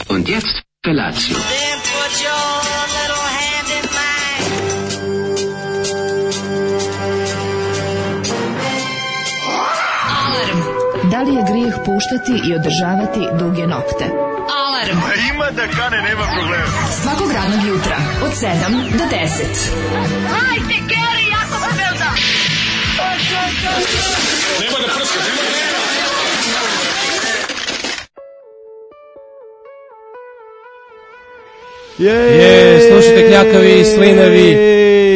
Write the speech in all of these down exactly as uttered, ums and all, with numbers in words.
Und jetzt Felatio. Then put your little hand in mine. Alarm. Da li je grijeh puštati i održavati duge nokte? Alarm. A ima da kane, nema problema. Svakog radnog jutra od sedam do deset. Hajde, Geri, jako se velda. Nema da prska, nema da... Je, slušajte kljakavi, slinavi,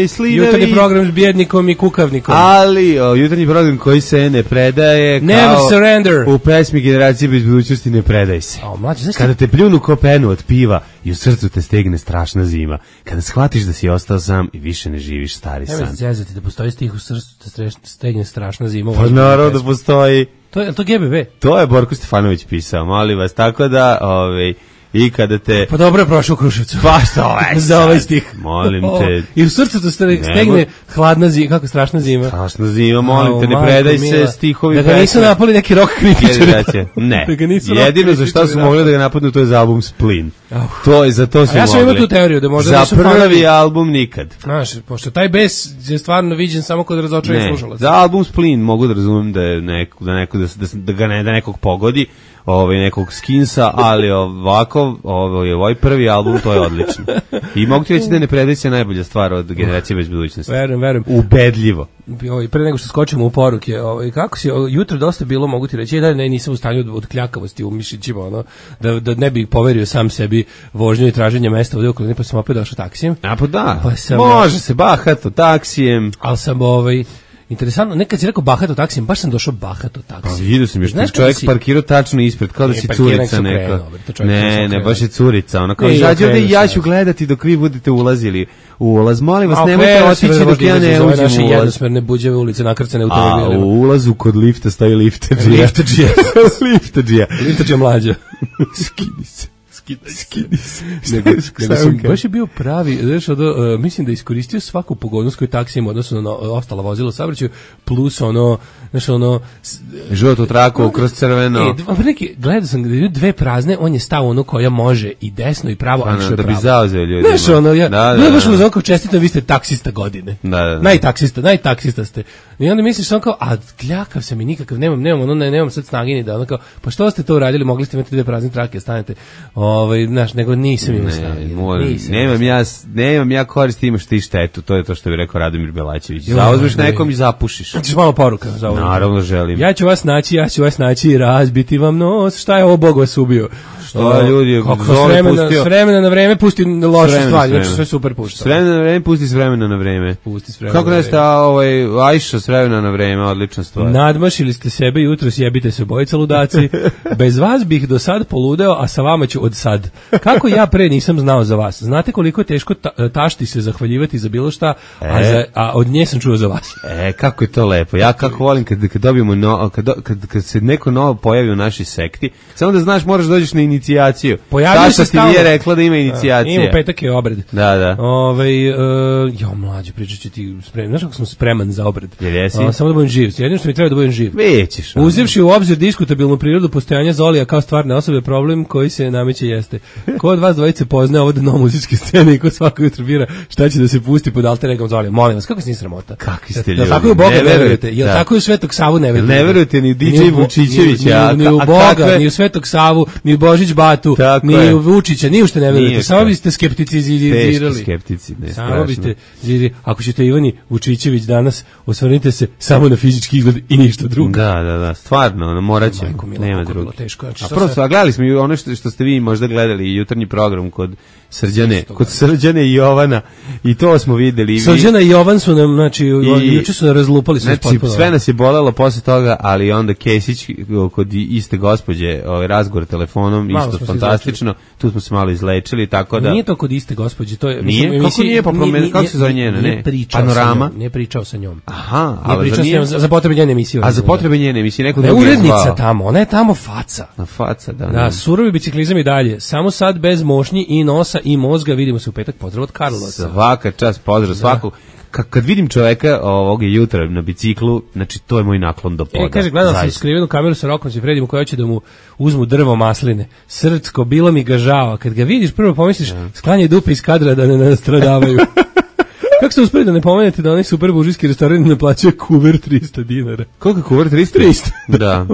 slinavi, jutarnji program s bjednikom i kukavnikom. Ali, o, jutarnji program koji se ne predaje, Never kao surrender. U pesmi Generacije bez budućnosti ne predaj se. O, mlađe, znaš Kada te pljunu ko penu od piva i u srcu te stegne strašna zima. Kada shvatiš da si ostao sam i više ne živiš stari Nema san. se zezati da postoji stih u srcu te streš, stegne strašna zima. Pa naravno da postoji. To je to G B V. To je Borko Stefanović pisao, molim vas, tako da, ovaj, i kada te... Pa dobro je prošao u Kruševcu. Pa što ovaj za ovaj stih. Molim te. I u srcu te stegne hladna zima, kako strašna zima. Strašna zima, molim Au, te, ne majko predaj mila. se stihovi Da ga nisu pesme. napali neki rock kritičari. Ne, Da ga nisu jedino rock za šta su kritičari. mogli da ga napadnu, to je za album Splin. Au. To je, za to su A ja sam mogli. imao tu teoriju da možda za nisu prvi fanovi. album nikad. Znaš, pošto taj bes je stvarno viđen samo kod razočaranih Ne, slušalaca. za album Splin mogu da razumem da je neko, da neko da, se- da, se- da ga ne da nekog pogodi, ovaj nekog skinsa, ali ovako, ovaj ovaj prvi album, to je odlično. I mogu ti reći da ne predaj se najbolja stvar od Generacije bez budućnosti. Verujem, verujem. Ubedljivo. Ovaj, pre nego što skočimo u poruke, ovaj, kako si, ovaj, jutro dosta bilo, mogu ti reći, da ne, nisam u stanju od, od kljakavosti u mišićima, ono, da, da ne bih poverio sam sebi vožnju i traženje mesta ovdje okolini, pa sam opet došao taksijem. A pa da, Pa sam- može se bahato taksijem. Ali sam, ovaj, interesantno, nekad si rekao bahato taksijem, baš sam došao bahato Pa taksijem. vidio sam još Znaš čovjek kada si- parkirao tačno ispred, kao da E, si parkiranje curica su neka. krenuo, bre, to čovjek Ne, sam ne, krenuo. baš je curica. Ono kao, Ne, ja izađi ovde i krenuo ja sam. ću gledati dok vi budete ulazili u ulaz. Molim vas, A, nemojte okrenuo otići se, dok ja ne ove uđem naše u ulaz. jednosmerne buđave ulice nakrcane A automobilima. u ulazu kod lifta stoji liftadžija. Liftadžija. Liftadžija. Liftadžija mlađa. Skini se. Skini se. Nego, nego sam, baš je bio pravi, znaš, ono, uh, mislim da je iskoristio svaku pogodnost koju taksi ima odnosno na ostala vozila u saobraćaju, plus ono, znaš, ono... s- Žutu traku kroz crveno. E, dva, neki, gledao sam gde dve prazne, on je stao ono koja može i desno i pravo, a Ano, što je da bi pravo. zauzeo ljudima. Znaš, ono, ja, Da, da, bilo je baš da. ono kao čestito, vi ste taksista godine. Da, da, da. Najtaksista, najtaksista ste. I onda misliš samo kao, a kljakav sam i nikakav, nemam, nemam, ono, ne, nemam sad snage ni da, ono kao, pa što ste to uradili, mogli ste imati dve prazne trake, stanete, ovaj, znaš, nego nisam imao snage. Ne, moram, nisam nemam imao ja, nemam ja korist, imaš ti štetu, to je to što bi rekao Radomir Belačević. Joj, Zauzmeš ne. nekom i zapušiš. Hoćeš malo poruka za ovo? Naravno želim. Ja ću vas naći, ja ću vas naći i razbiti vam nos. Šta je ovo, Bog vas ubio? Što ljudi, kako Zoli s vremena, pustio- s vremena na vreme pusti loše S vremena, stvari, s znači vremena. sve super pušta. S vremena na vreme, pusti s vremena na vreme. Pusti s vremena Kako na ne ste, vreme. a, ovaj, Ajša s vremena na vreme, odlična stvar. Nadmašili ste sebe, jutro sjebite se obojica ludaci. Bez vas bih do sad poludeo, a sa vama ću od sad. Kako ja pre nisam znao za vas? Znate koliko je teško ta, tašti se zahvaljivati za bilo šta, a, E. za, a od nje sam čuo za vas. E, kako je to lepo. Ja kako volim kad, kad dobijemo no, kad, do- kad, kad se neko novo pojavi u našoj sekti, samo da znaš moraš dođeš na inicijaciju. Pojavio Tašta se ti nije stalno. rekla da ima inicijacija. Ima u petak je obred. Da, da. Ovaj uh, jo mlađe, pričat ću ti spremno. Znaš kako sam spreman za obred? Jel jesi? A, samo da budem živ. Jedino što mi treba da budem živ. Većeš. ono. Uzevši u obzir diskutabilnu prirodu postojanja Zolija kao stvarne osobe, problem koji se nameće jeste. Ko od vas dvojice poznaje ovo dno muzičke scene i ko svako jutro bira šta će da se pusti pod alter egom Zolija? Molim vas, kako se nije sramota? Kakvi ste Jel ljudi? tako i u Boga Ne ne verujete, verujete? Jel da. tako i u Svetog Savu ne verujete? Ne verujete ni D J Ni u Bo- Vučićevića, ni, ni, a- ni u a Boga, kakve- ni u Svetog Savu, ni u Božić Batu, Tako ni je. u Vučića, ni u što ne verujete. Nije Samo što. biste skepticizirali. Teški skeptici, ne, Samo strašno. biste ziri, ako ćete Ivani Vučićević danas, osvrnite se samo na fizički izgled i ništa drugo. Da, da, da, stvarno, ono, morat će, Majko mila, nema kako je bilo drugo. teško, znači, A šta prvo, se- a gledali smo i ono što, što ste vi možda gledali, jutarnji program kod Srđane, kod Srđane i Jovana, i to smo videli. i vi- Srđana i Jovan su nam, znači, I- juče su nam razlupali sve Znači, potpuno. sve nas je bolelo posle toga, ali onda Kesić kod iste gospođe, ovaj razgovor telefonom, Malo isto smo se fantastično, tu smo se malo izlečili, tako da... Nije to kod iste gospođe, to je... Nije? mislim, Kako emisiji- nije? Pa promeni- kako se zove njena, Nije ne? pričao Panorama? sa njom, nije pričao sa njom. Aha, Nije ali pričao za sa nije... njom za, za potrebe njene emisije. A za potrebe njene emisije, neko Ne, drugi je urednica zvao. tamo, ona je tamo faca. Na faca, da. Da, surovi biciklizam i dalje. Samo sad bez mošnji i nosa i mozga. Vidimo se u petak. Pozdrav od Karlosa. Svaka čast, pozdrav svakog. kad, kad vidim čoveka ovog jutra na biciklu, znači to je moj naklon do poda. E, kaže, gledao sam skrivenu kameru sa Rokom Sifredijem koja hoće da mu uzmu drvo masline. Srcko, bilo mi ga žao. Kad ga vidiš, prvo pomisliš, sklanjaj dupe iz kadra da ne nastradavaju. Kako ste uspeli da ne pomenete da onaj super buržijski restoran ne plaćaju kuver trista dinara? Koliko je kuver trista? trista. Da.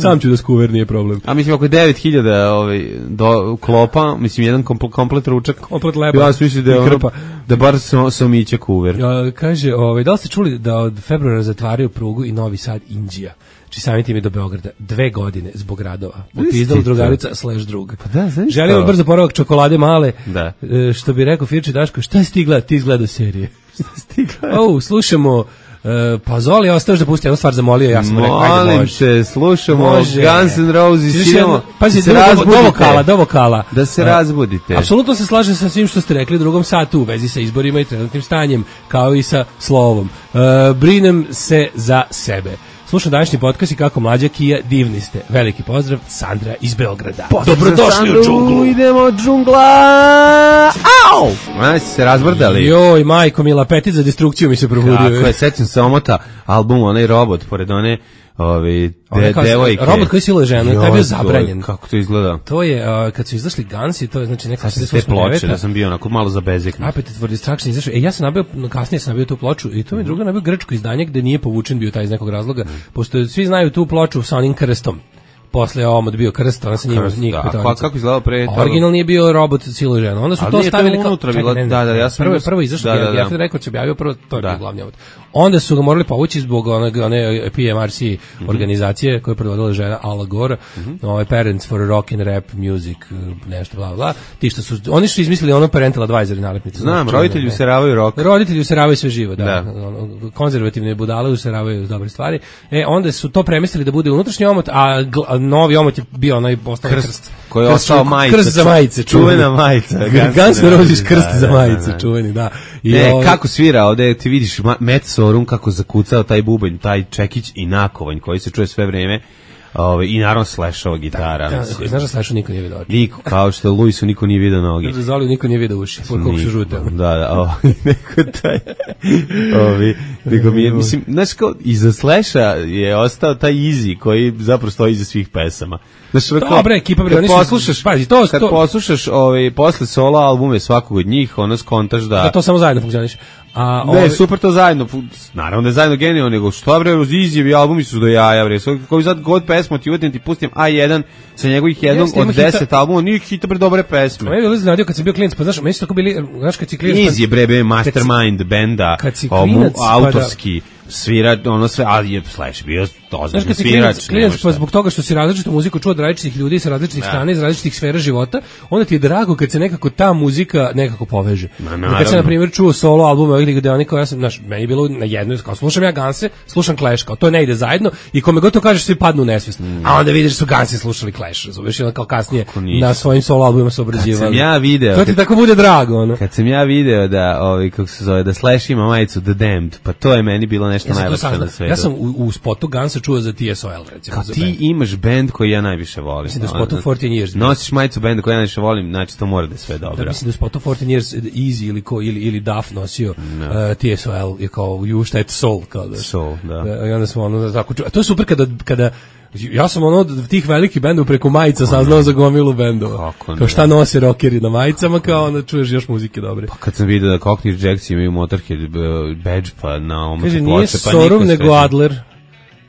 Sam ću da skuver, nije problem. A mislim, ako je devet hiljada ovaj, do klopa, mislim, jedan kompl, komplet ručak. Komplet leba. Ja sam mislim da je ono, da bar sam, sam iće kuver. Ja, kaže, ovaj, da li ste čuli da od februara zatvaraju prugu i Novi Sad Inđija? Či sami tim je do Beograda. Dve godine zbog radova. Popizdala drugarica slash drug. Pa da, znaš želimo to? brzo poravak čokolade male. Da. E, što bi rekao Firči Daško, šta si ti gleda? Ti izgleda serije. Šta si ti gleda? O, slušamo Uh, pa Zoli, ostaš da pusti jednu stvar, zamolio, ja sam rekao, ajde, može. Molim te, slušamo može. Guns N' Roses, idemo, pazi, se do, razbudite. do vokala, do vokala. Da se uh, razbudite. Apsolutno se slažem sa svim što ste rekli u drugom satu u vezi sa izborima i trenutnim stanjem, kao i sa slovom. Uh, brinem se za sebe. Slušam današnji podcast i kako mlađa Kija, divni ste. Veliki pozdrav, Sandra iz Beograda. Pozdrav dobrodošli u džunglu. Idemo džungla. Au! Ona si se razbrdali. Joj, majko mila, petit za destrukciju mi se probudio. Kako je, sećam se omota album, onaj robot, pored one ovi de, devojke. Robot koji siluje ženu, taj je bio zabranjen. Kako to izgleda? To je, uh, kad su izašli Gansi, to je znači neka se te ploče, da sam bio onako malo za bezekno. Appetite for Destruction izašao. E, ja sam nabio, kasnije sam nabio tu ploču i to mi druga nabio grčko izdanje gde nije povučen bio taj iz nekog razloga, mm. pošto svi znaju tu ploču sa onim krstom. Posle omot bio krst, ona se njima njih da, kako izgledao pre toga? Originalni je bio robot siluje ženu. Onda su ali to stavili kao unutra bila, da, da, ja sam prvo prvo izašao, da, da, da. ja sam rekao će objavio prvo to je da. Glavni omot. Onda su ga morali povući zbog one, one P M R C mm-hmm. organizacije koja je predvodila žena Al Gore, mm-hmm. ovaj Parents for Rock and Rap Music, nešto bla bla. Ti što su oni su izmislili ono parental advisory nalepnicu. Znam, roditelji useravaju rock. Roditelji useravaju sve živo, da. da. Konzervativne budale useravaju dobre stvari. E onda su to premestili da bude unutrašnji omot, a, gl, a novi omot je bio onaj ostao krst, krst koji je ostao majica, krst za majice, čuvena majica, Guns N' Roses krst za majice, čuveni, da. I ne, ovo... kako svira, ovde ti vidiš Matt Sorum kako zakucao taj bubanj, taj čekić i nakovanj koji se čuje sve vreme. Ove, i naravno Slashova gitara. Da, da, znaš da Slashu niko nije vidio oči? Niko, kao što Luisu niko nije vidio noge. Znaš da Zoliju niko nije vidio uši, koliko su žute. Da, da, o, neko taj, ovi, nego mi je, mislim, znaš kao, iza Slasha je ostao taj Easy koji zapravo stoji iza svih pesama. Znaš, dobre, ekipa, bre, kad poslušaš, pazi, to, kad to, poslušaš ovaj, posle solo albume svakog od njih, ono skontaš da... Da to samo zajedno funkcioniš. A, ne, ove... super to zajedno, naravno da je zajedno genijalno, nego što bre, Easyjevi albumi su do jaja, bre, koji sad god pesmu ti uvetim, ti pustim A jedan sa njegovih jednog od deset albuma, nije hita bre dobre pesme. Me je bilo iznenadio kad sam bio klinac, pa znaš, meni su tako bili, znaš kad si klinac... Easy bre, bre, Mastermind benda, autorski, svira, ono sve, ali je Slash bio ozbiljno svirač. Klinac, pa zbog toga što si različitu muziku čuo od različitih ljudi sa različitih strana, iz različitih sfera života, onda ti je drago kad se nekako ta muzika nekako poveže. Ma, kad sam, na primjer, čuo solo albume ovih Ligadeonika, ja sam, znaš, meni je bilo na jednoj, kao slušam ja Ganse, slušam Clash, kao to ne ide zajedno i kome god to kažeš svi padnu u nesvijest. Mm. A onda vidiš da su Gansi slušali Clash, razumiješ, i onda kao kasnije na svojim solo albumima se obrađivali. Kad sam ja video... To ti tako bude drago, ono. Kad sam ja video da, ovaj, kako se zove, da Slash ima majicu The Damned, pa to je meni bilo nešto ja najlepše na svetu. Ja sam u, u spotu Gansa čuo za T S O L, recimo. Kao ti imaš bend koji ja najviše volim. Mislim da u spotu četrnaest years. Nosiš majicu benda koji ja najviše volim, znači to mora da je sve dobro. Da, mislim da u spotu četrnaest years Easy ili, ko, ili, ili Duff nosio no. uh, T S O L je kao you šta je Soul. Kao da, Soul, da. da. I onda smo ono tako čuo. A to je super kada, kada ja sam ono od tih velikih bendova preko majica saznao za gomilu bendova. Kao šta nose rockeri na majicama, kao onda čuješ još muzike dobre. Pa kad sam vidio da Cockney Jacks imaju Motorhead badge pa na ovom ploče, pa nije Sorum nego Adler.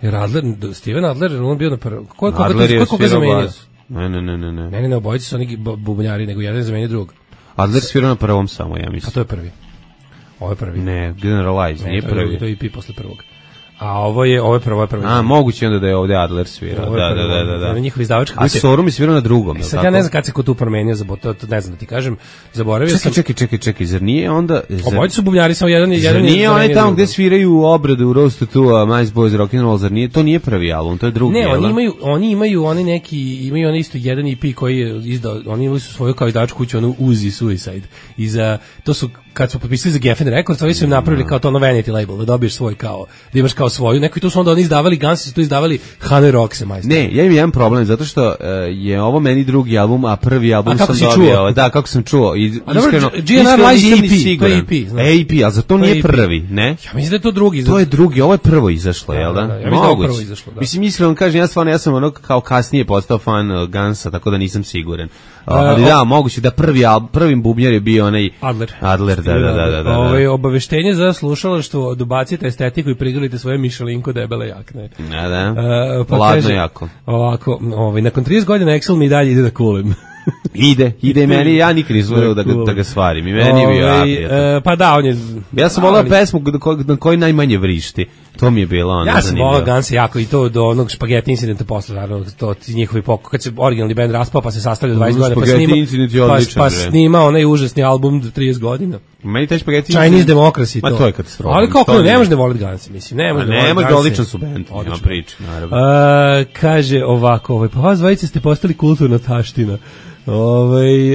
Jer Adler, Steven Adler, on bio na prvo. Ko je koga zamenio? Ne, ne, ne, ne. Ne, ne, ne, obojice su oni bubnjari, nego jedan zamenio drugog. Adler svirao na prvom samo, ja mislim. A to je prvi. Ovo je prvi. Ne, Generalize, nije prvi. To je E P posle prvog. A ovo je, ovo je prvo, ovo je prvo. A, moguće onda da je ovde Adler svirao. Da, da, da, da, da. Ovo je njihov izdavačka kuća. A Sorum je svirao na drugom, e, sad ja ne znam kad se ko tu promenio, to, to ne znam da ti kažem. Zaboravio čekaj, sam. Čekaj, čekaj, čekaj, zar nije onda... Zar... Obojice su bubnjari, samo jedan je... Zar nije onaj tamo gde sviraju obradu u Roastu tu, a Mice Boys Rock'n'Roll, zar nije? To nije prvi album, to je drugi. Ne, oni imaju, oni imaju oni neki, imaju oni isto jedan E P koji je izdao, oni imali su svoju kao izdavačku kuću, onu Uzi Suicide. I za, to su, kad su potpisali za Geffen Records, oni su im napravili kao to ono vanity label, da dobiješ svoj kao, da imaš kao kao svoju, neko i tu su onda oni izdavali, Gansi su tu izdavali Hanoi Rockse, majstor. Ne, ja imam jedan problem, zato što uh, je ovo meni drugi album, a prvi album A kako sam si dobio. čuo? Da, kako sam čuo. I, A dobro, iskreno, G N R iskreno Live nisam je ni E P, siguran. to je E P, znaš. E P, ali za to To je nije E P. prvi, ne? Ja mislim da je to drugi. To je drugi, ovo je prvo izašlo, Da, jel da? da, da, ja mislim da je ovo Moguće. prvo izašlo, da. Mislim, iskreno kažem, ja stvarno, ja sam ono kao kasnije postao fan uh, Gansa, tako da nisam siguran. Uh, ali o- da, moguće da prvi al- prvim bubnjar je bio onaj Adler. Adler, da, da, da, da, da, da. Ovaj, obaveštenje za slušalaštvo, dobacite estetiku i prigrlite svoje mišelinko debele jakne. Da, da. Uh, pa Ladno kaže, jako. Ovako, ovaj, nakon trideset godina Excel mi i dalje ide da kulem. Ide, ide i meni, ja nikad nisam volio da, ga- da ga svarim. I meni je bio Ovaj, jako. e, pa da, on je... Ja sam volao ali- pesmu na koj, na kojoj najmanje vrišti. To mi je bilo ono Ja sam zanimljivo. volao Ganse jako i to do onog špageti incidenta posle, naravno, to ti njihovi pokoj, kad se originalni band raspao pa se sastavljao dvadeset godina, pa Spaghetti snima, Incident je pa, odličan pa band. snima onaj užasni album trideset godina. Meni taj špageti... Chinese Democracy Ma to. to je katastrofa. Ali kako To ne nije. možeš da voliti Ganse, mislim, ne Ma možeš da ne, voliti možda Ganse. odličan su band, nema Odličan. priče, naravno. A, kaže ovako, ovaj, pa vas dvojice ste postali kulturna taština. Ovaj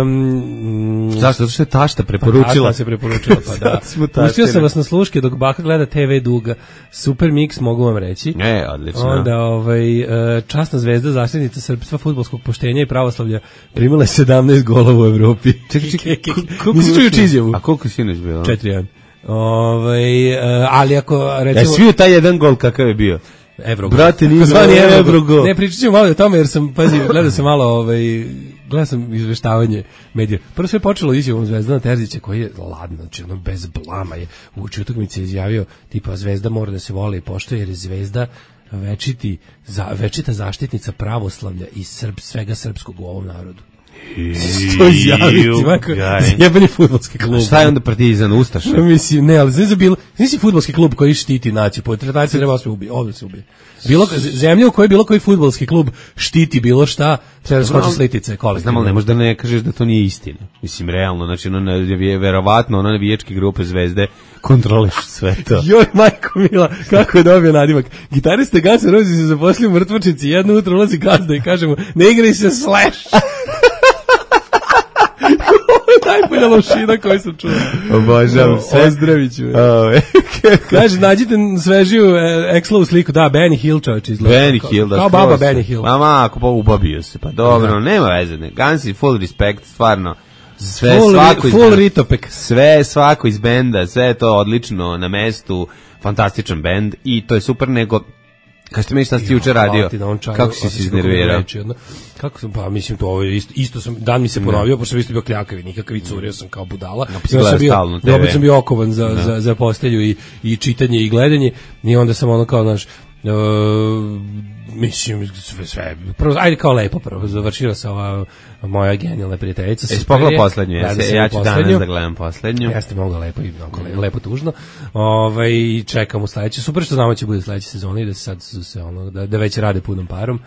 um, Zašto? Zato što je tašta preporučila. Pa, se preporučila, pa da. Sad smo Pustio taštine. sam vas na sluške dok baka gleda te ve Duga. Super mix, mogu vam reći. E, odlično. Onda ovaj, e, časna zvezda, zaštitnica srpstva, fudbalskog poštenja i pravoslavlja primila je sedamnaest golova u Evropi. Čekaj, čekaj, Nisi čuo juče izjavu? A koliko si sinoć bilo? četiri jedan. Ovaj, e, ali ako E, recimo... svi u taj jedan gol kakav je bio. Evrogol. Brate, nije Takozvani bilo Evrogol. Evrogol. Ne, pričat ćemo malo o tome jer sam, pazi, gledao sam malo, ovaj, gledao sam izveštavanje medija. Prvo sve je počelo izjavom Zvezdana Terzića koji je ladno, znači ono bez blama je u utakmici izjavio tipa Zvezda mora da se voli i poštuje jer je Zvezda večiti, za, večita zaštitnica pravoslavlja i srb, svega srpskog u ovom narodu. To izjaviti, ovako, jebeni fudbalski klub. Šta je onda Partizan, Ustaša? Pa mislim, ne, ali znaš za bilo, nisi fudbalski klub koji štiti naciju, po naciju treba se ubije, ovdje se ubije. Bilo, zemlja u kojoj bilo koji fudbalski klub štiti bilo šta, treba da skoči s litice, kolektivno. Znam, ali ne možda ne kažeš da to nije istina. Mislim, realno, znači, ono, je verovatno, ono, navijačke grupe Zvezde kontrolišu sve to. Joj, majko mila, kako je dobio nadimak. Gitariste Guns N' Roses se zaposlio u mrtvačici, jedno jutro ulazi gazda i kaže mu, ne igraj se Slash. Najbolja lošina koju sam čuo. Obožavam sve. Ozdravit ću. Kaže, nađite svežiju Excel-u sliku. Da, Benny Hill čovječ izgleda. Benny Hill, da. Kao baba Benny Hill. Ma, ma, ako pa ubabio se, pa dobro, da. Nema veze. Ne. Gansi, full respect, stvarno. Sve, full, svako full iz ritopek. Sve, svako iz benda, sve je to odlično na mestu, fantastičan bend i to je super, nego kad ste meni šta si juče radio, kako si se iznervirao? Kako sam, pa mislim to ovo je isto, isto sam, dan mi se ponovio, pošto sam isto bio kljakavi, nikakav i curio sam kao budala. Ja sam bio, dobro sam bio okovan za, da. za, za postelju i, i čitanje i gledanje i onda sam ono kao, znaš, uh, mislim, sve, sve, prvo, ajde kao lepo prvo, završila se ova moja genijalna prijateljica. Jesi pogledao poslednju, ja, se, ja ću danas da gledam poslednju. Jeste mogla lepo i mm. lepo tužno. Ovaj čekam u sledeće, super što znamo da će bude sledeća sezona i da se sad se ono da, da već rade punom parom.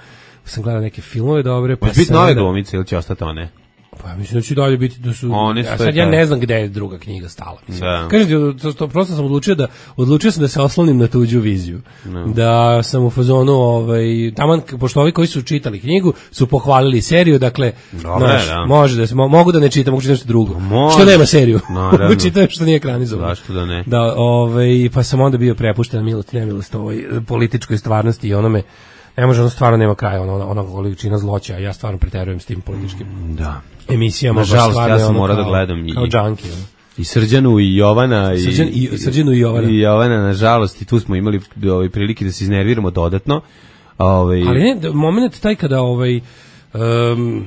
Sam gledao neke filmove dobre, pa biti nove glumice ili će ostati one? Pa mislim da će dalje biti da su Oni ja, sad ja ne znam gde je druga knjiga stala. Da. Kažem ti, to, to prosto sam odlučio da odlučio sam da se oslonim na tuđu viziju. No. Da sam u fazonu ovaj taman pošto ovi koji su čitali knjigu su pohvalili seriju, dakle Dobre, naš, da. može da se mogu da ne čitam, mogu čitati nešto drugo. Može. Što nema seriju. Naravno. Čitam što nije ekranizovano. Zašto da ne? Da, ovaj pa sam onda bio prepušten milost, nemilost ovoj političkoj stvarnosti i onome ne može, ono stvarno nema kraja, ono, ono količina zloća, ja stvarno preterujem s tim političkim da. emisijama. Nažalost, ja sam morao da gledam i, kao junkie, ono. i Srđanu i Jovana. I, Srđan, i, Srđanu i Jovana. I Jovana, nažalost, i tu smo imali ovaj, prilike da se iznerviramo dodatno. Ovaj, Ali ne, moment taj kada ovaj... Um,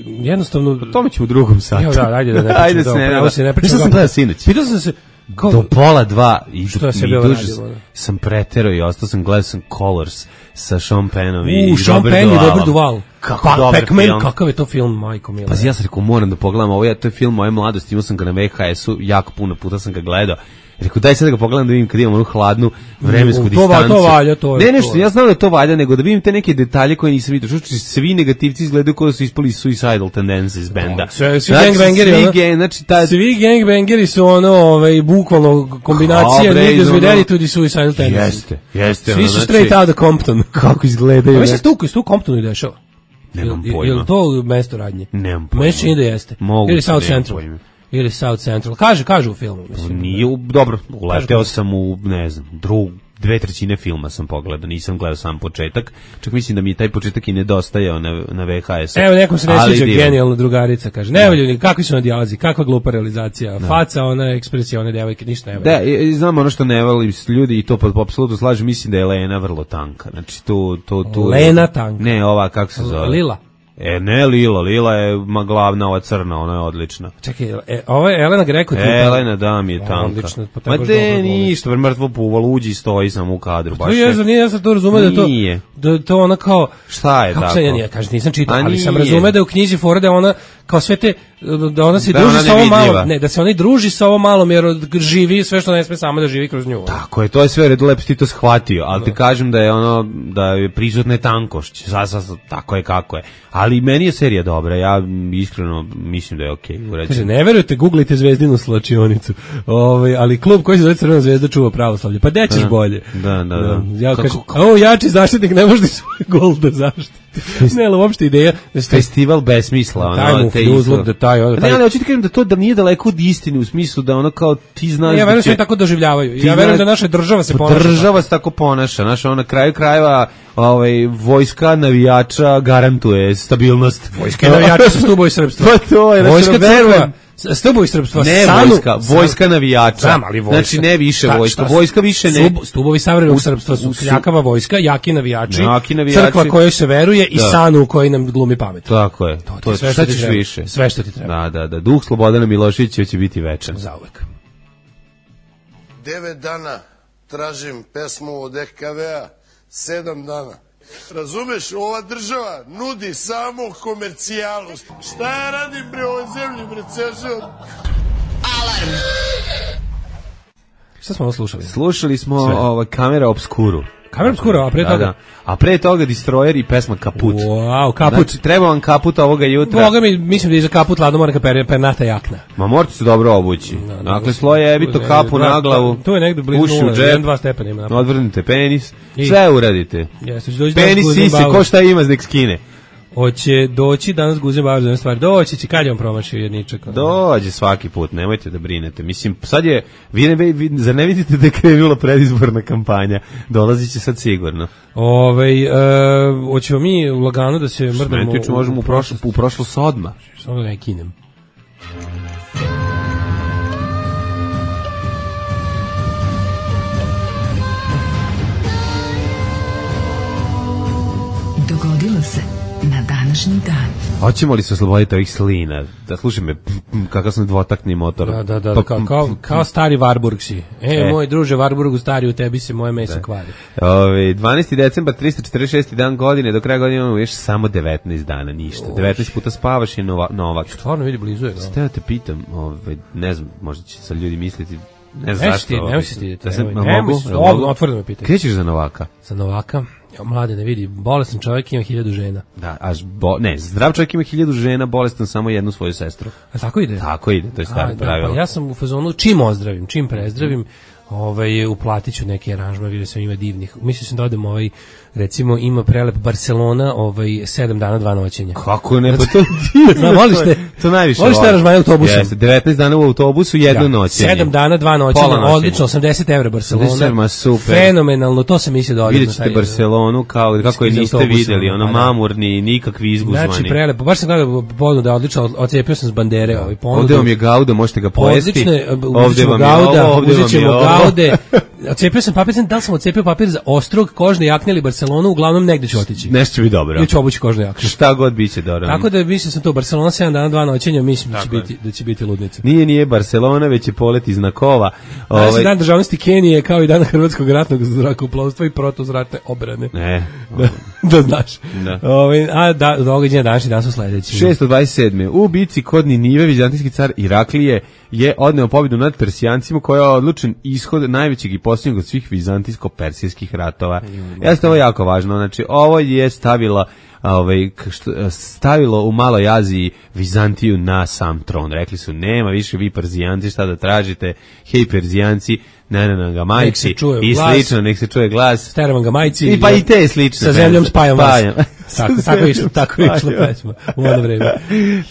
jednostavno... Po tome ćemo u drugom satu. Evo da, ajde da ne pričamo. Ajde se ne, da, se ne pričamo. Što sam gledao sinoć? Pitao sam se... Kao, do pola dva i što se bilo radio, sam preterao i ostao sam gledao sam Colors sa Sean Pennom i U, Sean Penn i Robert Duvall. Kako pa, dobar Pac-Man, film. kakav je to film, majko mila. Pa ja sam rekao, moram da pogledam ovo, ja, to je film moje mladosti, imao sam ga na V H S-u, jako puno puta sam ga gledao. Rekao, daj sad da ga pogledam da vidim kad imam onu hladnu vremensku to distancu. To valja, to je. Ne, nešto, ja znam da je to valja, nego da vidim te neke detalje koje nisam vidio. Što svi negativci izgledaju kao da su ispali suicidal tendencies benda. Sve, svi znači, gangbangeri, svi ono, gang, znači, ta... svi gangbangeri su ono, ovaj, bukvalno kombinacija niggas with attitude i suicidal tendencies. Jeste, jeste. Svi ono, su znači, straight out of Compton. Kako izgledaju. A mislim, tu, tu Comptonu i dešava. Nemam je, pojma. Je li to mesto radnje? Nemam pojma. Meni čini da jeste. Mogu ili South nemam Central. Pojma. ili South Central. Kaže, kaže u filmu, mislim. Nije, u, dobro, uleteo sam u, ne znam, drugu, dve trećine filma sam pogledao, nisam gledao sam početak, čak mislim da mi je taj početak i nedostajao na, na V H S. Evo, nekom se ne sviđa genijalna drugarica, kaže, ne volju, kakvi su na dijalazi, kakva glupa realizacija, da. Faca, ona ekspresija, one devojke, ništa ne volju. Da, i, znam ono što ne volim ljudi i to po, po apsolutno slažem, mislim da je Lena vrlo tanka, znači tu... tu, tu Lena tanka? Ne, ova, kako se zove? Lila? E, ne Lila, Lila je ma glavna, ova crna, ona je odlična. Čekaj, e, ovo je Elena Greco. E, Elena, da, mi je tanka. Odlično, pa ma de, ništa, mrtvo puvalo, uđi i stoji sam u kadru. To je, za nije, ja sam to razumeo da to, da to ona kao... Šta je kako tako? Sam, ja nije, kažem, nisam čitao, ali sam razumeo da je u knjizi fora da ona, kao sve te, da ona se da druži ona sa ovo malo, ne, da se ona i druži sa ovo malom, jer živi sve što ne sme sama da živi kroz nju. Tako je, to je sve redu, lepo ti to shvatio, ali no. ti kažem da je ono, da je prisutne tankošć, sa, sa, tako je kako je. Ali meni je serija dobra, ja iskreno mislim da je okej. Okay, kaže, ne verujete, googlajte Zvezdinu slačionicu, Ove, ali klub koji se zove Crvena zvezda čuva pravoslavlje, pa dećeš da, bolje. Da, da, da. da. Ja kažem, o, jači zaštitnik ne može svoj gol da zaštiti. Ne, ali uopšte ideja... Festival besmisla, ono, taj te uzlog, da taj, ono, taj... Ne, ali hoću ti kažem da to da nije daleko od istine, u smislu da ono kao ti znaš... Ne, ja verujem da će... se tako doživljavaju. Ja verujem da naša država se ponaša. Država se tako ponaša, znaš, ono, na kraju krajeva ovaj, vojska navijača garantuje stabilnost. Vojska navijača su stubovi srpstva. Pa to je, vojska crkva. Stubovi srpstva. Ne sanu, vojska, vojska navijača. Sam, ali vojska. Znači ne više Ta, vojska, šta, vojska više ne. Stubovi savremenog srpstva su kljakava vojska, jaki navijači, jaki navijači, crkva kojoj se veruje i da. Sanu u kojoj nam glumi pamet. Tako je. To, to je sve šta što ćeš više. Sve što ti treba. Da, da, da. Duh Slobodana Miloševića će biti večan. Zauvek. Devet dana tražim pesmu od E K V-a, sedam dana. Razumeš, ova država nudi samo komercijalu. Šta ja radim pri ovoj zemlji, bre, ceo život? Alarm! Šta smo ovo slušali? Slušali smo ova Kamera Obskuru. Kamera Obskura, a pre toga? Da, da. A pre toga Destroyer i pesma Kaput. Wow, Kaput. Znači, treba vam kaput ovoga jutra. Boga mi, mislim da je za kaput ladno mora per, pernata jakna. Ma morate se dobro obući. No, no, dakle, sloje ebito kapu na glavu. To je negde blizu nula, jedan dva stepena ima. Odvrnite penis, I, sve uradite. Jeste, penis sise, ko šta ima nek skine. Hoće doći danas Guzen Bauer za jednu stvar. Doći će, kad je on promašio jedničak? Dođe svaki put, nemojte da brinete. Mislim, sad je, vi ne, vi, zar ne vidite da je krenula predizborna kampanja? Dolazit će sad sigurno. Ove, e, hoćemo mi u laganu da se mrdamo... Smetiću, možemo u prošlo, u prošlo sodma. Samo da ne kinem. Dogodilo se na današnji dan. Hoćemo li se osloboditi ovih slina? Da slušaj me, kakav sam dvotakni motor. Da, da, da, pa, kao, kao, kao stari Warburg si. E, e, moj druže, Warburgu stari, u tebi se moje meso da. Kvari. Ove, dvanaesti decembar, tristo četrdeset šesti dan godine, do kraja godine imamo još samo devetnaest dana, ništa. Oš. devetnaest puta spavaš i nova, novak. Stvarno vidi blizu je. Ste da te pitam, ove, ne znam, možda će sad ljudi misliti, ne znam zašto. Nemoj se stiditi. Da se mogu? Otvoreno me pitaj. Krećeš za novaka? Za novaka? Ja, mlade, ne vidi, bolestan čovjek ima hiljadu žena. Da, a bo, ne, zdrav čovjek ima hiljadu žena, bolestan samo jednu svoju sestru. A tako ide? Tako ide, to je staro pravilo. Da, pa ja sam u fazonu, čim ozdravim, čim prezdravim, ovaj, uplatit ću neke aranžma, vidio sam ima divnih. Mislio sam da odem ovaj, recimo ima prelep Barcelona, ovaj sedam dana dva noćenja. Kako ne, pa to Znam, voliš te? To najviše. Voliš te aranžmane autobusom? Jeste, devetnaest dana u autobusu, jedno ja, noćenje. sedam dana dva noćenja, odlično, osamdeset evra Barcelona. Super. Fenomenalno, to sam mislio da odem. Vidjet ćete Barcelonu kao kako je niste videli, ono mamurni, nikakvi izguzvani. Znači prelepo, baš sam gledao ponudu da je odlično, ocijepio sam s bandere ovaj ponudu. Ovde vam je Gauda, možete ga pojesti. Ovde vam je Gauda, uzet ćemo Gaude. Ocijepio sam papir, da li sam ocijepio papir za Ostrog, kožne jakne ili Barcelonu, uglavnom negde ću otići. Nešto će biti dobro. Ili ću obući kožne jakne. Šta god biće dobro. Tako da mislim sam to Barcelona sedam dana dva noćenja, mislim da će biti da će biti ludnica. Nije nije Barcelona, već je polet iz Nakova. Ovaj ovaj dan državnosti Kenije kao i dan Hrvatskog ratnog zrakoplovstva i protuzratne obrane. Ne. da, da znaš. Da. Ovaj a da događaji današnji dan su sledeći. šesto dvadeset sedme U bici kod Ninive vizantijski car Iraklije je odneo pobjedu nad Persijancima koja je odlučen ishod najvećeg i posljednjeg od svih vizantijsko-persijskih ratova. Jeste ovo jako važno, znači ovo je stavila ovaj stavilo u Maloj Aziji Vizantiju na sam tron. Rekli su nema više vi Perzijanci šta da tražite, hej Perzijanci, ne ne ga majci i slično, nek se čuje glas. Steravan ga majci. I pa i te slično. Sa zemljom spajam vas. Tako, tako je išla, tako je išla pesma u ono vreme.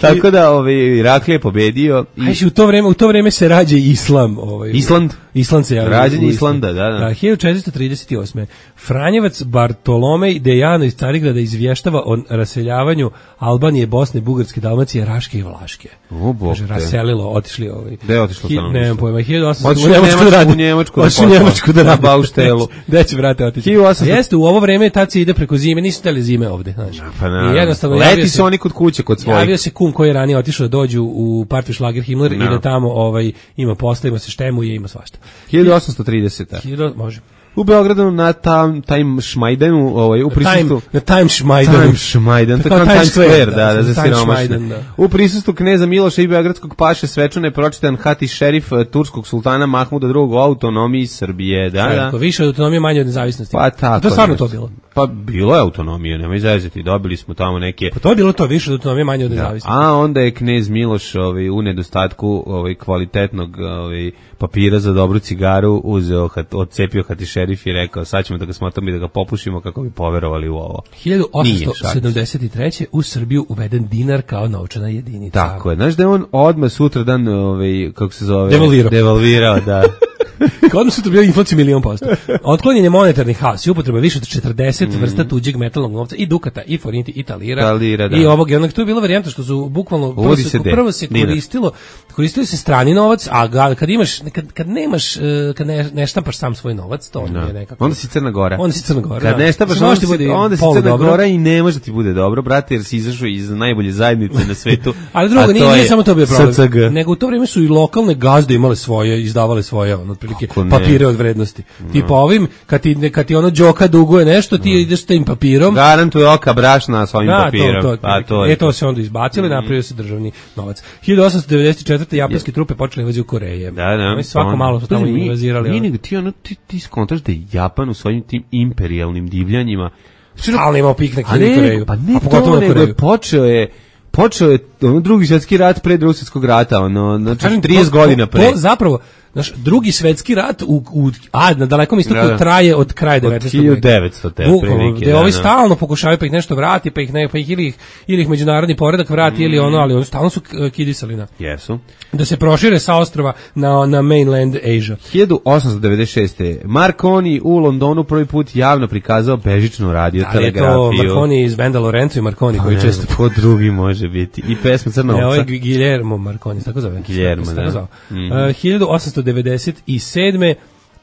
Tako da ovaj Iraklije pobedio i Ajde, u to vreme, u to vreme se rađa islam, ovaj. Island. Island se javlja. Rađenje Islanda, da, da. hiljadu četiristo trideset osme Franjevac Bartolomej Dejano iz Carigrada izvještava o raseljavanju Albanije, Bosne, Bugarske, Dalmacije, Raške i Vlaške. O, bog Kaže, te. raselilo, otišli ovaj. Gde je otišlo stanovništvo? Ne znam pojma, hiljadu osamsto Otišli u Njemačku da radi. u Njemačku da Otišli u posla. Njemačku da Na radi. bauštelu. Gde će, brate, otići? hiljadu osamsto A jeste, u ovo vreme tad se ide preko zime, nisu teli zime ovde, znači. Pa naravno. I jednostavno Leti javio su se- oni kod kuće, kod svojih. Javio se kum koji je ranije otišao da dođu u partiju Šlager Himmler i No. da tamo ovaj, ima posla, ima se štemuje, ima svašta. hiljadu osamsto trideseta Hiljadu, može. U Beogradu na tam Time Šmajdenu, ovaj u prisustvu Time, na Time Šmajdanu. Time Šmajdan, To tako kao Times Times Square, Square, da, da, za Time siromašne. Šmajdan, da. U prisustvu kneza Miloša i beogradskog paše svečano je pročitan hati šerif eh, turskog sultana Mahmuda drugog o autonomiji Srbije, da, da. Tako, više od autonomije, manje od nezavisnosti. Pa tako. To je stvarno nešto. to bilo. Pa bilo je autonomija, nemoj zezati, dobili smo tamo neke. Pa to je bilo to, više od autonomije, manje od nezavisnosti. A onda je knez Miloš ovaj, u nedostatku ovaj, kvalitetnog ovaj, papira za dobru cigaru uzeo, hat, odcepio hati šerif i rekao sad ćemo da ga smotamo i da ga popušimo kako bi poverovali u ovo. hiljadu Nije, osamsto sedamdeset treće u Srbiju uveden dinar kao novčana jedinica. Tako je, znaš da je on odmah sutradan, ovaj, kako se zove? Devalvirao. Devalvirao, da. Kao odmah sutra bio inflacija milion posto. Otklonjen je monetarni haos i upotreba više od četrdeset Mm. vrsta tuđeg metalnog novca i dukata, i forinti, i talira, Talira, da. i ovog. I onak tu je bila varijanta što su bukvalno prvo Uvodi se, se de- prvo se dinar. koristilo, koristilo se strani novac, a ga, kad imaš, kad, kad nemaš, eh, kad ne, ne štampaš sam svoj novac, to Da. je nekako. Onda si Crna Gora. Onda si Crna Gora, Kad da. ne štapaš, Mislim, onda, može ti si, bude onda si polu Crna dobro. Gora i ne može da ti bude dobro, brate, jer si izašao iz najbolje zajednice na svetu. Ali drugo, a nije, to nije je samo to bio problem. S C G. Nego u to vrijeme su i lokalne gazde imale svoje, izdavale svoje, ono, otprilike, Kako ne? papire od vrednosti. Tipa ovim, kad ti, kad ti ono đoka duguje nešto, ti ideš s tim papirom. Garantuje oka brašna sa ovim Da, papirom. to, to, Pa, to je e, to se onda izbacilo i napravio se državni novac. hiljadu osamsto devedeset četvrte japanske trupe počele invaziju Koreje. Da, da. Oni svako Pa, malo su tamo pazi, mi- invazirali. Mi ono. nego ti, ono, ti, ti skontaš da je Japan u svojim tim imperijalnim divljanjima. Stalno imao piknik A i ne, Koreju. pa ne A pogotovo to, na nego Koreju. je počeo je počeo je ono, drugi svjetski rat pre drugog svjetskog rata, ono, znači Kažem, trideset to- godina pre. To zapravo, znaš, drugi svetski rat u, u a na dalekom istoku Da, da. traje od kraja Od devetnaestog hiljadu veka. devetsto te Bukvalno, otprilike, gde da, ovi da. stalno pokušavaju pa ih nešto vrati, pa ih ne, pa ih ili ih, ili ih međunarodni poredak vrati ili ono, ali oni stalno su k- kidisali na Jesu. da se prošire sa ostrva na na mainland Asia. hiljadu osamsto devedeset šeste. Marconi u Londonu prvi put javno prikazao bežičnu radio Ali je to telegrafiju. Marconi iz benda Lorenzo i Marconi koji Ne često znam, ko drugi može biti. I pesma Crna Ne, ovo je ovca. Guillermo Marconi, tako zove. Guillermo, Se tako da. zvao. Mhm. Uh, hiljadu osamsto devedeset sedme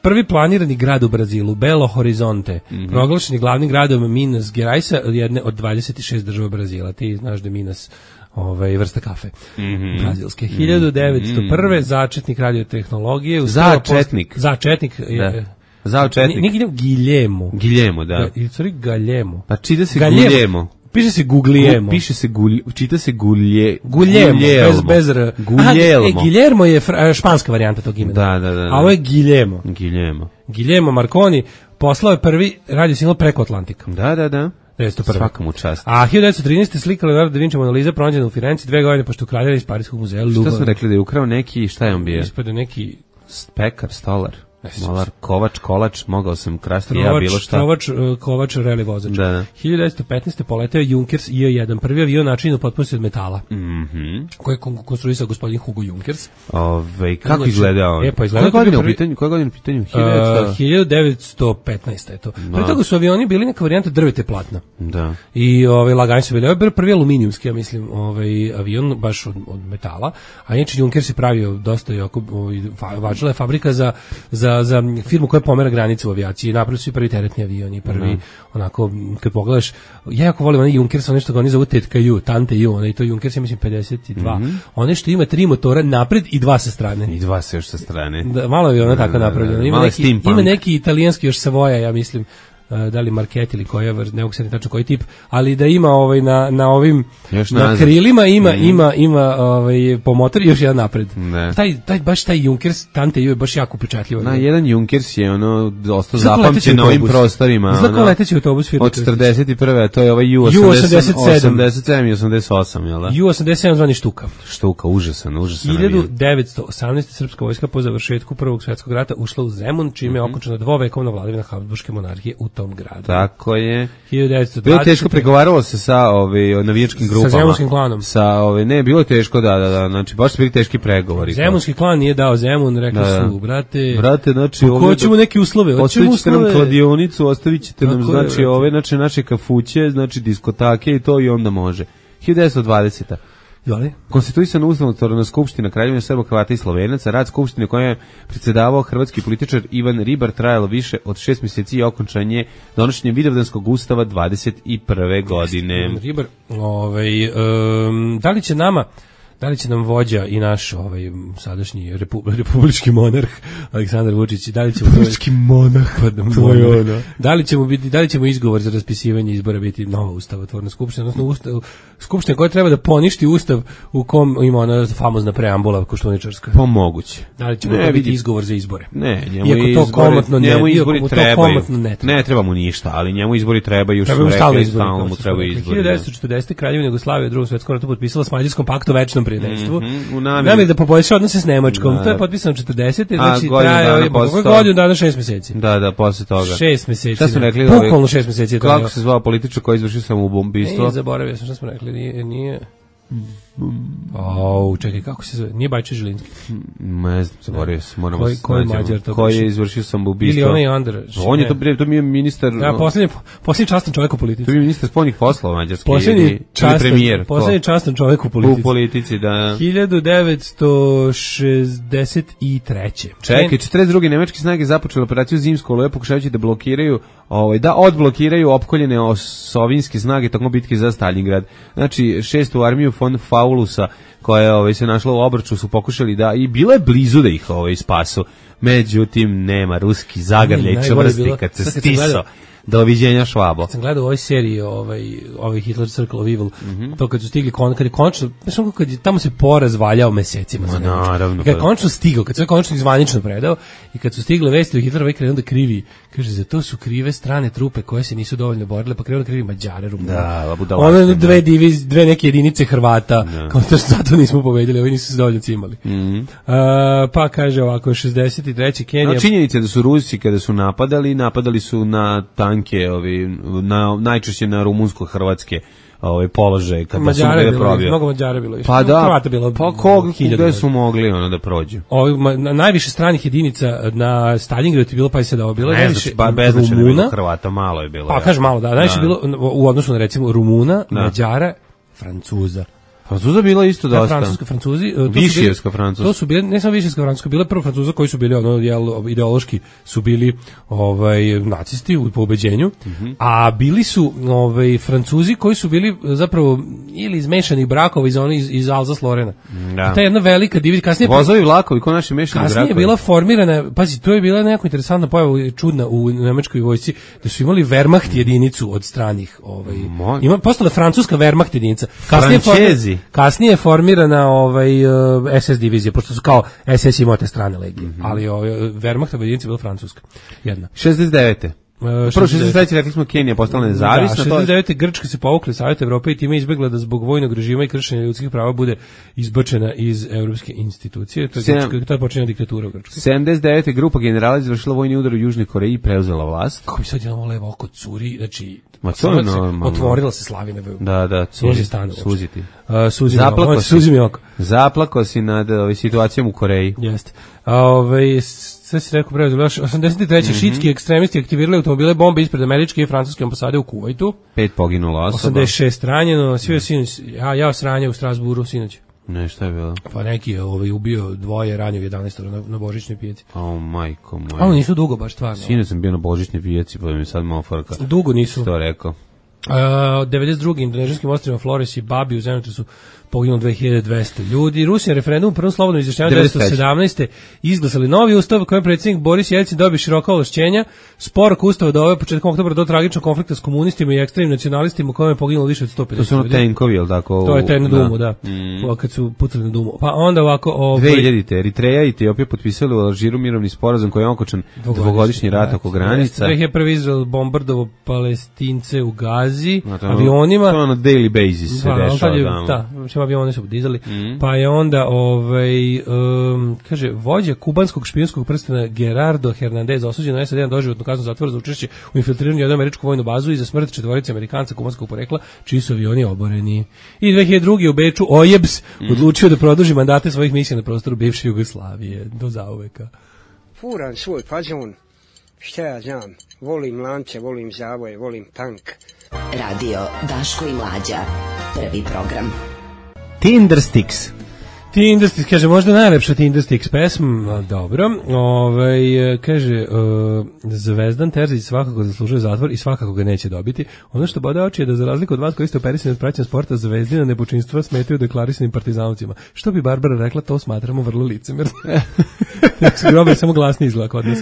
prvi planirani grad u Brazilu, Belo Horizonte, Mhm. proglašen je glavnim gradom Minas Geraisa, jedne od dvadeset šest država Brazila. Ti znaš da je Minas ovaj, vrsta kafe Mhm. brazilske. hiljadu devetsto prve začetnik radiotehnologije. uspeo Začetnik. post- Začetnik. je- Da. Zao četnik. Nije Guillermo, Guillermo. Giljemo, da. Ili sorry, Galjemo. Pa čita se Galjemo. Guljemo. Piše se Guglielmo. Piše se gulj, čita se gulje, Guillermo, bez, bez R. Guillermo. Aha, e, Guillermo je fra, španska varijanta tog imena. Da, da, da, da. A ovo je Guillermo. Giljemo. Guillermo Marconi poslao je prvi radio signal preko Atlantika. Da, da, da. devetsto prve. Svaka mu čast. A hiljadu devetsto trinaeste slika Leonardo da Vinci Mona Lisa pronađena u Firenci dve godine pošto ukradena iz Parijskog muzeja Louvre. Šta smo rekli da je ukrao neki, šta je on bio? Ispade neki Pekar, stolar, Ne sjećam molar, se. kovač, kolač, mogao sam krasti ja trovač, bilo šta. trovač, uh, kovač, reli vozač. Da, da. hiljadu devetsto petnaeste poleteo je Junkers I jedan, prvi avion načinjen u potpunosti od metala, Mhm. koji je kon- konstruisao gospodin Hugo Junkers. Ove, kako Znači, izgleda on? e, pa izgleda Koja to je godina u prvi- pitanju? Koja godina u pitanju? Uh, hiljadu hiljadu devetsto petnaeste je to. Pre toga su avioni bili neka varijanta drvete platna. Da. I ovaj lagani su bili. Ovo je bio prvi aluminijumski, ja mislim, ovaj avion baš od, od metala. A inače Junkers je pravio dosta jako ovaj fa- važila je fabrika za za za firmu koja pomera granice u avijaciji. Napravili su i prvi teretni avion i prvi onako kad pogledaš, ja jako volim onaj Junkers, ono što ga oni zovu Tetka Ju, Tante Ju, onaj to Junkers ja mislim pedeset dva. One što ima tri motora napred i dva sa strane. I dva se još sa strane. Da, malo je ona tako da, da. napravljeno. Ima Malo je neki, steampunk. ima neki italijanski još Savoja, ja mislim, uh, da li Market ili koja vrsta, ne mogu se tačno koji tip, ali da ima ovaj na na ovim Još na nazad. krilima ima Mhm. ima ima ovaj po motor i još jedan napred. Ne. Taj taj baš taj Junkers Tante Ju je baš jako upečatljivo. Na jedan Junkers je ono dosta Izgleda kao leteći zapamćen na ovim autobus. prostorima. Izgleda kao ono, leteći autobus firme od četrdeset prve a to je ovaj Ju Ju osamdeset osamdeset sedam. osamdeset sedam i osamdeset osam, jel da? Ju osamdeset sedam zvani Štuka. Štuka, užasan, užasan. hiljadu avion. devetsto osamnaeste srpska vojska po završetku Prvog svjetskog rata ušla u Zemun, čime je Mhm. okončana dvovekovna vladavina Habsburške monarhije u tom gradu. Tako je. hiljadu devetsto dvadesete. Bilo teško, pregovaralo se sa ovaj navijačkim grupama. Sa Zemunskim klanom. Sa ovaj ne, bilo je teško, da, da, da, znači baš su bili teški pregovori. Zemunski klan nije dao Zemun, rekli da, su, brate, brate, znači ovdje hoćemo neke uslove, hoćemo uslove. nam kladionicu, ostavićete nam, tako znači, je, ove, znači, naše kafuće, znači, diskotake i to i onda može. hiljadu devetsto dvadesete. Jeli? Konstituisana ustavotvorna skupština Kraljevine Srba, Hrvata i Slovenaca, rad skupštine koja je predsjedavao hrvatski političar Ivan Ribar, trajalo više od šest mjeseci i okončan je donošenjem Vidovdanskog ustava dvadeset prve godine. Ivan Ribar, ovaj, um, da li će nama Da li će nam vođa i naš ovaj sadašnji repu, republički monarh Aleksandar Vučić, da li će republički monarh, to je ono. Da li ćemo biti, da li ćemo izgovor za raspisivanje izbora biti nova ustavotvorna skupština, odnosno ustav, skupština koja treba da poništi ustav u kom ima ona famozna preambula koštuničarska. Pa moguće. Da li će to biti izgovor za izbore? Ne, njemu iako izbori, to komotno ne, njemu izbori iako trebaju. To komotno ne treba. Ne treba mu ništa, ali njemu izbori trebaju, što rekli, stalno mu trebaju izbori. hiljadu devetsto četrdeset. Kraljevina Jugoslavija u Drugom svetskom ratu potpisala s Mađarskom pakt o večnom prijateljstvu. Mm-hmm, namjeri da poboljša odnose s Nemačkom. Da, to je potpisano četrdesete, znači traje godinu dana, šest mjeseci. Da, da, posle toga. šest mjeseci. Šta smo rekli? Bukvalno šest mjeseci. Kako se zvao političar koji izvršio samoubistvo? Ne, zaboravio sam šta smo rekli, nije... nije... Oh, čekaj, kako se zove? Nije Bajče Žilinski. Ne znam, zaboravio sam, moramo koji, koji Mađar to koji je izvršio samoubistvo? Ili onaj Andreš. On je to, to mi je ministar... Da, posljednji, posljednji častan čovjek u politici. To mi je ministar spoljnih poslova mađarski. Posljednji častan, premijer. Posljednji častan čovjek u politici. U politici, da. hiljadu devetsto šezdeset treće. Čekaj, četrdeset druge nemačke snage započele operaciju Zimsko oluje, pokušavajući da blokiraju, ovaj, da odblokiraju opkoljene osovinske snage tokom bitke za Stalingrad. Znači, šestu armiju von Faulusa, koja je ovaj, se našla u obraču, su pokušali da, i bilo je blizu da ih ovaj, spasu. Međutim, nema, ruski zagrljaj čvrsti kad se stiso. Doviđenja Švabo. Kad sam gledao u ovoj seriji ovaj, ovaj Hitler Circle of Evil, mm-hmm. to kad su stigli, kon, kad je končno, znaš kad je, tamo se porazvaljao mesecima. Ma, naravno. Kad je končno stigao, kad se končno izvanično predao i kad su stigle vesti u Hitlerovi krenuo da krivi, kaže, za to su krive strane trupe koje se nisu dovoljno borile, pa krenuo da krivi Mađare, Rumune. Da, budalaštine. One dve diviz, dve neke jedinice Hrvata, da. Kao to što zato nismo pobedili, ovi nisu se dovoljno cimali. Mm-hmm. Uh, pa kaže ovako, šezdeset treće Kenija. No, činjenica je da su Rusi kada su napadali, napadali su na tanke, ovi, na, najčešće na rumunsko-hrvatske ovaj položaj kad su bile probio. Mnogo Mađara bilo više. Pa da, Hrvata bilo pa kog, gde su mogli ono da prođu? Ovi, ma, na, najviše stranih jedinica na Stalingradu je bilo, pa je se dao bilo ne najviše znači, ba, beznačajno je bilo Hrvata, malo je bilo. Pa kaže malo, da, najviše bilo u odnosu na recimo Rumuna, da. Mađara, Francuza. Francuza bila isto dosta. Francuska, Francuzi, Višijevska Francuska. To su bili, ne samo Višijevska Francuska, bile prvo Francuza koji su bili ono jel, ideološki su bili ovaj nacisti u pobeđenju, mm-hmm. a bili su ovaj Francuzi koji su bili zapravo ili iz mešanih brakova iz one iz, iz Alzas-Lorena. Da. Ta jedna velika divizija, kasnije vozovi vlakovi ko naši mešani brakovi. Kasnije je bila formirana, pazi, to je bila neka interesantna pojava, čudna u nemačkoj vojsci, da su imali Wehrmacht jedinicu od stranih, ovaj. Moj. Ima postala francuska Wehrmacht jedinica. Kasnije Francezi. Kasnije je formirana ovaj uh, es es divizija, pošto su kao es es imao te strane legije, mm-hmm. ali ovaj Wehrmachtova jedinica je bila francuska. Jedna. šezdeset devete Uh, Prvo šezdeset treće rekli smo Kenija postala nezavisna. Da, šezdeset devete Grčka se povukla iz Saveta Evrope i time izbegla da zbog vojnog režima i kršenja ljudskih prava bude izbačena iz evropske institucije. To je, Sem... Grčka, to je počinjena diktatura u Grčkoj. sedamdeset devete grupa generala izvršila vojni udar u Južnoj Koreji i preuzela vlast. Kako bi sad jedno levo oko curi, znači Ma to je normalno. Otvorila se Slavina. Da, da, suzi stanu. Suziti. Uh, suzi Zaplako si, suzi mi oko. Zaplako si nad ovaj, situacijom u Koreji. Jeste. A ovaj sve si rekao preuzeli, još osamdeset treće Mm-hmm. Šiitski ekstremisti aktivirali automobile bombe ispred američke i francuske ambasade u Kuvajtu. Pet poginulo osoba. osamdeset šest ranjeno, svi sinoć, ja, ja sranje u Strasburu sinoć. Ne, šta je bilo? Pa neki je ovaj, ubio dvoje, ranio jedanaest na, na božićnoj pijaci. O, majko moja. Oni nisu dugo baš stvarno. Sinoć sam bio na božićnoj pijaci, pa mi sad malo frka. Dugo nisu. To rekao. Uh, devedeset druge indonežanskim ostrvima Flores i Babi u zemljotresu poginulo dve hiljade dvesta ljudi. Rusi na referendumu u prvom slobodnom izjašnjavanju devetsto sedamnaeste izglasali novi ustav kojem predsjednik Boris Jelcin dobio široka ovlašćenja. Spor oko ustava doveo početkom oktobra do tragičnog konflikta s komunistima i ekstremnim nacionalistima u kojem je poginulo više od sto pedeset ljudi. To su ono tenkovi, jel tako? To je taj na Dumu, da. da. Mm. Kad su pucali na Dumu. Pa onda ovako... Ovaj... dve hiljadite Eritreja i Etiopija potpisali u Alžiru mirovni sporazum koji je okončan dvogodišnji rat oko granica. dve hiljade prve Izrael bombardovao Palestince u Gazi. bazi, no, to, avionima. To na daily basis se da, dešava. Je, da, da, mislim, avione su dizali. Mm. Pa je onda, ovaj, um, kaže, vođa kubanskog špijunskog prstena Gerardo Hernandez osuđen na S A D na doživotnu kaznu zatvora za učešće u infiltriranju jednu američku vojnu bazu i za smrt četvorice Amerikanca kubanskog porekla, čiji su avioni oboreni. I dve hiljade druge. u Beču O J E B S mm. odlučio da produži mandate svojih misija na prostoru bivše Jugoslavije. Do zauveka. Furan svoj fazon, šta ja znam, volim lance, volim zavoje, volim tank. Radio Daško i Mlađa, prvi program. Tindersticks. Tindersticks, kaže, možda najlepša Tindersticks pesma, dobro. Ovaj, kaže, uh, Zvezdan Terzić svakako zaslužuje zatvor i svakako ga neće dobiti. Ono što bode oči je da za razliku od vas koji ste operisani od praćenja sporta, Zvezdina nepočinstva smetaju deklarisanim partizanovcima. Što bi Barbara rekla, to smatramo vrlo licemerno. Tako su grobe samo glasni izgleda kod nas.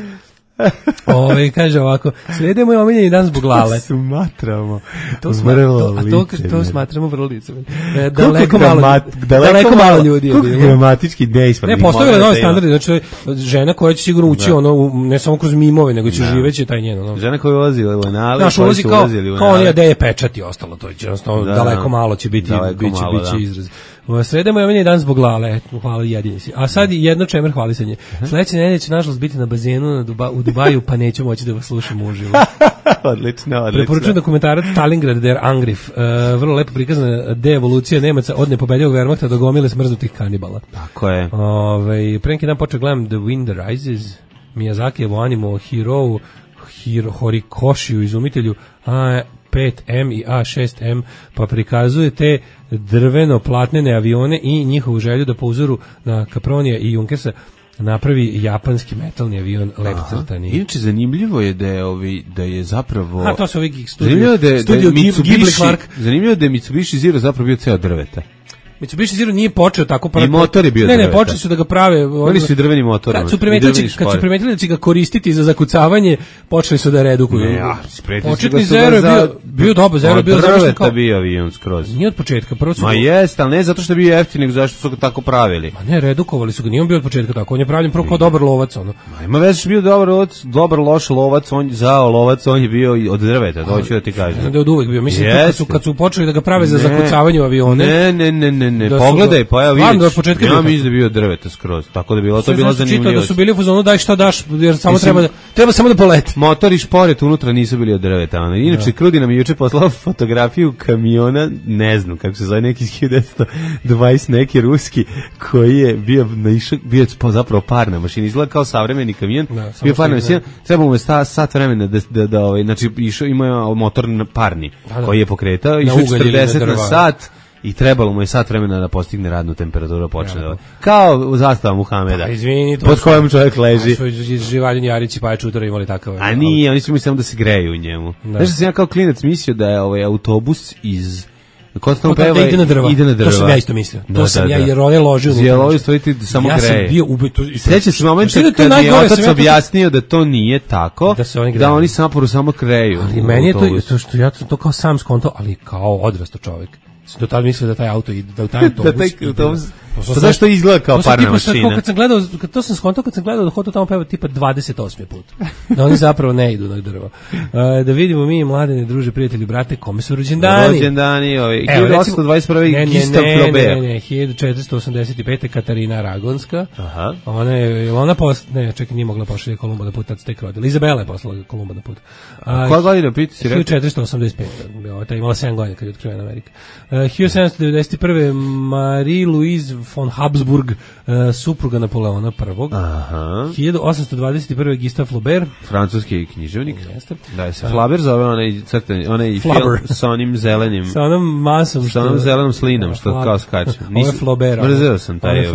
Ove, kaže ovako, srede moj omiljeni dan zbog Lale. To smatramo to sma, vrlo to, a to, to smatramo vrlo licemerno. E, daleko, gramat, malo, daleko, daleko malo ljudi je bilo. bilo. Gramatički neispravno. Ne, postavila nove standarde, znači žena koja će sigurno ući, da. ono, ne samo kroz mimove, nego će da. živeće taj njen. Ono. Žena koja ulazi u Lenale, naš ulazi kao, kao onija da je pečat i ostalo, to će, jednostavno, da, daleko malo će biti, biće, malo, biće da. izraz. Sreda moj omiljeni dan zbog Lale, hvala jedini si. A sad jedno čemer hvalisanje. Sledeće nedelje će nažalost biti na bazenu na Duba, u Dubaju, pa neću moći da vas slušam uživo. Odlično, odlično. Preporučujem dokumentarac Stalingrad der Angriff. Uh, vrlo lepo prikazana deevolucija Nemaca od nepobedljivog Wehrmachta do gomile smrznutih kanibala. Tako je. Ove, pre neki dan počeo gledam The Wind Rises, Miyazakijevo animo Hiro, Hiro Horikoshiju, izumitelju A pet M i A šest M, pa prikazuje te drveno-platnene avione i njihovu želju da po uzoru na Capronija i Junkersa napravi japanski metalni avion lep crtani. Inače, zanimljivo je da je, ovi, da je zapravo... A, to su ovi studio, zanimljivo da je, studio da je Mitsubishi, Clark. Zanimljivo da je Mitsubishi Zero zapravo bio ceo drveta. Mitsubishi Zero nije počeo tako prvo. I motor je bio Ne, drveta. ne, počeli su da ga prave. Oni su i drveni motor. Kad su primetili, kad su primetili da će ga koristiti za zakucavanje, počeli su da redukuju. Ne, ja, početni Zero je bio, bio dobar, Zero je bio završen kao... bio avion skroz. Nije od početka, prvo su... Ma jeste, ali ne zato što je bio jeftin, nego zašto su ga tako pravili. Ma ne, redukovali su ga, nije on bio od početka tako, on je pravljen prvo kao dobar lovac, ono. Ma ima već bio dobar lovac, dobar loš lovac, on zao lovac, on je bio od drveta, to hoću da ti kažem. Da je od uvek bio, mislim, kad su, kad su počeli da ga prave za zakucavanje u avione... Ne, ne, ne, ne, ne, pogledaj, pa evo vidiš, ja mislim da je bio drveta skroz, tako da je bilo, to je bilo zanimljivo. Da su bili u fazonu daj šta daš, jer samo mislim, treba da, treba samo da poleti. Motor i šporet unutra nisu bili od drveta. Ono. Inače, da. Krudi nam je juče poslao fotografiju kamiona, ne znam kako se zove, neki hiljadu devetsto dvadeset neki ruski, koji je bio, naišao, bio je zapravo parna mašina, izgleda kao savremeni kamion, da, bio parna mašina, treba mu je sta, sat vremena da, da, da ovaj, znači išao, imao je motor parni, da, da. koji je pokretao, išao četrdeset na sat, i trebalo mu je sat vremena da postigne radnu temperaturu, počne da... Kao u zastava Muhameda, pa, izvini, pod kojom čovjek leži. Su Živaljen Jarić i Paja Čutora imali takav. A nije, oni su mi samo da se greju u njemu. Da. Znaš da sam ja kao klinac mislio da je ovaj autobus iz... Kod peva, ide na drva. Ide na drva. To sam ja isto mislio. To da, sam da, ja, da. jer on je ložio. Zjelovi stvoriti da samo ja greje. Ja sam bio ubeto. Sjeća se momenta kad mi je otac objasnio da to nije tako, da, se oni, da oni saporu samo greju. Ali meni je to, to što ja sam to kao sam skonto, ali kao odrasto čovjek. Do tada mislio da taj auto ide, da u taj autobus. da taj autobus. Pa zašto izgleda kao parna mašina? Kad sam gledao, kad to sam skonto, kad sam gledao da hodu tamo peva tipa dvadeset osmi put. Da oni zapravo ne idu na drvo. Uh, da vidimo mi mladene druže, prijatelji, brate, kome su rođendani? Rođendani, ovaj hiljadu osamsto dvadeset prvi Gustav Flaubert. Ne, ne, ne, hiljadu četiristo osamdeset pete Katarina Aragonska. Aha. Ona je, ona post, ne, čekaj, nije mogla pošalje Kolumba na put, tad se tek rodila. Izabela je poslala Kolumba na put. A koja godina piti si rekao? hiljadu četiristo osamdeset pete. Ta imala sedam godina kad je otkrivena Amerika. Uh, hiljadu sedamsto devedeset prve Marie-Louise von Habsburg, uh, supruga Napoleona prvog. Aha. hiljadu osamsto dvadeset prve Gustave Flaubert, francuski književnik. Jeste. Da se Flaubert zove onaj crtani, onaj film sa onim zelenim, sa onom masom, sa onom zelenom slinom što kao skače. Nisam Flaubert. Mrzeo sam taj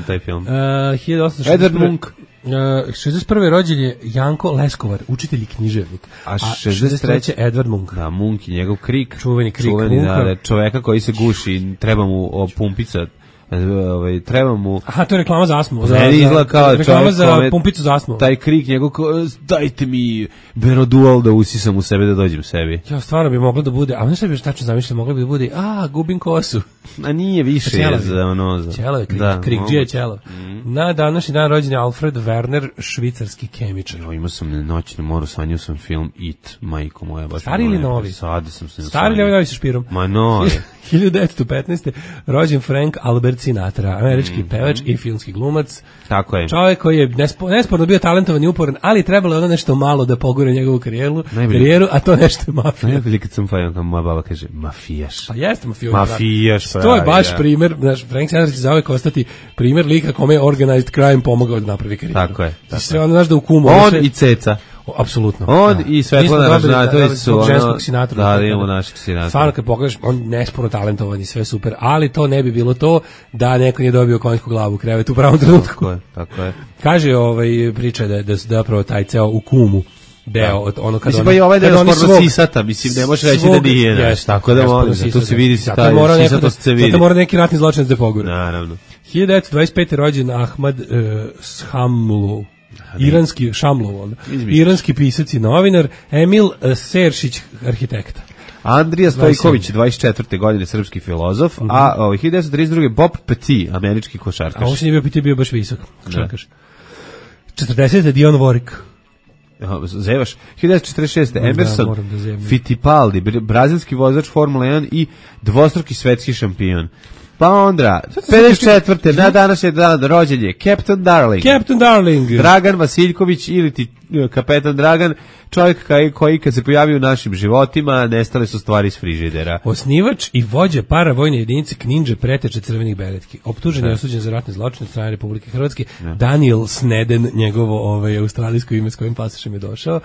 taj film. Uh, hiljadu osamsto Edvard Munch. Uh, šezdeset prve rođen je Janko Leskovar, učitelj i književnik. A šezdeset treće Edvard Munch. Da, Munch i njegov Krik. Čuveni Krik Čuveni, Munka. Da, čoveka koji se guši, treba mu pumpica ovaj, treba mu... Aha, to je reklama za astmu. Za, Meni izgleda kao reklama čovjek za kome- pumpicu za astmu. Taj krik njegov, ko, dajte mi Berodual da usisam u sebe da dođem sebi. Ja, stvarno bi moglo da bude, a znaš šta bi još tačno zamišljao, moglo bi da bude, a, gubim kosu. A nije više Ćelavi. je za ono... Za... Ćelo je krik, Da, krik, mogu. džije ćelo. Mm. Na današnji dan rođen je Alfred Werner, švicarski kemičar. Jo, imao sam na noćnom moru, sanjao sam film It, majko moja. Baš Stari ili moja, novi? Sada sam se Stari ili ovaj novi sa špirom? Ma novi. hiljadu devetsto petnaeste. rođen Frank Albert Sinatra, američki pevač i filmski glumac. Tako je. Čovjek koji je nespo, nesporno bio talentovan i uporan, ali trebalo je ono nešto malo da pogore njegovu karijeru, Najbolje. karijeru, a to nešto je mafija. Najbolje kad sam fajao, kao moja baba kaže, mafijaš. Pa jeste mafijaš. Mafijaš, To je pravi, baš da. primer, znaš, Frank Sinatra će zauvek ostati primer lika kome je organized crime pomogao da napravi karijeru. Tako je, tako Sve ono, znaš da u kumu... On sve, i Ceca. o, apsolutno. On da. i Svetlana Mi smo dobili, Ražnatović da, su tog ono- ženskog Sinatra. da, da, imamo našeg Sinatra. Stvarno kad pogledaš, on nesporno talentovan i sve super, ali to ne bi bilo to da neko nije dobio konjsku glavu u krevetu u pravom trenutku. Tako je, tako je. Kaže ovaj priča da da da zapravo taj ceo u kumu deo od ono kad Mislim, oni- pa i ovaj kad deo oni sporno svog- sisata, mislim, ne možeš reći svog- da nije, znaš, Jeste, tako da nesporno molim, zato sisata. se vidi se Zato taj mora neko da- sisatost se vidi. Zato mora neki ratni zločinac da pogura. Naravno. hiljadu devetsto dvadeset pete. rođen Ahmad uh, Shamlov, iranski Shamlov, onda. Izmišljaš. Iranski pisac i novinar, Emil uh, Seršić, arhitekta. Andrija Stojković, dvadeset četvrte godine, srpski filozof, a ovaj, hiljadu devetsto trideset druge. Bob Petit, američki A košarkaš. ovo se nije bio piti, bio baš visok. Košarkaš. četrdesete. Dion Warwick. Aha, Zevaš. hiljadu devetsto četrdeset šeste. Da, Emerson moram da zemljam. Fittipaldi, br- brazilski vozač Formule jedan i dvostruki svetski šampion. Pa onda, pedeset četvrte. na današnji dan rođen je Captain Darling. Captain Darling. Dragan Vasiljković ili ti e, kapetan Dragan, čovjek koji, koji kad se pojavio u našim životima, nestale su stvari iz frižidera. Osnivač i vođa paravojne jedinice Kninđe preteče crvenih beretki. Optužen je osuđen za ratne zločine od strane Republike Hrvatske. Daniel Sneden, njegovo ovaj, australijsko ime s kojim pasošem je došao. Uh,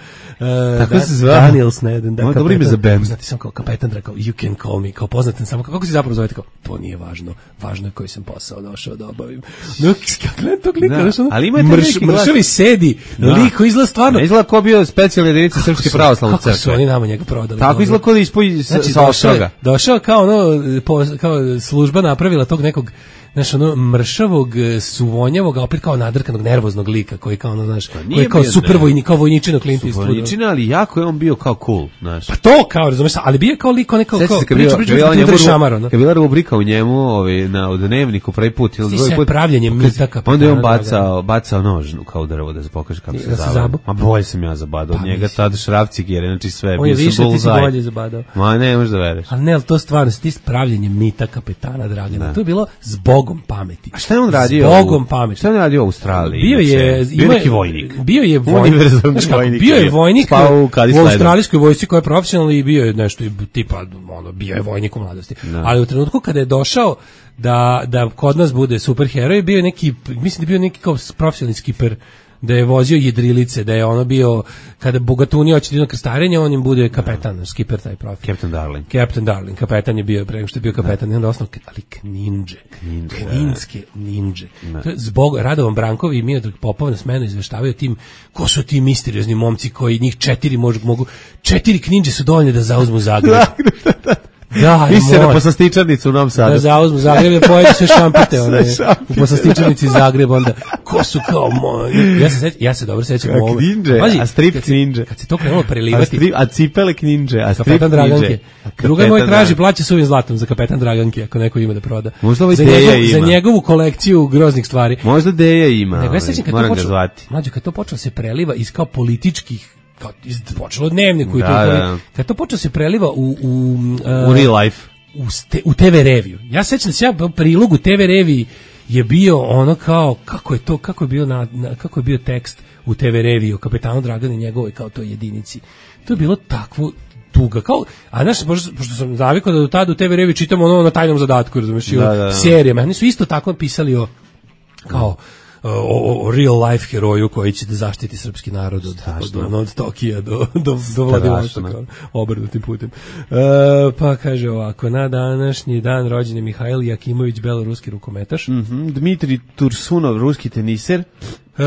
Tako da, se zvao? Daniel Sneden. Da, Ovo je dobro ime za bend. Poznati sam kao kapetan, rekao, you can call me, kao poznaten samo, kako si zapravo zovete, kao, to nije važno, važno je koji sam posao došao da obavim. No, kako tog lika, Da, znaš, ono, ali ima taj mrš, neki glas. mršavi sedi, Da. lik koji izgleda stvarno, Ne izgleda ko bio specijalna jedinica Srpske pravoslavne kako su crkve. oni nama njega prodali. Tako ono. izgleda ko da ispoji sa, Znači, sa došao, oštroga. je, došao kao ono, po, kao služba napravila tog nekog, znaš, ono, mršavog, e, suvonjavog, a opet kao nadrkanog, nervoznog lika, koji kao, ono, znaš, koji nije je kao bio super nervozan. vojnik, kao vojničino Clint Eastwood. Vojničina, ali jako je on bio kao cool, znaš. Pa to, kao, razumeš, ali bio je kao lik, neko, Sećam kao, se kad priča, bila- priča, kad bila priča, njemu priča, ru- šamar, ono. kad bila rubrika u njemu, ovaj, na u dnevniku prvi put ili Ti drugi se put. pravljenje mita kapitana Onda je on Dragana. bacao, bacao nož kao drvo da se pokaže kako Ti- se da se zove. zabao? Ma bolje sam ja zabadao od Pa njega, mislim. tad šrafcik jer znači sve. On je bio sam više, ti si bullseye. bolje zabadao. Ma ne, možeš da veruješ. Ali ne, ali to stvarno, ti pravljenje mita kapetana Dragana, to je bilo zbogom pameti. A šta je on radio? Zbogom u- pameti. Šta je on radio u Australiji? Bio je, Inače? bio ima- je neki vojnik. Bio je vojnik. Univerzalni Znaš kako, vojnik Bio je bio. vojnik Spao u u, Kadi u Sledom. australijskoj vojsci koja je profesionalna i bio je nešto i tipa ono bio je vojnik u mladosti. Ali u trenutku kada je došao da da kod nas bude superheroj, bio je neki, mislim da je bio neki kao profesionalni skiper, da je vozio jedrilice, da je ono bio, kada Bogatuni hoće da idu na krstarenje, on im bude kapetan, skiper taj profil. Captain Darling. Captain Darling, kapetan je bio pre nego što je bio kapetan, i onda osnov, ali kninđe, kninske ninđe. To je zbog Radovan Brankov i Miodrag Popov na smenu izveštavaju o tim, ko su ti misteriozni momci koji njih četiri mogu, mogu četiri kninđe su dovoljne da zauzmu Zagreb. Da, Vi se na mora. poslastičarnicu u Novom Da Sadu. zauzmu Zagreb, je pojedu sve šampite, one, Sve šampite. u poslastičarnici Zagreb, onda, ko su kao moji, ja se, seć, ja se dobro sećam A u ovome. kninđe, Pazi, a strip kad se- kninđe. Kad se to krenulo A, prelivati, strip, a cipele kninđe, a strip kapetan Draganke. kninđe. Druga Kapetan moj traži Dragan. plaća suvim zlatom za kapetan Draganke, ako neko ima da proda. Možda ovaj za, Deja njegov, za ima. njegovu kolekciju groznih stvari. Možda Deja ima, Nego ja ovaj, sećam kad to moram ga počelo, zvati. mlađe, kad to počelo se preliva iz kao političkih, kao iz, počelo od dnevniku i Da, to, da, da. kad to počelo se preliva u, u, uh, U real life. u, ste, u te ve reviju. Ja sećam se, ja u prilogu te ve reviji je bio ono kao, kako je to, kako je bio, na, na, kako je bio tekst u te ve reviji o kapetanu Draganu i njegovoj kao toj jedinici. To je bilo takvo tuga, kao, a znaš, pošto, pošto sam navikao da do tada u te ve reviji čitam ono na tajnom zadatku, razumeš, i o Da, da, da. serijama. Oni su isto tako pisali o, kao, o, o real life heroju koji će da zaštiti srpski narod od, od, od, od Tokija do, do, do Vladivostoka, obrnutim putem. E, pa kaže ovako, na današnji dan rođen je Mihail Jakimović, beloruski rukometaš. Mhm, Dmitri Tursunov, ruski teniser. Uh,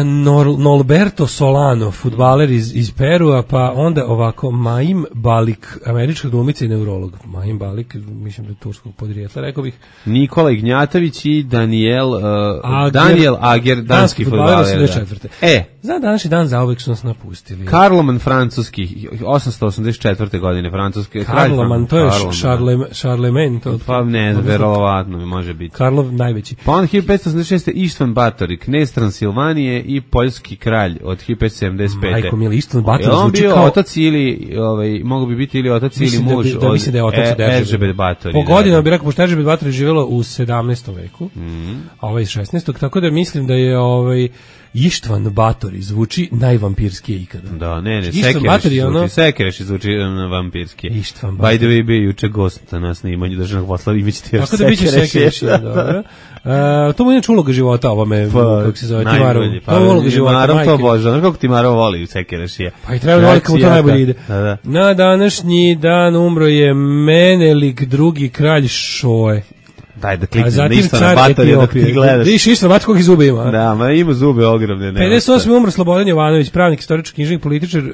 Nor, Norberto Solano, fudbaler iz, iz Perua, pa onda ovako Maim Balik, američka glumica i neurolog. Maim Balik, mislim da je turskog podrijetla, rekao bih. Nikola Ignjatović i Daniel, uh, Ager, Daniel Ager, danski, danski fudbaler. osamdeset četvrte E, za današnji dan zauvek su nas napustili. Karloman francuski, osamsto osamdeset četvrte godine francuski. Karloman, to je Charlemagne. To, pa ne, verovatno može biti. Karlov najveći. Pa on hiljadu petsto osamdeset šeste. Ištvan Batori, knez Transilvanije i poljski kralj od hiljadu petsto sedamdeset pete. Majko mili, Ištvan Batori zvuči zvuči bio kao... otac ili, ovaj, mogu bi biti ili otac mislim ili muž da, da, mislim da je otac od Eržebet Batori. Po godinama bi rekao, pošto Eržebet Batori živjelo u sedamnaestom veku, mm. a ovaj šesnaestom tako da mislim da je ovaj Ištvan Batori zvuči najvampirskije ikada. Da, ne, ne, Sekereš zvuči, ono... Sekereš zvuči vampirskije. Ištvan Batori. By the way, bio juče gost na nas na imanju državnog posla, imaćete još Sekereš. Tako da biće Sekereš, dobro. Uh, to mu je inače uloga života, ovome, pa, kako se zove, Timarov. Pa, to je uloga života, Timarov to bože, ono kako Timarov voli Sekereš je. Pa i treba voliti kako to najbolje ide. Da, da. Na današnji dan umro je Menelik, drugi kralj Šoe. Daj da kliknem na Ištvana Batorija dok ti gledaš. Viš Ištvan Bator koliko zube ima. Da, ma ima zube ogromne. pedeset osme umro Slobodan Jovanović, pravnik, istoričar, književnik, političar, uh,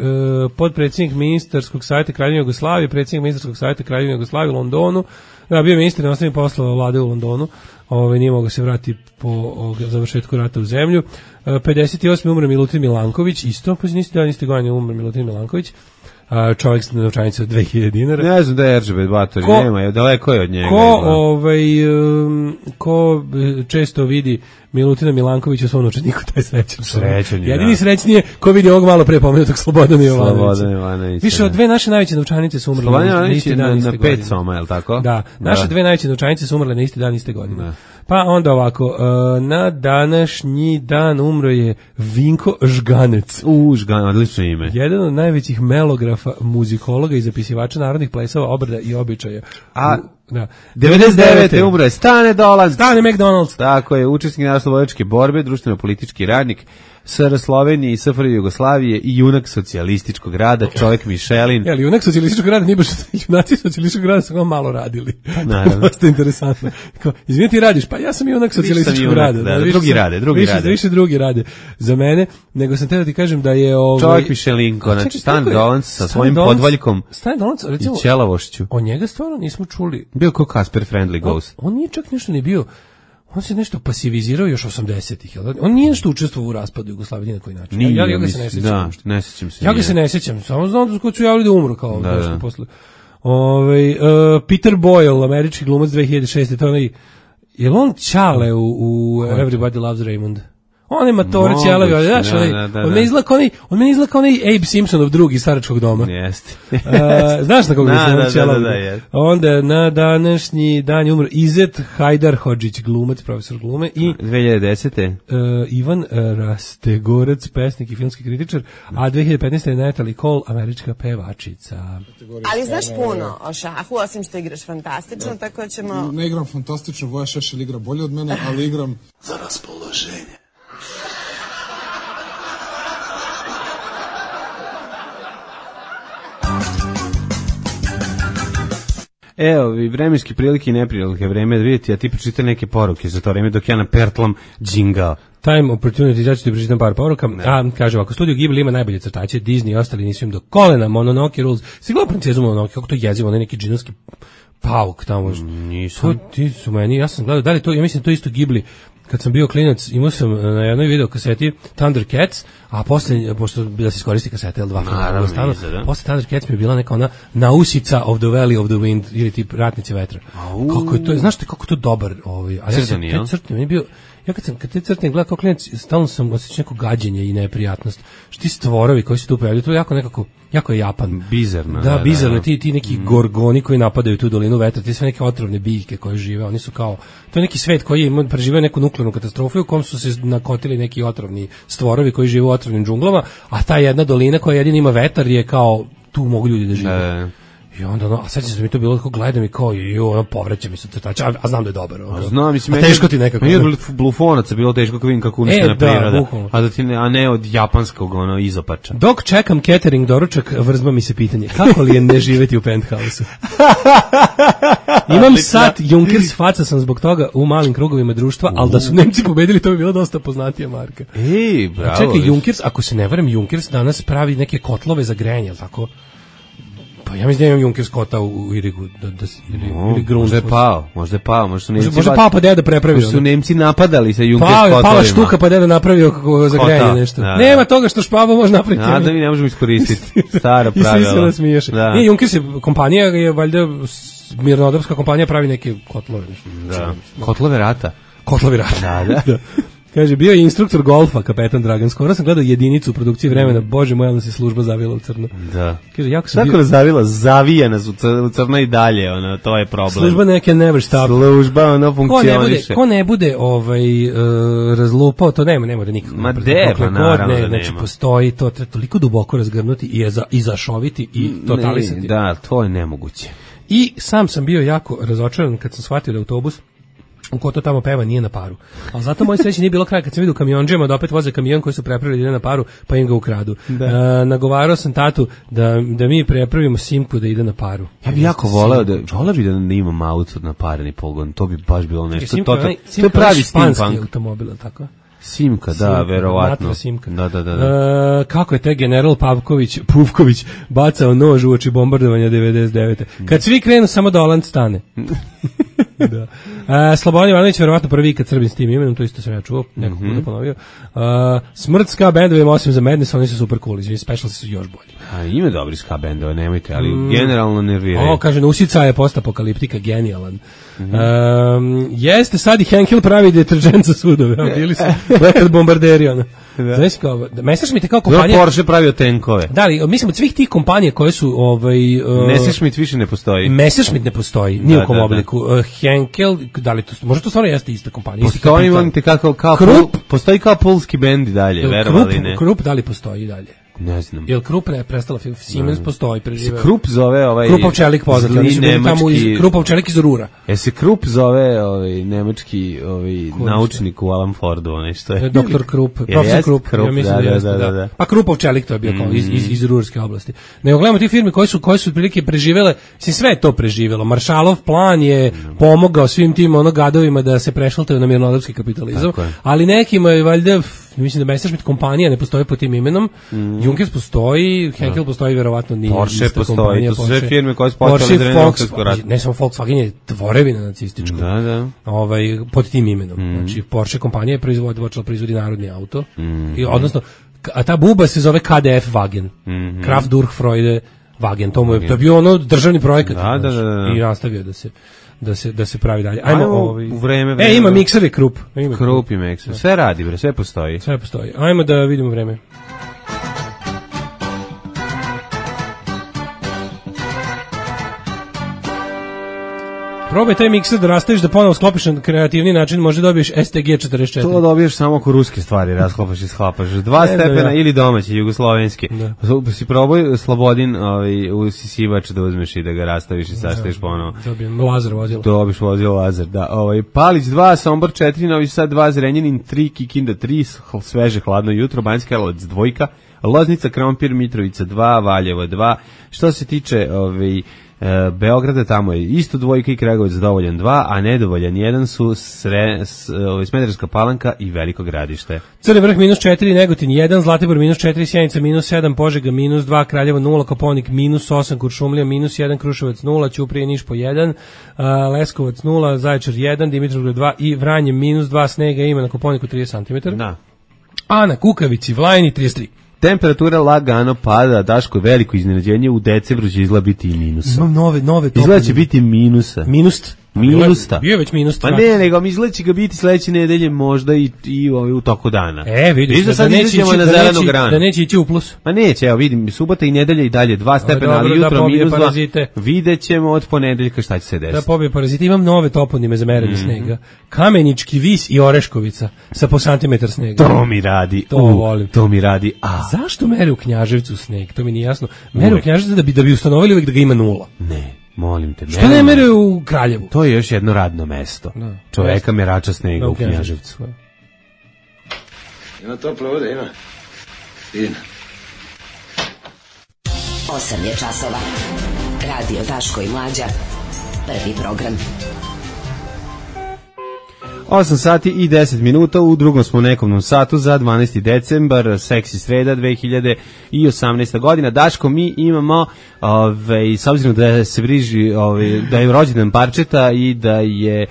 podpredsjednik ministarskog savjeta Kraljevine Jugoslavije, predsjednik ministarskog savjeta Kraljevine Jugoslavije u Londonu. Da, bio je ministar inostranih poslova vlade u Londonu. Ovaj nije mogao se vratiti po o, završetku rata u zemlju. Uh, pedeset osme umro Milutin Milanković, isto, pa niste dan iste godine umro Milutin Milanković. A čovjek sa novčanicom od dve hiljade dinara. Ne znam da je Eržebet Batori, nema je, daleko je od njega. Ko, ovaj, um, ko često vidi Milutina Milankovića u svom novčaniku, taj srećan. Srećan je, jedini srećnije ko vidi ovog malo pre pomenutog Slobodana Jovanovića. Slobodan Jovanović. Više od dve naše najveće novčanice su umrle Slobodan na isti dan, na, iste na godine. pet soma, je li tako? Da, naše da. dve najveće novčanice su umrle na isti dan, iste godine. Da. Pa onda ovako, uh, na današnji dan umro je Vinko Žganec. U, Žganec, odlično ime. Jedan od najvećih melografa, muzikologa i zapisivača narodnih plesova, obrada i običaja. A, u, da. devedeset devete umro je Stane Dolanc. Stane McDonald's. Tako je, učesnik narodnooslobodilačke borbe, društveno-politički radnik, S R Slovenije i S F R J Jugoslavije i junak socijalističkog rada, čovjek Mišelin. Jel, junak socijalističkog rada nije baš junaci socijalističkog rada su kao malo radili. Naravno. Dosta interesantno. Kao, izvini ti radiš, pa ja sam junak socijalističkog rada. Da, da, drugi sam, rade, drugi više, rade. Više drugi rade za mene, nego sam te da ti kažem da je... Ovaj, čovjek Mišelin, znači Stan Dolanc sa svojim podvaljkom i ćelavošću. O njega stvarno nismo čuli. Bio kao Casper Friendly Ghost. On, on nije čak nešto ni bio... On se nešto pasivizirao još osamdesetih, jel? On nije nešto učestvovao u raspadu Jugoslavije na koji način. Nije, ja, ja ga se ne sjećam. Da, ne sjećam se. Ja ga se ne sjećam, samo znam da su javili da umro kao da, nešto da. posle. Ove, uh, Peter Boyle, američki glumac dve hiljade šeste. To je onaj, je li on Čale u, u Everybody Loves Raymond? On je matorić, jelavi, ali znaš, da, onaj, da, da, on me izgleda kao onaj, on me izgleda kao onaj Abe Simpsonov drugi iz Staračkog doma. Jeste. uh, znaš na koga da, mislim, da, da, da, da, onda na današnji dan je umro Izet Hajdarhodžić, glumac, profesor glume, i dve hiljade desete. Uh, Ivan Rastegorac, pesnik i filmski kritičar, a dve hiljade petnaeste. je Natalie Cole, američka pevačica. Ali znaš puno o šahu, osim što igraš fantastično, da. Tako ćemo... Ne igram fantastično, Voja Šešelj igra bolje od mene, ali igram... za raspoloženje. Evo, i vremenski prilike i neprilike vreme da vidjeti, a ti pročitaj neke poruke za to vreme dok ja napertlam džingao. Time Opportunity, ja ću ti pročitam par poruka. Ne. A, kaže ovako, studio Ghibli ima najbolje crtače, Disney i ostali nisu im do kolena, Mononoke Rules. Si gledao Princezu Mononoke, kako to jezivo, onaj neki džinovski pauk tamo. Nisam. To ti su meni, ja sam gledao, da li to, ja mislim to isto Ghibli. Kad sam bio klinac, imao sam na jednoj video kaseti Thundercats, a posle, pošto da se iskoristi kasete, L dva Naravno, stano, iza, da. posle Thundercats mi je bila neka ona nausica of the Valley of the Wind, ili tip Ratnici vetra. Au. Kako je to, znaš te kako je to dobar, ovaj, ali ja sam te crtne, meni bio, ja kad sam, kad te crtne gledao kao klinac, stalno sam osjećao neko gađenje i neprijatnost. Šti stvorovi koji se tu pojavljaju, to je jako nekako, jako je Japan. Bizarno. Da, da bizarno, da. Ti, ti neki mm. gorgoni koji napadaju tu dolinu vetra, ti sve neke otrovne biljke koje žive, oni su kao, to je neki svet koji je preživio neku nuklearnu katastrofu u kom su se nakotili neki otrovni stvorovi koji žive u otrovnim džunglama, a ta jedna dolina koja jedina ima vetar je kao, tu mogu ljudi da žive. Da. I onda, no, a sad se mi to bilo, kako gledam i kao, i ono, povreće mi se crtač, a, a znam da je dobar. Ono. A znam, mislim, a meni, teško ti nekako. Meni od blufonaca bilo teško kako vidim kako uništena e, da, priroda, bukvalno. a, da ti ne, a ne od japanskog ono, izopača. Dok čekam catering doručak, vrzma mi se pitanje, kako li je ne živeti u penthouse-u? Imam sat Junkers, faca sam zbog toga u malim krugovima društva, ali da su Nemci pobedili, to bi bila dosta poznatija marka. Ej, bravo. A čekaj, Junkers, ako se ne varam, Junkers danas pravi neke kotlove za grejanje, al tako? Pa ja mislim da imam Junkers kota u, u Irigu, da, da, ili, no, ili Grund. Možda je pao, možda je pao, možda su Nemci... Možda pao pa deda prepravio. Možda su Nemci napadali sa Junkers pao, kotovima. Pala štuka pa deda napravio kako za grejanje nešto. Da, da. Nema toga što špaba može napraviti. A da mi ne možemo iskoristiti. Stara pravila. I svi se nasmiješe. Da. Nije, Junkers je kompanija, je valjda mirnodopska kompanija pravi neke kotlove. Nešto. Da. Kotlove rata. Kotlove rata. Da, da. da. Kaže, bio je instruktor golfa, kapetan Dragan. Skoro sam gledao jedinicu u produkciji Vremena. Bože moj, ali se služba zavila u crno. Da. Kaže, jako sam Tako bio... zavila, zavija nas u crno, u crno i dalje, ono, to je problem. Služba neke never stop. Služba, ono, funkcioniše. Ko ne bude, ko ne bude ovaj, uh, razlupao, to nema, nema da nikako. Ma de, pa naravno ne, da znači, nema. Postoji, to treba toliko duboko razgrnuti i, za, i zašoviti i totalisati. Ne, da, to je nemoguće. I sam sam bio jako razočaran kad sam shvatio da autobus u ko to tamo peva nije na paru. Ali zato moj sreći nije bilo kraja kad sam vidio kamionđema da opet voze kamion koji su prepravili da ide na paru, pa im ga ukradu. Da. E, nagovarao sam tatu da, da mi prepravimo Simku da ide na paru. Ja bih jako voleo da, voleo bih da imam auto na pareni pogon, to bi baš bilo nešto. Simka, to, to, Simka, to je pravi steampunk automobil, tako? Simka, da, Simka, verovatno. Simka. Da, da, da. da. E, kako je te general Pavković, Puvković bacao nož u oči bombardovanja devedeset devete. Kad svi krenu, samo da Oland stane. Da. E, Slobodan Ivanović verovatno prvi kad Srbin s tim imenom, to isto sam ja čuo, nekako mm-hmm. puta ponovio. E, smrt ska bendovima, osim za Madness, oni su super cool, izvini, specialsi su još bolji. A ima dobri ska bendove, nemojte, ali mm. generalno nerviraju. O, kaže, Nusica je postapokaliptika, genijalan. Mm-hmm. E, jeste, sad i Henkel pravi deterđent za sudove, a bili su lekad bombarderi, ono. Da. Znači kao, Messerschmitt je kao kompanija. Da, Porsche pravio tenkove. Da, ali mislim od svih tih kompanija koje su ovaj uh, Messerschmitt više ne postoji. Messerschmitt ne postoji ni da, u kom da, obliku. Uh, Henkel, da li to može to stvarno jeste ista kompanija? Postoji on te kako kao Krupp, postoji kao polski bend i dalje, verovali ne. Krupp da li postoji i dalje? Ne znam. Jel Krupp ne prestala Siemens postoji preživeo. Krupp zove ovaj Krupov čelik poznat, oni su bili tamo iz Krupov čelik iz Rura. Jel se Krupp zove ovaj nemački ovaj naučnik u Alan Fordu, onaj što je doktor Krupp, profesor Krupp, ja mislim da, da, da, da. Pa Krupov čelik to je bio kao iz iz iz Rurske oblasti. Nego gledamo ti firme koje su koje su otprilike preživele, se sve je to preživelo. Maršalov plan je pomogao svim tim ono gadovima da se prešaltaju na mirnodopski kapitalizam, ali nekima je valjda mislim da Messerschmitt kompanija ne postoji pod tim imenom. Mm. Junkers postoji, Henkel no. postoji, verovatno nije. Porsche postoji, to su sve firme koje su postale Volkswagen, rat. Ne samo Volkswagen je tvorevina nacistička. Da, da. Ovaj, pod tim imenom. Mm. Znači, Porsche kompanija je proizvodi, počela proizvodi narodni auto. Mm. I, odnosno, a ta buba se zove K D F Wagen. Mm. Kraft Durch Freude Wagen. To, mu je, to je bio ono državni projekat. Da, da, da, da. I nastavio da se da se da se pravi dalje. Ajmo, Ajmo ovaj. U vreme, vreme. E, ima mikser i Krupp. Ima Krupp i mikser. Sve radi, bre, sve postoji. Sve postoji. Ajmo da vidimo vreme. Probaj taj mikser da rastaviš da ponovo sklopiš na kreativni način, možda dobiješ S T G četrdeset četiri. To dobiješ samo ako ruske stvari rasklopaš i sklapaš. Dva ne, stepena da, ja. Ili domaći, jugoslovenski. Da. Si probaj Slobodin ovaj, usisivač da uzmeš i da ga rastaviš i sastaviš ponovo. Dobijem Lazar vozilo. Dobiš vozilo Lazar, da. Ovaj, Palić dva, Sombor četiri, Novi Sad dva, Zrenjanin tri, Kikinda tri, sveže hladno jutro, Banjska Karlovac dvojka, Loznica, Krompir, Mitrovica dva, Valjevo dva. Što se tiče ovaj, E, Beograda, tamo je isto dvojka i Kragujevac dovoljan dva, a nedovoljan jedan su sre, s, o, Smederevska Palanka i Veliko Gradište. Crni Vrh minus četiri, Negotin jedan, Zlatibor minus četiri, Sjenica minus sedam, Požega minus dva, Kraljevo nula, Koponik minus osam, Kuršumlija minus jedan, Kruševac nula, Ćuprije Niš po jedan, a, Leskovac nula, Zaječar jedan, Dimitrovgrad dva i Vranje minus dva, snega ima na Koponiku trideset centimetara. Da. A na Kukavici, Vlajni trideset tri. Temperatura lagano pada, Daško, veliko iznenađenje, u decembru će izgleda biti i minusa. Imam nove, nove izgleda će biti minusa. Minus. Minusta. Bio je već minus. Pa ne, nego mi izgleda će ga biti sledeće nedelje možda i, i ovaj, u toku dana. E, vidiš, da, da, sad da, neće ići, na da, zelenu neće, granu. da neće ići u plus. Pa neće, evo vidim, subota i nedelja i dalje dva stepena, dobro, ali jutro da minus dva. parazite. Vidjet ćemo od ponedeljka šta će se desiti. Da pobije parazite. Imam nove toponime za merenje mm-hmm. snega. Kamenički vis i Oreškovica sa po santimetar snega. To mi radi. To uh, volim. To mi radi. A. Zašto mere u Knjaževcu sneg? To mi nije jasno. Mere u Knjaževcu da bi, da bi ustanovili uvijek da ga ima nula. Ne. Molim te. Što ne mere u Kraljevu? To je još jedno radno mesto. Da. Čoveka merača snega da, u Knjaževcu. Ima tople vode, ima. Fina. Osam je časova. Radio Daško i Mlađa. Prvi program. osam sati i deset minuta, u drugom smo nekomnom satu za dvanaesti decembar, seksi sreda dve hiljade osamnaesta godina. Daško, mi imamo, ove, s obzirom da se briži, ove, da je rođendan parčeta i da je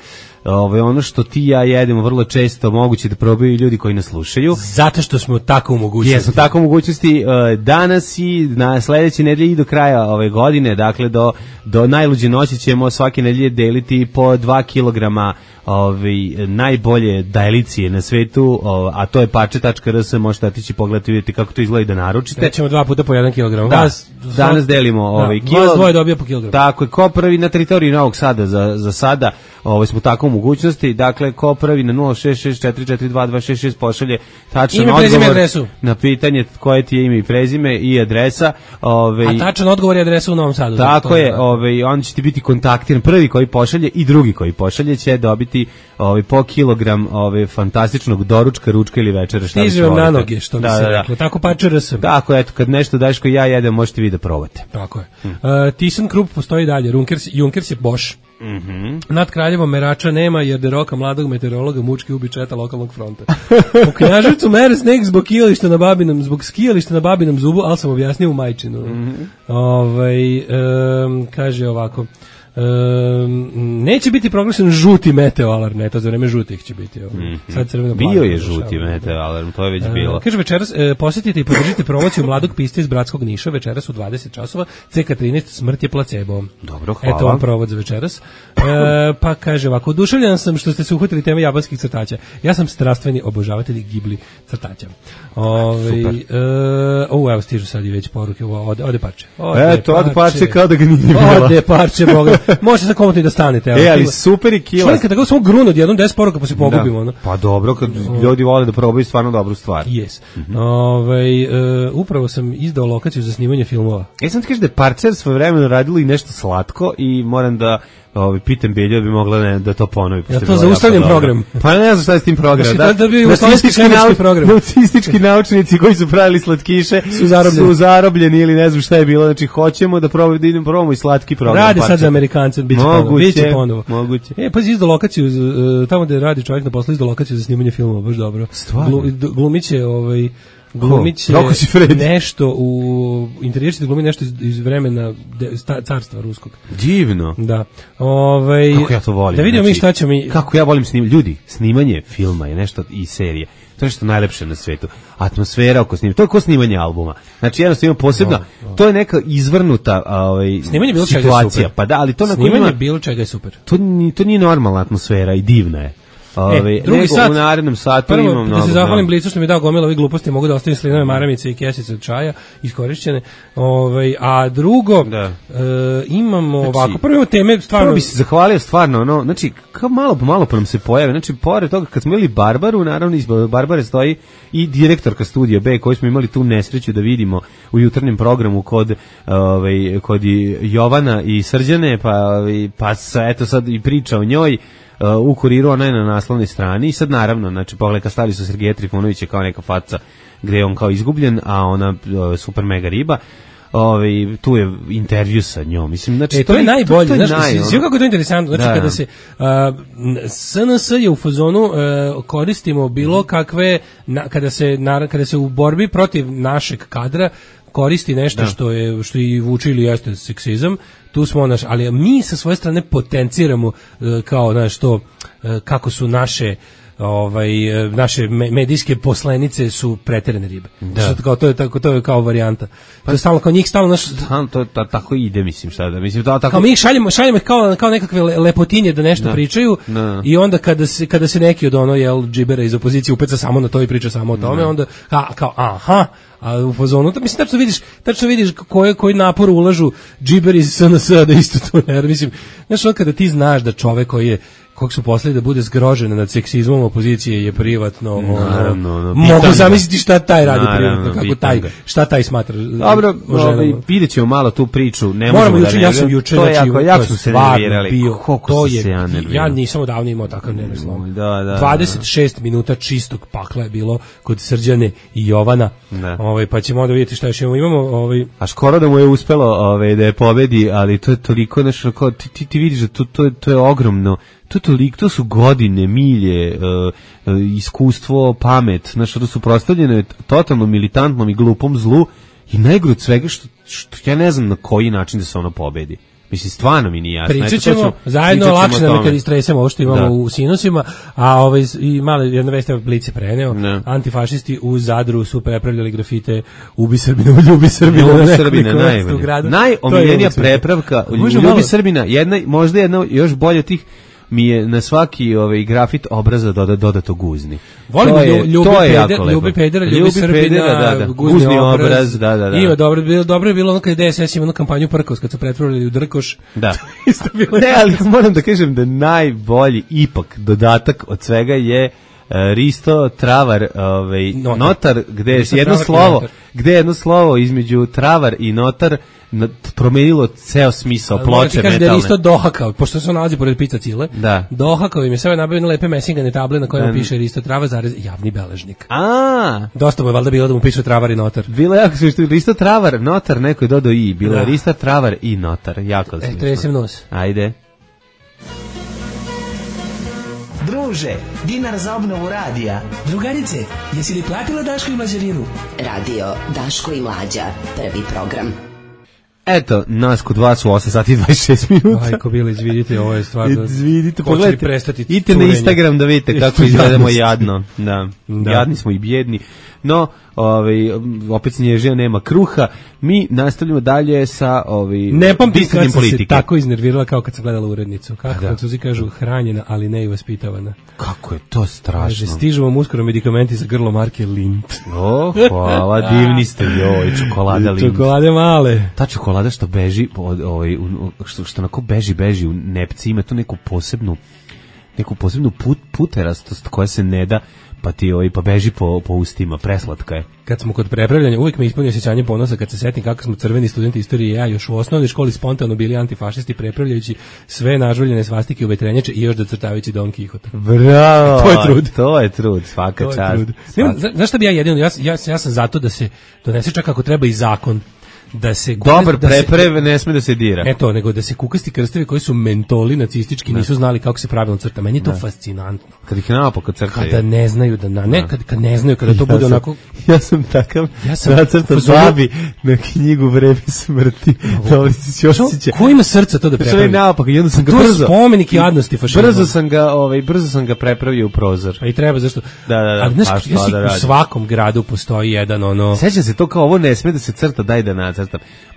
ove, ono što ti i ja jedemo vrlo često moguće da probaju i ljudi koji nas slušaju. Zato što smo tako u mogućnosti. Jesmo tako u mogućnosti danas i na sledeće nedelje i do kraja ove godine, dakle do, do najluđe noći ćemo svake nedelje deliti po dva kilograma Ove, najbolje dajlicije na svetu, o, a to je parče tačka r s, možete otići pogledati, vidjeti kako to izgleda i da naručite. Nećemo dva puta po jedan kilogram. Da, vas, danas delimo ovaj da, kilo. Vas dvoje dobija po kilogram. Tako je, ko prvi na teritoriji Novog Sada za, za sada, ovaj, smo tako u mogućnosti, dakle, ko prvi na nula šest šest četiri četiri dva dva šest šest pošalje tačan odgovor na pitanje koje ti je ime i prezime i adresa. Ovaj, a tačan odgovor je adresa u Novom Sadu. Tako je, ovaj, on će ti biti kontaktiran, prvi koji pošalje i drugi koji pošalje će dobiti ovaj po kilogram ovaj fantastičnog doručka, ručka ili večere, šta stiže vam na noge, što bi se da, reklo. Da. Tako pače R S. Tako, eto, kad nešto daješ koji ja jedem, možete vi da probate. Tako je. Hmm. Uh, ThyssenKrupp postoji dalje, Junkers, Junkers je Bosch. Mhm. Nad Kraljevom merača nema jer deroka mladog meteorologa mučki ubi četa lokalnog fronta. U Knjaževcu mere sneg zbog skijališta na Babinom, zbog skijališta na Babinom zubu, ali sam objasnio u Majčinu. Mm-hmm. Ovaj um, kaže ovako. Um, neće biti proglašen žuti meteo alarm, ne, to za vreme žutih će biti. Ovo. Mm-hmm. Sad crveno bio je žuti meteo alarm, to je već bilo. Uh, kaže večeras, uh, posjetite i podržite promociju mladog pista iz Bratskog Niša, večeras u dvadeset časova, C K trinaest, smrt je placebo. Dobro, hvala. Eto vam provod za večeras. Uh, pa kaže ovako, oduševljen sam što ste se uhvatili teme japanskih crtača. Ja sam strastveni obožavatelj Ghibli crtača. Ove, super. Uh, o, evo stižu sad i već poruke, ode, ode parče. Ode Eto, ode parče kao da ga nije bilo. Ode parče, boga. Možete sad komotno i da stanete. E, ali super i kila. Čovjek, kada samo grunu od jednom deset poruka pa se pogubimo. Da. Pa dobro, kad ljudi vole da probaju stvarno dobru stvar. Yes. Mm-hmm. Ove, uh, upravo sam izdao lokaciju za snimanje filmova. Ja sam ti kažem da je Parcer svoje vremeno radilo i nešto slatko i moram da Ovi pitam Beljo bi mogla ne, da to ponovi. Ja to zaustavljam program. Pa ne znam šta je s tim programom. Da, da bi jugoslovenski svemirski program. Nacistički naučnici koji su pravili slatkiše su zarobljeni. su zarobljeni ili ne znam šta je bilo. Znači hoćemo da probamo da idemo probamo i slatki program. Radi sad za Amerikance, biće ponovo. Biće ponovo. Moguće. E pa izdo lokaciju tamo gde radi čovjek na poslu, izdo lokaciju za snimanje filmova, baš dobro. Glumiće ovaj glumiće nešto u interijerski glumi nešto iz, iz vremena de, sta, carstva ruskog. Divno. Da. Ovaj kako ja to volim. Da vidimo znači, mi šta ćemo mi. Kako ja volim snimanje. Ljudi, snimanje filma je nešto i serije. To je što najlepše na svetu. Atmosfera oko snimanja. To je kao snimanje albuma. Znači jednostavno posebno, no, no. To je neka izvrnuta ovaj snimanje bilo situacija. Pa da, ali to na snimanje ima, bilo čega je super. To ni to nije normalna atmosfera i divna je. Ove, e, drugi sat, u narednom satu prvo, imam mnogo. Da se zahvalim Blicu što mi je dao gomilu ovih gluposti, mogu da ostavim slinove maramice i kesice od čaja iskorišćene. Ove, a drugo, da. e, imamo znači, ovako, prvo imamo teme, stvarno... Prvo bi se zahvalio stvarno, ono, znači, kao malo po malo pa nam se pojave, znači, pored toga, kad smo imali Barbaru, naravno, iz Barbare stoji i direktorka Studija B, koju smo imali tu nesreću da vidimo u jutarnjem programu kod, ove, kod Jovana i Srđane, pa, ove, pa eto sad i priča o njoj, Uh, u Kuriru, ona je na naslovnoj strani i sad naravno, znači pogledaj stali su Sergeja Trifunovića kao neka faca gde je on kao izgubljen, a ona uh, super mega riba. Ovaj tu je intervju sa njom. Mislim znači e, to, to je najbolje, to, to znači naj, sve kako je to interesantno, znači da, kada se uh, S N S je u fazonu uh, koristimo bilo kakve na, kada se na, kada se u borbi protiv našeg kadra koristi nešto da. što je što i vuče ili jeste seksizam, tu smo naš, ali mi sa svoje strane potenciramo uh, kao znaš to uh, kako su naše ovaj naše medijske poslanice su preterane ribe. Da. Kao to je tako, to je kao varijanta. Pa to je stalno kao njih stalno naš stalno to ta, tako ide, mislim, šta da mislim, to tako. Kao mi ih šaljemo, šaljemo kao kao nekakve lepotinje da nešto da. pričaju da. I onda kada se kada se neki od ono jel džibera iz opozicije upeca samo na to i priča samo o tome, da. onda a, kao aha, a u fazonu to mislim tačno vidiš, tačno vidiš koje koji napor ulažu džiberi iz S N S da isto to ne, mislim, znaš, kada ti znaš da čovek koji je kog su poslali da bude zgrožen nad seksizmom opozicije je privatno, naravno, ono, mogu zamisliti šta taj radi naravno, privatno, kako taj, šta taj smatra. Dobro, ovaj, vidjet ćemo malo tu priču, ne moramo možemo da ja sam juče, to je znači, jako, jako su se nervirali, bio, to je, ja, ja nisam odavno imao takav nervni slom. Da, da, dvadeset šest minuta čistog pakla je bilo kod Srđane i Jovana, ovaj, pa ćemo onda vidjeti šta još imamo. imamo ovaj... A skoro da mu je uspelo ovaj, da je pobedi, ali to je toliko nešto, kao, ti, ti, ti vidiš da to, to, je, to je ogromno. To, toliko, to su godine, milje, uh, uh, iskustvo, pamet, znaš, to su prostavljene totalno militantnom i glupom zlu i najgore od svega što, što ja ne znam na koji način da se ono pobedi. Mislim, stvarno mi nije jasno. Pričat ćemo, zajedno lakše nam je kad istresemo ovo što imamo da. u sinusima, a ovaj, i male jedna vest je Blic je preneo, ne. Antifašisti u Zadru su prepravljali grafite Ubi Srbina, Ljubi Srbina, Ljubi Srbina, najbolje. Najomiljenija prepravka, Ljubi malo... Srbina, jedna, možda jedna još bolje tih, mi je na svaki ovaj grafit obraza doda, dodato guzni. Volimo Ljubi Pedera, Ljubi Pedera, Ljubi Srbina, da, da. guzni, guzni obraz. obraz, da, da, da. Ima dobro, bilo dobro je bilo ono kad D S S ima jednu kampanju Prkos kad su pretvorili u Drkoš. Da. Ne, ali moram da kažem da najbolji ipak dodatak od svega je uh, Risto Travar, ovaj notar, notar gde je jedno slovo, gde je jedno slovo između Travar i notar promenilo ceo smisao ploče metalne. Da je isto dohakao, pošto se on nalazi pored Pizza Cile, da. dohakao im je sve nabavio na lepe mesingane table na kojima piše Risto Travar zarez javni beležnik. A, dosta mu je valjda bilo da mu piše Travar i notar. Bilo je jako što Risto Travar, notar, neko je dodao i, bilo je Risto Travar i notar, jako smišno. E, tresem nos. Ajde. Druže, dinar za obnovu radija. Drugarice, jesi li platila Daško i Mlađarinu? Radio Daško i Mlađa, prvi program. Eto, nas kod vas u osam sati i dvadeset šest minuta. Ajko, bilo, izvidite, ovo je stvarno... Izvidite, pogledajte, idite na Instagram da vidite kako izgledamo jadno. Da. da, jadni smo i bjedni. No, ovaj, opet Snježija nema kruha. Mi nastavljamo dalje sa ovaj, ne pamtim kad sam se tako iznervirala kao kad sam gledala urednicu. Kako Francuzi kažu, hranjena, ali ne i vaspitavana. Kako je to strašno. Kaže, stižu vam uskoro medikamenti za grlo marke Lindt. O, hvala, divni ste, joj, čokolada Lindt. Čokolade male. Ta čokolada što beži, ovaj, što, što onako beži, beži u nepci, ima tu neku posebnu, neku posebnu put, puterastost koja se ne da, pa ti ovaj, pa beži po, po ustima, preslatka je. Kad smo kod prepravljanja, uvijek me ispunio osjećanje ponosa kad se setim kako smo crveni studenti istorije i ja još u osnovnoj školi spontano bili antifašisti prepravljajući sve nažuljene svastike u vetrenjače i još docrtavajući Don Kihota. Bravo! To je trud. To je trud, svaka čast. Znaš šta bi ja jedino, ja, ja, ja sam zato da se donese čak ako treba i zakon. Da se dobar da preprev ne sme da se dira. Eto, nego da se kukasti krstevi koji su mentoli nacistički da. nisu znali kako se pravilno crta. Meni je to da. fascinantno. Kad ih naopako crtaju. Kada ne znaju da na ne, kad, kad ne znaju kada to ja bude sam, onako. Ja sam takav. Ja sam nacrtao babi na knjigu Vreme smrti. Dobrici Ćosića. Ko ima srca to da prepravi? Naopako, jedno sam ga to brzo. To je spomenik jadnosti fašizma. Brzo sam ga, ovaj, brzo sam ga prepravio u prozor. A i treba zašto? Da, da, da. Ali znaš, ja da u svakom gradu postoji jedan ono. Sećam se to kao ovo ne sme da se crta, daj da nacrtam.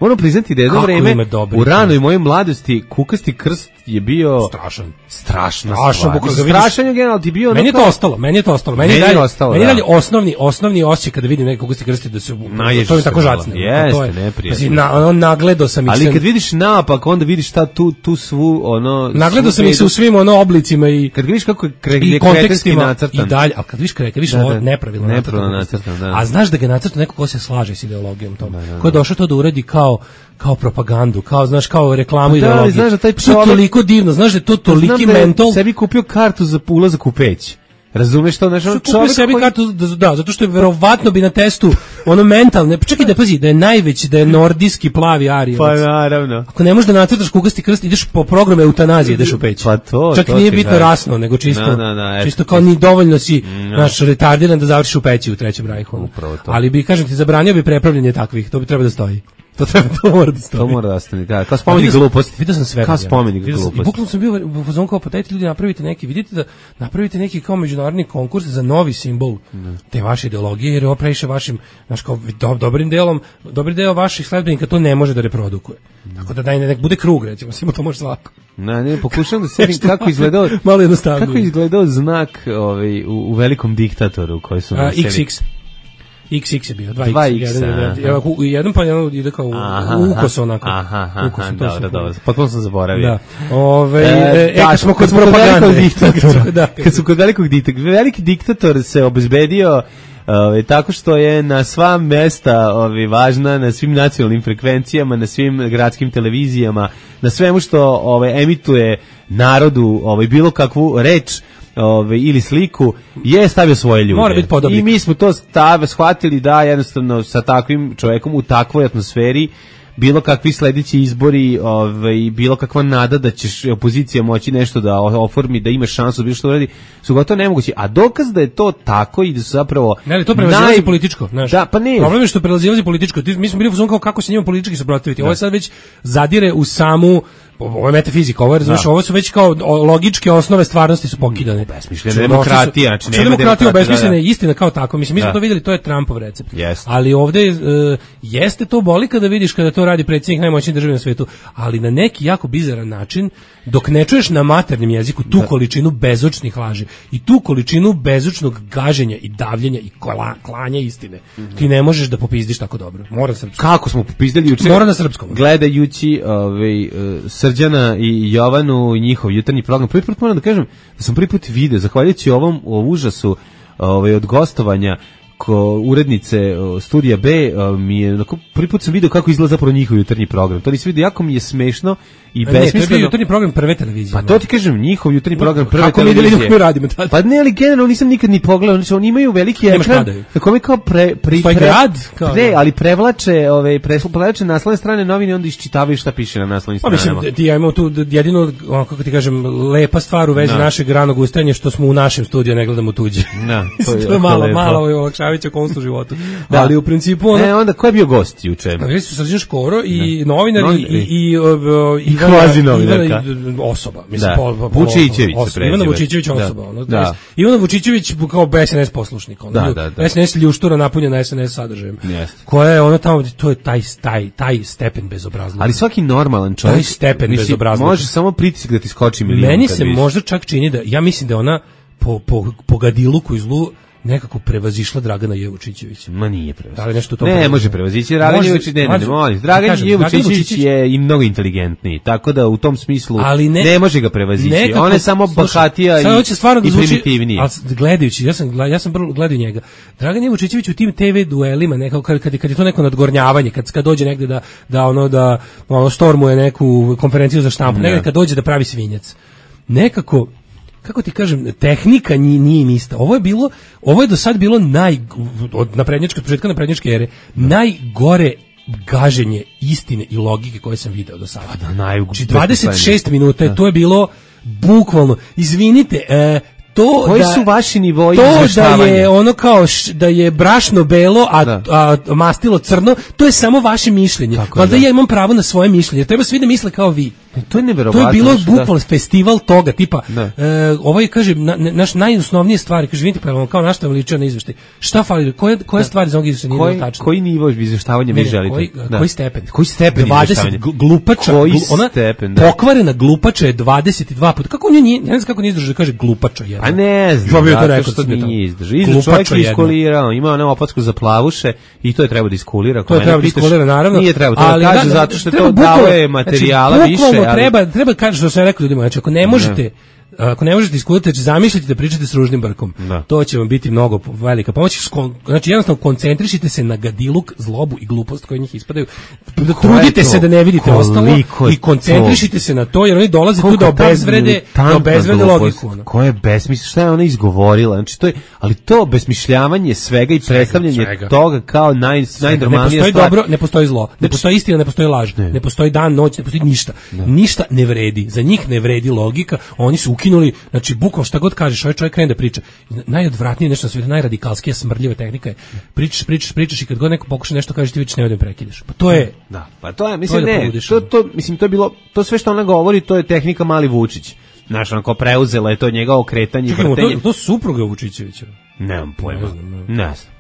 Moram priznati da jedno vreme u ranoj mojoj mladosti kukasti krst je bio strašan. Strašno. Strašan, strašan je generalno ti bio. Meni je to ostalo, meni je to ostalo. Meni je dalje, ostalo, meni je dalje osnovni, osnovni osjećaj kada vidim nekog kukasti krsti da se to je tako žacne. Jeste, neprijatno. Na, ono nagledao sam ih. Ali kad vidiš naopak, onda vidiš šta tu tu svu ono. Nagledao sam ih se u svim ono oblicima i kad vidiš kako je kretenski nacrtan. I dalje, al kad vidiš kretenski, vidiš ovo nepravilno nacrtan. A znaš da ga nacrta neko ko se slaže s ideologijom tom. Ko je došao to da uradi kao kao propagandu, kao znaš kao reklamu pa ideologije. Da, znaš da taj čovjek toliko divno, znaš da je to toliki da mentol. Sebi kupio kartu za ulazak u peć. Razumeš to, znači on čovjek sebi koji... kartu da, da, zato što je verovatno bi na testu ono mentalne, čekaj da pazi, da je najveći, da je nordijski plavi arijevac. Pa naravno. Ako ne možeš da nacrtaš kukasti krst, ideš po programu eutanazije, ideš u peć. Pa to, čak to nije bitno gaj. rasno, nego čisto, no, no, no, čisto kao ni dovoljno si no. naš retardiran da završiš u peći u Trećem rajhu. Ali bi, kažem ti, zabranio bi prepravljanje takvih, to bi treba da stoji. To treba, to mora da stoji. To mora da ostane, da. Kao spomenik gluposti. Vidio sam sve. Kao spomenik gluposti. I bukvalno sam bio u fazonu kao, pa dajte ljudi napravite neki, vidite da napravite neki kao međunarodni konkurs za novi simbol ne. te vaše ideologije, jer ovo previše vašim, znaš, kao do, dobrim delom, dobri deo vaših sledbenika to ne može da reprodukuje. Ne. Tako da daj nek bude krug, recimo, svima to može svako. Na, ne, pokušavam da setim kako izgledao, malo jednostavnije. Kako izgledao znak ovaj, u, u Velikom diktatoru koji su nosili. iks iks. iks iks je bio, dva iks, jedan, jedan, jedan, jedan pa jedan ide kao ukos onako. Aha, aha, aha, dobro, dobro, potpuno sam zaboravio. Da, ove, e, e, kad smo kod propagande, da, kad su kod velikog diktatora, veliki diktator se obezbedio Ove, tako što je na sva mesta ove, važna, na svim nacionalnim frekvencijama, na svim gradskim televizijama, na svemu što ove, emituje narodu ove, bilo kakvu reč ove, ili sliku, je stavio svoje ljude. Mora biti podobnik. I mi smo to stav, shvatili da jednostavno sa takvim čovjekom u takvoj atmosferi bilo kakvi sledeći izbori, ovaj, bilo kakva nada da ćeš opozicija moći nešto da oformi, da imaš šansu da bilo što uradi, su gotovo nemogući. A dokaz da je to tako i da su zapravo... Ne, ali to prelazilazi naj... političko, znaš. Da, pa ne. Problem je što prelazilazi političko. Mi smo bili u fazonu kao kako se njima politički suprotstaviti. Ovo je sad već zadire u samu ovo je metafizika, ovo je, znaš, ovo su već kao logičke osnove stvarnosti su pokidane. Besmišljena demokratija, znači nema demokratija, besmišljena je istina kao tako. Mislim, mi smo to vidjeli, to je Trumpov recept. Yes. Ali ovde uh, jeste to boli kada vidiš kada to radi predsjednik najmoćnijih država na svetu, ali na neki jako bizaran način, dok ne čuješ na maternjem jeziku tu da. količinu bezočnih laži i tu količinu bezočnog gaženja i davljenja i kola, klanja istine, mm-hmm. ti ne možeš da popizdiš tako dobro. Mora na srpskom. Kako smo popizdali juče? Mora na srpskom. Gledajući ovaj uh, Srđana i Jovanu i njihov jutarnji program. Prvi put moram da kažem da sam prvi put video, zahvaljujući ovom o užasu ovaj, od gostovanja ko urednice o, Studija B, o, mi je, prvi put sam video kako izgleda zapravo njihov jutarnji program. To nisam vidio, jako mi je smešno i besmisleno. Ne, to je bio jutarnji program prve televizije. Pa to ti kažem, njihov jutarnji program prve kako televizije. Kako mi vidimo kako radimo tada? Pa ne, ali generalno nisam nikad ni pogledao, znači oni imaju veliki ekran, kako mi kao pre... pre, pre, grad, kao pre ali prevlače, ove, prevlače naslovne strane novine, onda iščitavaju šta piše na naslovnim stranama. Pa mislim, ti ja imamo tu jedino, kako ti kažem, lepa stvar u vezi no. našeg ranog ustajanja, što smo u našem studiju, ne gledamo tuđe. No, to je, to je malo, lepo. malo je olakšavajuća konstu životu. Da, ali u principu ono... E, onda ko je bio gost juče? Bili su Srđan Škoro i novinar i, i, i, i kvazi novinarka. Osoba. Mislim, da. po, po, Vučićević os, se Ivana Vučićević osoba. Da. Ono, da. Ivana Vučićević kao B S N S poslušnik. Ono, da, da, da. S N S ljuštura napunjena S N S sadržajem. Yes. Koja je ono tamo, to je taj, taj, taj stepen bezobrazluka. Ali svaki normalan čovjek... Taj stepen bezobrazluka. Može samo pritisak da ti skoči milijon. Meni se možda čak čini da, ja mislim da ona po, po, po gadiluku i zlu nekako prevazišla Dragana Jevučićevića. Ma nije prevazišla. Da li nešto to ne, prevazišla? Može prevazići. Dragan Jevučić, ne, ne, ne, molim. Dragan Jevučić je i mnogo inteligentniji, tako da u tom smislu ne, ne može ga prevazići. On je samo bahatija i, i primitivniji. Ali gledajući, ja sam, ja sam prvo gledao njega. Dragan Jevučićević u tim te ve duelima, nekako, kad, kad, kad je to neko nadgornjavanje, kad, kad dođe negde da, da ono, da ono, stormuje neku konferenciju za štampu, negde kad dođe da pravi svinjac. Nekako, kako ti kažem, tehnika nije, nije im ista. Ovo je bilo, ovo je do sad bilo naj, od naprednjačke, početka naprednjačke ere, najgore gaženje istine i logike koje sam video do sada. Pa da, naj, znači dvadeset šest minuta, da. To je bilo bukvalno, izvinite, e, to koji da, su vaši nivoji izveštavanja? To da je ono kao š, da je brašno belo, a, a, a mastilo crno, to je samo vaše mišljenje. Valjda ja imam pravo na svoje mišljenje. Treba svi da misle kao vi. To je neverovatno. To je bilo bukvalno festival toga, tipa, e, ovaj kaže, na, naš najosnovnije stvari, kaže, vidite, pravimo, kao naš tam ličio na izveštaj. Šta fali, koje, koje stvari za ovog izveštaja nije bilo tačno? Koji nivo izveštavanja vi želite? Koji, koji stepen? Koji stepen izveštavanja? Glupača, koji glu, ona stepen, da. Pokvarena glupača je dvadeset dva puta. Kako on nije, ne znam kako nije izdržao da kaže glupača jedna. A ne znam, zato što nije izdržao. Izdržao čovjek je iskulirao, ima ona opasku za plavuše i to je treba da iskulira. To je treba da iskulira, naravno. Nije treba, to kaže zato što to daje materijala više. Treba, treba kaže što sam rekao ljudima, znači ako ne možete ako ne možete iskuliti, znači zamislite da pričate s ružnim brkom. Da. To će vam biti mnogo velika pomoć. Znači jednostavno koncentrišite se na gadiluk, zlobu i glupost koje njih ispadaju. Da trudite se da ne vidite ostalo i koncentrišite se na to, jer oni dolaze tu da obezvrede, da obezvrede logiku. Koja je besmisliš, šta je ona izgovorila? Znači to je, ali to besmišljavanje svega i predstavljanje toga kao naj najnormalnija stvar. Ne postoji dobro, ne postoji zlo. Ne postoji istina, ne postoji laž. Ne postoji dan, noć, ne postoji ništa. Ništa ne vredi. Za njih ne vredi logika. Oni su ukinuli, znači bukvalno šta god kažeš, ovaj čovjek krene da priča. Najodvratnije nešto na svijetu, najradikalskija smrdljiva tehnika je pričaš, pričaš, pričaš i kad god neko pokuša nešto kažeš ti već ne odem prekidaš. Pa to je, da, pa to je, mislim to je da ne, poludiš, to, to, mislim to je bilo, to sve što ona govori, to je tehnika Mali Vučić. Znaš, onako preuzela je to njega okretanje, čekaj, vrtenje. to, to supruga Vučićevića. Nemam pojma, ne znam. Ne znam.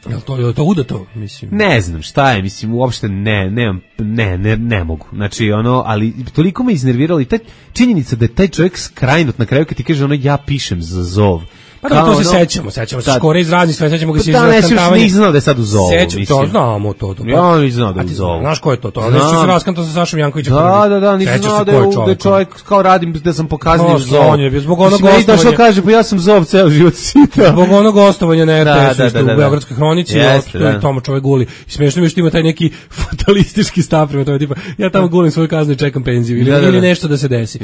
Jel to, je to udato, mislim? Ne znam šta je, mislim, uopšte ne, nemam, ne, ne, ne mogu. Znači, ono, ali toliko me iznerviralo i ta činjenica da je taj čovjek skrajnut na kraju kad ti kaže ono, ja pišem za zov. Pa da, to se sećamo, sećamo se Škore iz raznih sve, sećamo ga se iz raskantavanja. Da, ne, nisam znao da je sad u zovu, mislim. To znamo to. to. Ja nisam znao da je u zovu. Znaš ko je to? To nešto se raskantao sa Sašom Jankovićem. Da, da, da, nisam znao da je čovjek kao radim, da sam pokazao u zovu. Zbog onog gostovanja. Što kaže, pa ja sam zov ceo život sita. Zbog onog gostovanja na er te esu u Beogradskoj hronici, i tamo čovjek guli. I smiješno mi je što ima taj neki fatalistički stav prema tome, tipa, ja tamo gulim svoju kaznu i čekam penziju, ili nešto da se desi.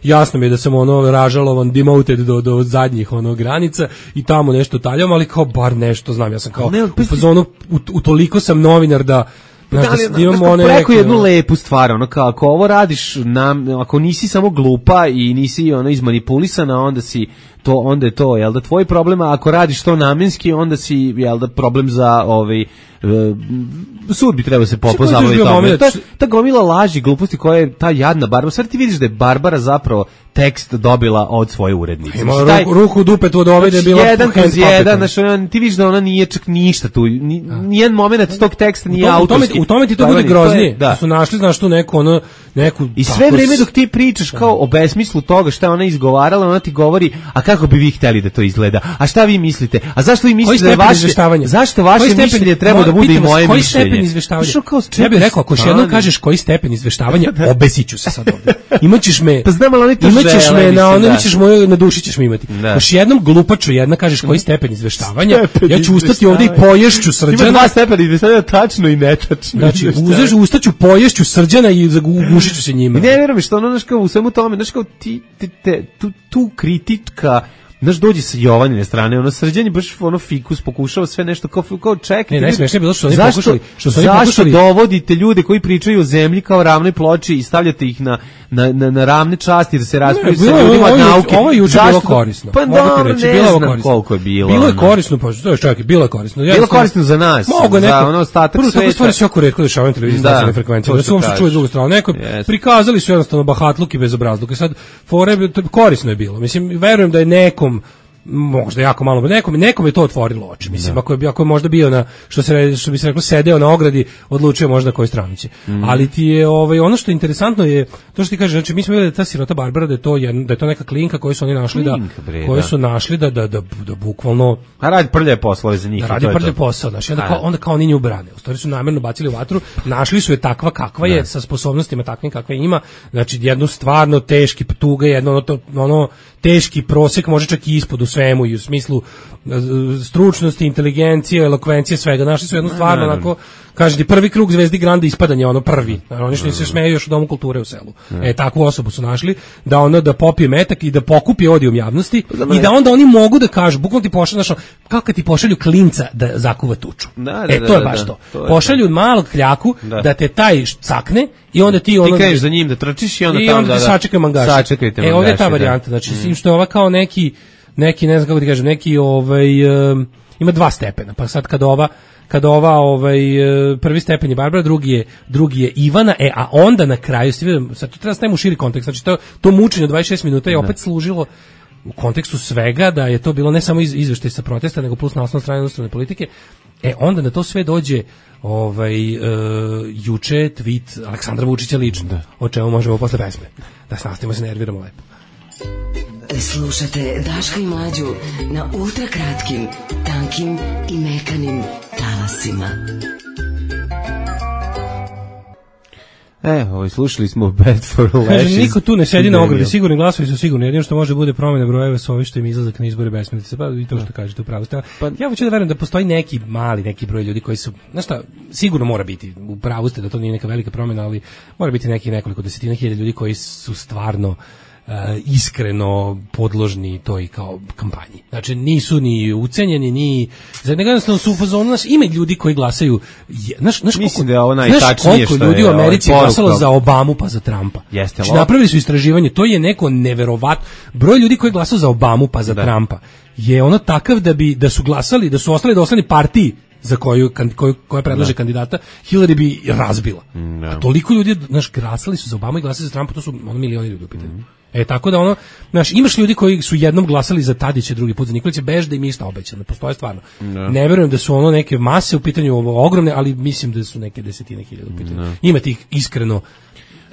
Jasno mi je da sam ono ražalovan, demoted do zadnjih granica i tamo nešto taljam, ali kao bar nešto znam, ja sam kao ne, u fazonu, u, u toliko sam novinar da znaš, da, da, da imamo one preko jednu no... lepu stvar, ono kao ako ovo radiš nam, ako nisi samo glupa i nisi ono izmanipulisana, onda si to, onda je to, jel da tvoj problem, a ako radiš to namenski, onda si, jel da problem za ovaj sud bi trebao se popozabaviti tome. Ta, ta gomila laži, gluposti koja je ta jadna Barbara. Sad ti vidiš da je Barbara zapravo tekst dobila od svoje urednice. Ima taj, ruku, ruku dupetu od ove da je bila jedan kroz jedan, znači ti vidiš da ona nije čak ništa tu, ni, nijedan moment tog teksta nije autorski. U tome ti to bude groznije, da su našli, znaš tu neku, ono, neku... I sve vreme dok ti pričaš kao o besmislu toga šta ona izgovarala, ona ti govori, a kako bi vi hteli da to izgleda, a šta vi mislite, a zašto vi mislite da je vaše, zašto vaše mišljenje treba da bude i moje koji mišljenje. Stepen izveštavanja? Ja bih rekao, ako još jednom kažeš koji stepen izveštavanja, obesiću se sad ovde. Imaćeš me, pa znam, ali oni to imaćeš žele, me, na ono, da. imaćeš moju, na duši ćeš me imati. Još jednom glupaču jedna kažeš koji stepen izveštavanja, stepen ja ću ustati ovde i poješću Srđana. Ima dva stepena izveštavanja, tačno i netačno. Znači, uzeš, ustaću, poješću Srđana i ugušiću se njima. Ne vjerujem što ono, znaš kao, u svemu tome, znaš kao, ti, te, te, tu, tu kritika, znaš, dođe sa Jovanine strane, ono Srđan baš ono fikus pokušava sve nešto kao, kao čekaj. Ne, najsmešnije je bilo što oni zašto, pokušali, što su oni zašto pokušali... dovodite ljude koji pričaju o zemlji kao ravnoj ploči i stavljate ih na, na, na, na ravne časti da se raspravljaju sa ljudima od nauke. Ovo je juče bilo korisno. Pa dobro, ne bilo znam korisno. koliko je bilo. Bilo je korisno, pa to je čak, bilo je korisno. Bilo je korisno za nas, mogu za neko, ono ostatak prvo, sveta. Prvo, stvari se jako retko dešavaju na televiziji s nacionalne frekvencije. Da se uopšte čuje drugu stranu. Neko, yes. Prikazali su jednostavno bahatluk i bezobrazluk. Sad, fore, korisno je bilo. Mislim, verujem da je nekom možda jako malo, nekom, nekom je to otvorilo oči. Mislim, da. ako je ako je možda bio na što se što bi se reklo sedeo na ogradi, odlučio možda na koju stranu će. Mm. Ali ti je ovaj ono što je interesantno je to što ti kaže, znači mi smo videli da ta sirota Barbara da je to jedna, da je to neka klinka koju su oni našli Klinka, da koju su našli da da da, da bukvalno a radi prljave poslove za njih. Da radi prljave posao, znači onda kao onda kao oni nju brane. U stvari su namerno bacili u vatru, našli su je takva kakva je, sa sposobnostima takvim kakve ima, znači jednu stvarno teški tuga, jedno ono, to, ono teški prosjek, može čak i ispod u svemu i u smislu stručnosti, inteligencije, elokvencije, svega. Našli su jednu stvarno onako, kaže ti prvi krug Zvezdi Granda ispadanja, ono prvi. Oni što se smeju još u Domu kulture u selu. E, takvu osobu su našli, da ono da popije metak i da pokupi odijum javnosti i da onda oni mogu da kažu, bukvalno ti pošalju, znaš, kao kad ti pošalju klinca da zakuva tuču. Da, da, e, to je baš to. to. Pošalju to. malog kljaku da. da te taj cakne i onda ti ono... Ti kreneš za njim da trčiš i onda i tamo onda da... I onda sačekaj mangaša. Sačekajte mangaša. E, ovdje je ta varijanta, znači, s tim što je ova kao neki, neki, ne znam kako ti kažem, neki, ovaj, um, ima dva stepena, pa sad kad ova, kad ova, ovaj, prvi stepen je Barbara, drugi je, drugi je Ivana, e, a onda na kraju, sad to treba staviti u širi kontekst, znači to, to mučenje od dvadeset šest minuta je opet ne. služilo u kontekstu svega, da je to bilo ne samo iz, izveštaj sa protesta, nego plus na osnovnoj strani inostrane politike, e, onda na to sve dođe ovaj, uh, juče tweet Aleksandra Vučića lično, da. O čemu možemo posle pesme, da se nastavimo se nerviramo lepo. Slušate Daška i Mlađu na ultra kratkim, tankim i mekanim talasima. E, ovaj, slušali smo Bad for Lashes. Kaže, niko tu ne sedi na ogradi, sigurni glasovi su sigurni, jedino što može bude promjena brojeva su ovi što im izlazak na izbore besmislice, pa i to što kažete upravo. Pa, ja hoću da verujem da postoji neki mali, neki broj ljudi koji su, znaš šta, sigurno mora biti, upravo ste da to nije neka velika promjena, ali mora biti neki nekoliko desetina hiljada ljudi koji su stvarno iskreno podložni toj kao kampanji. Znači nisu ni ucenjeni, ni za jednostavno su u fazonu, znaš, ima ljudi koji glasaju, znaš, znaš mislim koliko, da je ovo najtačnije što ljudi u Americi ovaj glasalo za Obamu pa za Trumpa. Jeste, znači, napravili su istraživanje, to je neko neverovatno broj ljudi koji glasaju za Obamu pa za da. Trumpa je ono takav da bi da su glasali, da su ostali dosledni partiji za koju, koju koja predlaže da. kandidata, Hillary bi razbila. Da. A toliko ljudi, znaš, glasali su za Obama i glasali za Trumpa, to su ono milioni ljudi u pitanju. Mm. E, tako da ono, znaš, imaš ljudi koji su jednom glasali za Tadića, drugi put za Nikolića, bež da im je išta obećano, postoje stvarno. Da. Ne verujem da su ono neke mase u pitanju ovo ogromne, ali mislim da su neke desetine hiljada u pitanju. Da. Ima tih iskreno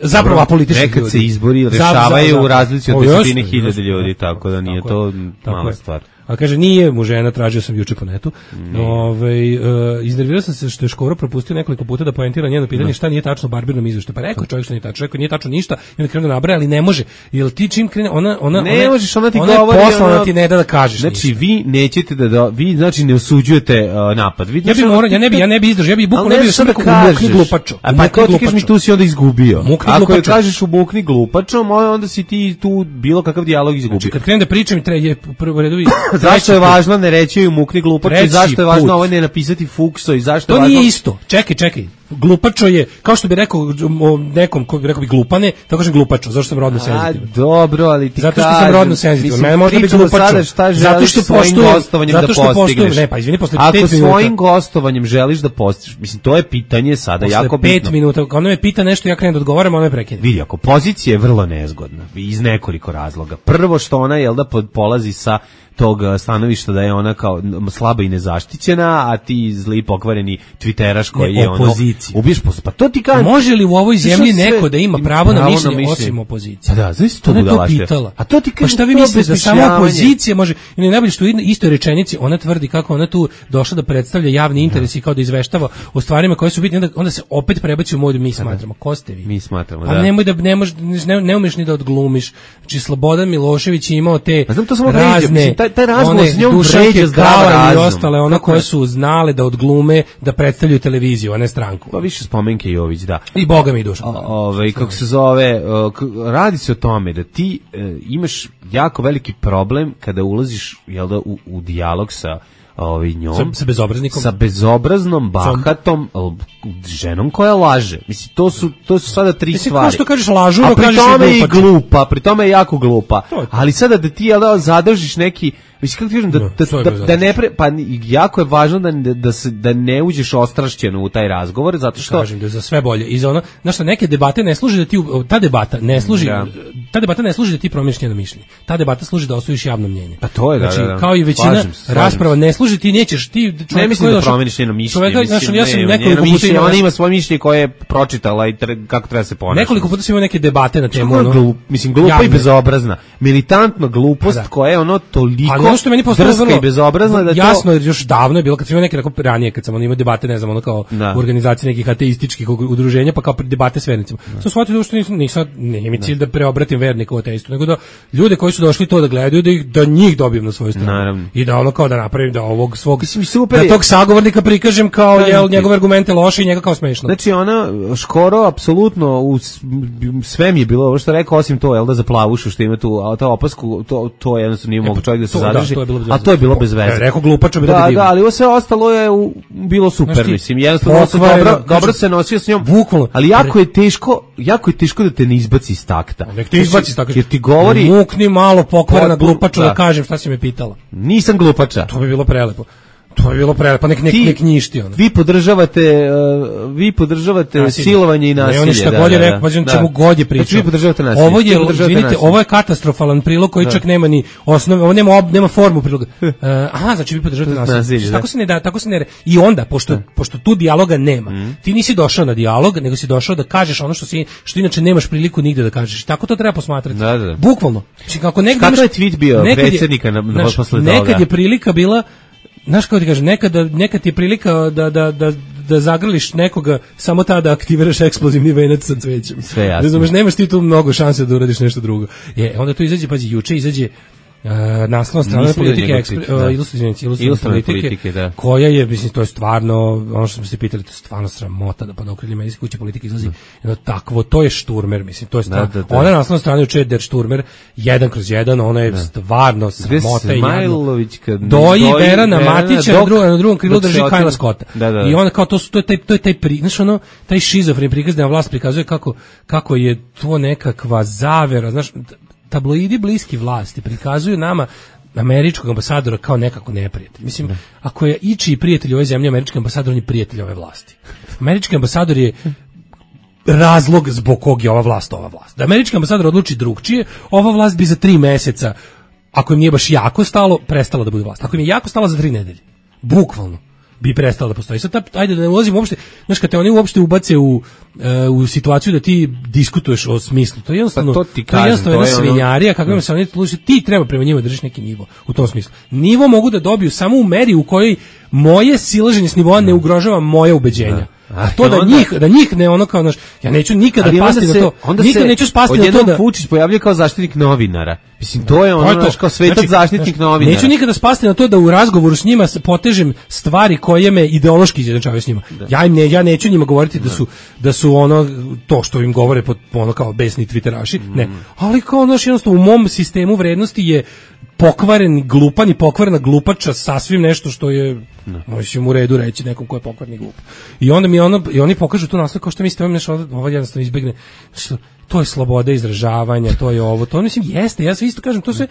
zapravo apolitičnih ljudi. Nekad se izbori rešavaju u razlici od desetine hiljada ljudi, tako da nije to mala stvar. A kaže, nije mu žena, tražio sam juče po netu. Ove, uh, iznervirao sam se što je Škoro propustio nekoliko puta da poentira njeno pitanje šta nije tačno Barbirnom izveštaju. Pa rekao čovjek što nije tačno, rekao nije tačno ništa i onda krenu da nabraja, ali ne može. Jel ti čim krene, ona, ona, ne ona, možeš, ona ti ona govori, je poslana ti ne da da kažeš znači, ništa. vi nećete da, da vi, znači, ne osuđujete uh, napad. Vi, ja, bi mora, ja ne bi, ja ne bi izdržao, ja bi bukvalno ne bi sam rekao umukni glupačo. A pa to ti kažeš mi tu si onda izgubio. Ako je kažeš umukni glupačom, onda si ti tu bilo kakav dijalog izgubio. Znači, kad krenem da pričam, je prvo redovi. Zašto je važno ne reći joj mukni glupačo i zašto je važno ovo ne napisati fukso i zašto je važno... To nije isto. Čekaj, čekaj. Glupačo je, kao što bi rekao nekom, ko bi rekao bi glupane, tako kažem glupačo, zašto sam rodno senzitivan. A, dobro, ali ti zato što sam rodno senzitivan. Mene možda biti glupačo. Zato što svojim gostovanjem da postigneš. Ne, pa izvini, posle Ako pet minuta. Ako svojim gostovanjem želiš da postigneš, mislim, to je pitanje sada posle jako bitno. pet minuta, ono me pita nešto, ja krenem da odgovaram, ono me prekine. Vidi, ako pozicija je vrlo nezgodna, iz nekoliko razloga. Prvo što ona, jel da, polazi sa tog stanovišta da je ona kao slaba i nezaštićena, a ti zli pokvareni twitteraš koji ne, je ono ubiješ posle. Pa to ti kaže. Može li u ovoj zemlji neko da ima pravo na mišljenje osim opozicije? Pa da, znači to je to pitala. A to ti kaže, pa šta vi mislite da samo opozicija može? I ne najbolje što u istoj rečenici ona tvrdi kako ona tu došla da predstavlja javni interes i kao da izveštava o stvarima koje su bitne, onda, onda se opet prebaci u modu mi smatramo. Ko ste vi? Mi smatramo, da. A nemoj da ne možeš ne, ne umeš ni da odglumiš. Znači Slobodan Milošević je imao te razne taj razgovor s njom vređa zdrav razum. I ostale, one koje su znale da odglume, da predstavljaju televiziju, a ne stranku. Pa više Spomenke Jović, da. I Boga mi Dušan. Ovaj, kako se zove, radi se o tome da ti e, imaš jako veliki problem kada ulaziš, jel da, u, u dijalog sa ovaj njom, sa, sa bezobraznikom, sa bezobraznom, bahatom ženom koja laže. Mislim, to su to su sada tri Mislim, stvari. Mislim, što kažeš lažu, a pri tome je i glupa. glupa, pri tome je jako glupa. Je ali sada da ti, jel da, zadržiš neki, mislim, kako ti kažem, da, no, da, da, da ne pre, pa jako je važno da, da, se, da ne uđeš ostrašćeno u taj razgovor, zato što... Kažem da je za sve bolje. I za ono, znaš što, neke debate ne služi da ti, ta debata ne služi, ja. ta debata ne služi da ti promijeniš njeno mišljenje. Ta debata služi da osvojiš javno mnjenje. Pa to je, znači, da, da. kao i većina slažem se, slažem rasprava ne služi, ti nećeš, ti... Ne mislim da promijeniš njeno mišljenje, čovjeka, mislim, znaš, ja sam ne, nekoliko puta imala, ona ima svoje mišljenje koje je pročitala i tre, kako treba se ponašati. Nekoliko puta sam imao neke debate na temu, ono... Glup, mislim, glupa javne. I bezobrazna. Militantno glupost da. Koja je ono toliko... Ali ono što meni postalo i bezobrazna da jasno je još davno je bilo kad sam imao neke tako ranije kad sam imao debate ne znam ono kao da. U organizaciji nekih ateističkih udruženja pa kao debate s vernicima. Da. Sam shvatio da što nisam nisam nije mi cilj da. da preobratim vernike u ateistu nego da ljude koji su došli to da gledaju da ih da njih dobijem na svoju stranu. Naravno. I da ono kao da napravim da ovog svog mislim, super da tog sagovornika prikažem kao da, jel njegove argumente loše i njega kao smešno. Znači ona Škoro apsolutno u sve mi je bilo ovo što rekao osim to jel da za plavušu što ima tu a ta opasku to to jednostavno nije mogao čovjek da se zadrži. A to je bilo bez veze. Rekao glupačo bi da, da, ali ovo sve ostalo je u, bilo super, znači, mislim, jednostavno se dobro, dobro se nosio s njom, bukvalno, ali jako je teško, jako je teško da te ne izbaci iz takta. Nek te izbaci iz takta, jer ti govori... Mukni malo pokvarena glupačo da. Da kažem šta si me pitala. Nisam glupača. To bi bilo prelepo. To je bilo prelepo, pa nek nek, nek njišti ono. Vi podržavate, uh, vi podržavate nasilje. Silovanje i nasilje. Ne, on je šta da, god je rekao, pa da. Čemu god je pričao. Znači vi podržavate nasilje. Ovo je, vidite, ovo je katastrofalan prilog koji da. Čak nema ni osnove, ovo nema, nema formu priloga. Uh, aha, znači vi podržavate nasilje. nasilje tako se ne da, tako se ne. I onda, pošto, pošto tu dijaloga nema, mm. ti nisi došao na dijalog, nego si došao da kažeš ono što si, što inače nemaš priliku nigde da kažeš. Tako to treba posmatrati. Da, da. Bukvalno. Znači kako negde kako je tweet bio predsjednika na, na posle toga? Nekad je prilika bila znaš kako ti kažem, nekad, nekad ti je prilika da, da, da, da zagrliš nekoga samo tada da aktiviraš eksplozivni venac sa cvećem. Sve jasno. Znaš, nemaš ti tu mnogo šanse da uradiš nešto drugo. Je, onda tu izađe, pazi, juče izađe Uh, naslovna strana politike, ekspre, uh, ilustrativne politike, politike da. koja je, mislim, to je stvarno, ono što smo se pitali, to je stvarno sramota da pa na okrilje medijske kuće politike izlazi jedno takvo, to je šturmer, mislim, to je stvarno, da, da, da. ona naslovna strana juče der šturmer, jedan kroz jedan, ona je da. stvarno sramota i jadno. Doji Verana Matića, na drugom, na drugom krilu drži Kajla Scotta. Da, da. I onda kao, to, to je taj, to je taj, pri, znaš, ono, taj šizofren prikaz da vlast prikazuje kako, kako je to nekakva zavera, znaš, tabloidi bliski vlasti prikazuju nama američkog ambasadora kao nekako neprijatelj. Mislim, ne. ako je ičiji prijatelj ove zemlje, američki ambasador, on je prijatelj ove vlasti. Američki ambasador je razlog zbog kog je ova vlast ova vlast. Da američki ambasador odluči drugčije, ova vlast bi za tri meseca, ako im nije baš jako stalo, prestala da bude vlast. Ako im je jako stalo za tri nedelje. Bukvalno bi prestala da postoji. Sad, ajde da ne ulazimo uopšte, znaš, kad te oni uopšte ubace u, uh, u situaciju da ti diskutuješ o smislu, to je jednostavno, pa to ti kažem, to je jednostavno jedna svinjarija, kako ima se oni služi, ti treba prema njima držiš neki nivo u tom smislu. Nivo mogu da dobiju samo u meri u kojoj moje silaženje s nivoa ne ugrožava moje ubeđenja. A to da njih, da njih ne ono kao naš, ja neću nikada pasti na to, nikada neću spasti na to da Vučić pojavljuje kao zaštitnik novinara. Mislim, to je ono naš kao svetac znači, zaštitnik novinara. Neću nikada spasti na to da u razgovoru s njima potežem stvari koje me ideološki izjednačavaju s njima. Da. Ja im ne, ja neću njima govoriti da su da su ono to što im govore pod ono kao besni twitteraši, mm. ne. Ali kao naš jednostavno u mom sistemu vrednosti je pokvaren, glupan i pokvarena glupača sasvim nešto što je možemo u redu reći nekom ko je pokvarni glup. I onda mi ono i oni pokažu tu naslov kao što mislite, nešto ovo jednostavno izbegne. Što to je sloboda izražavanja, to je ovo, to mislim jeste, ja sve isto kažem, to sve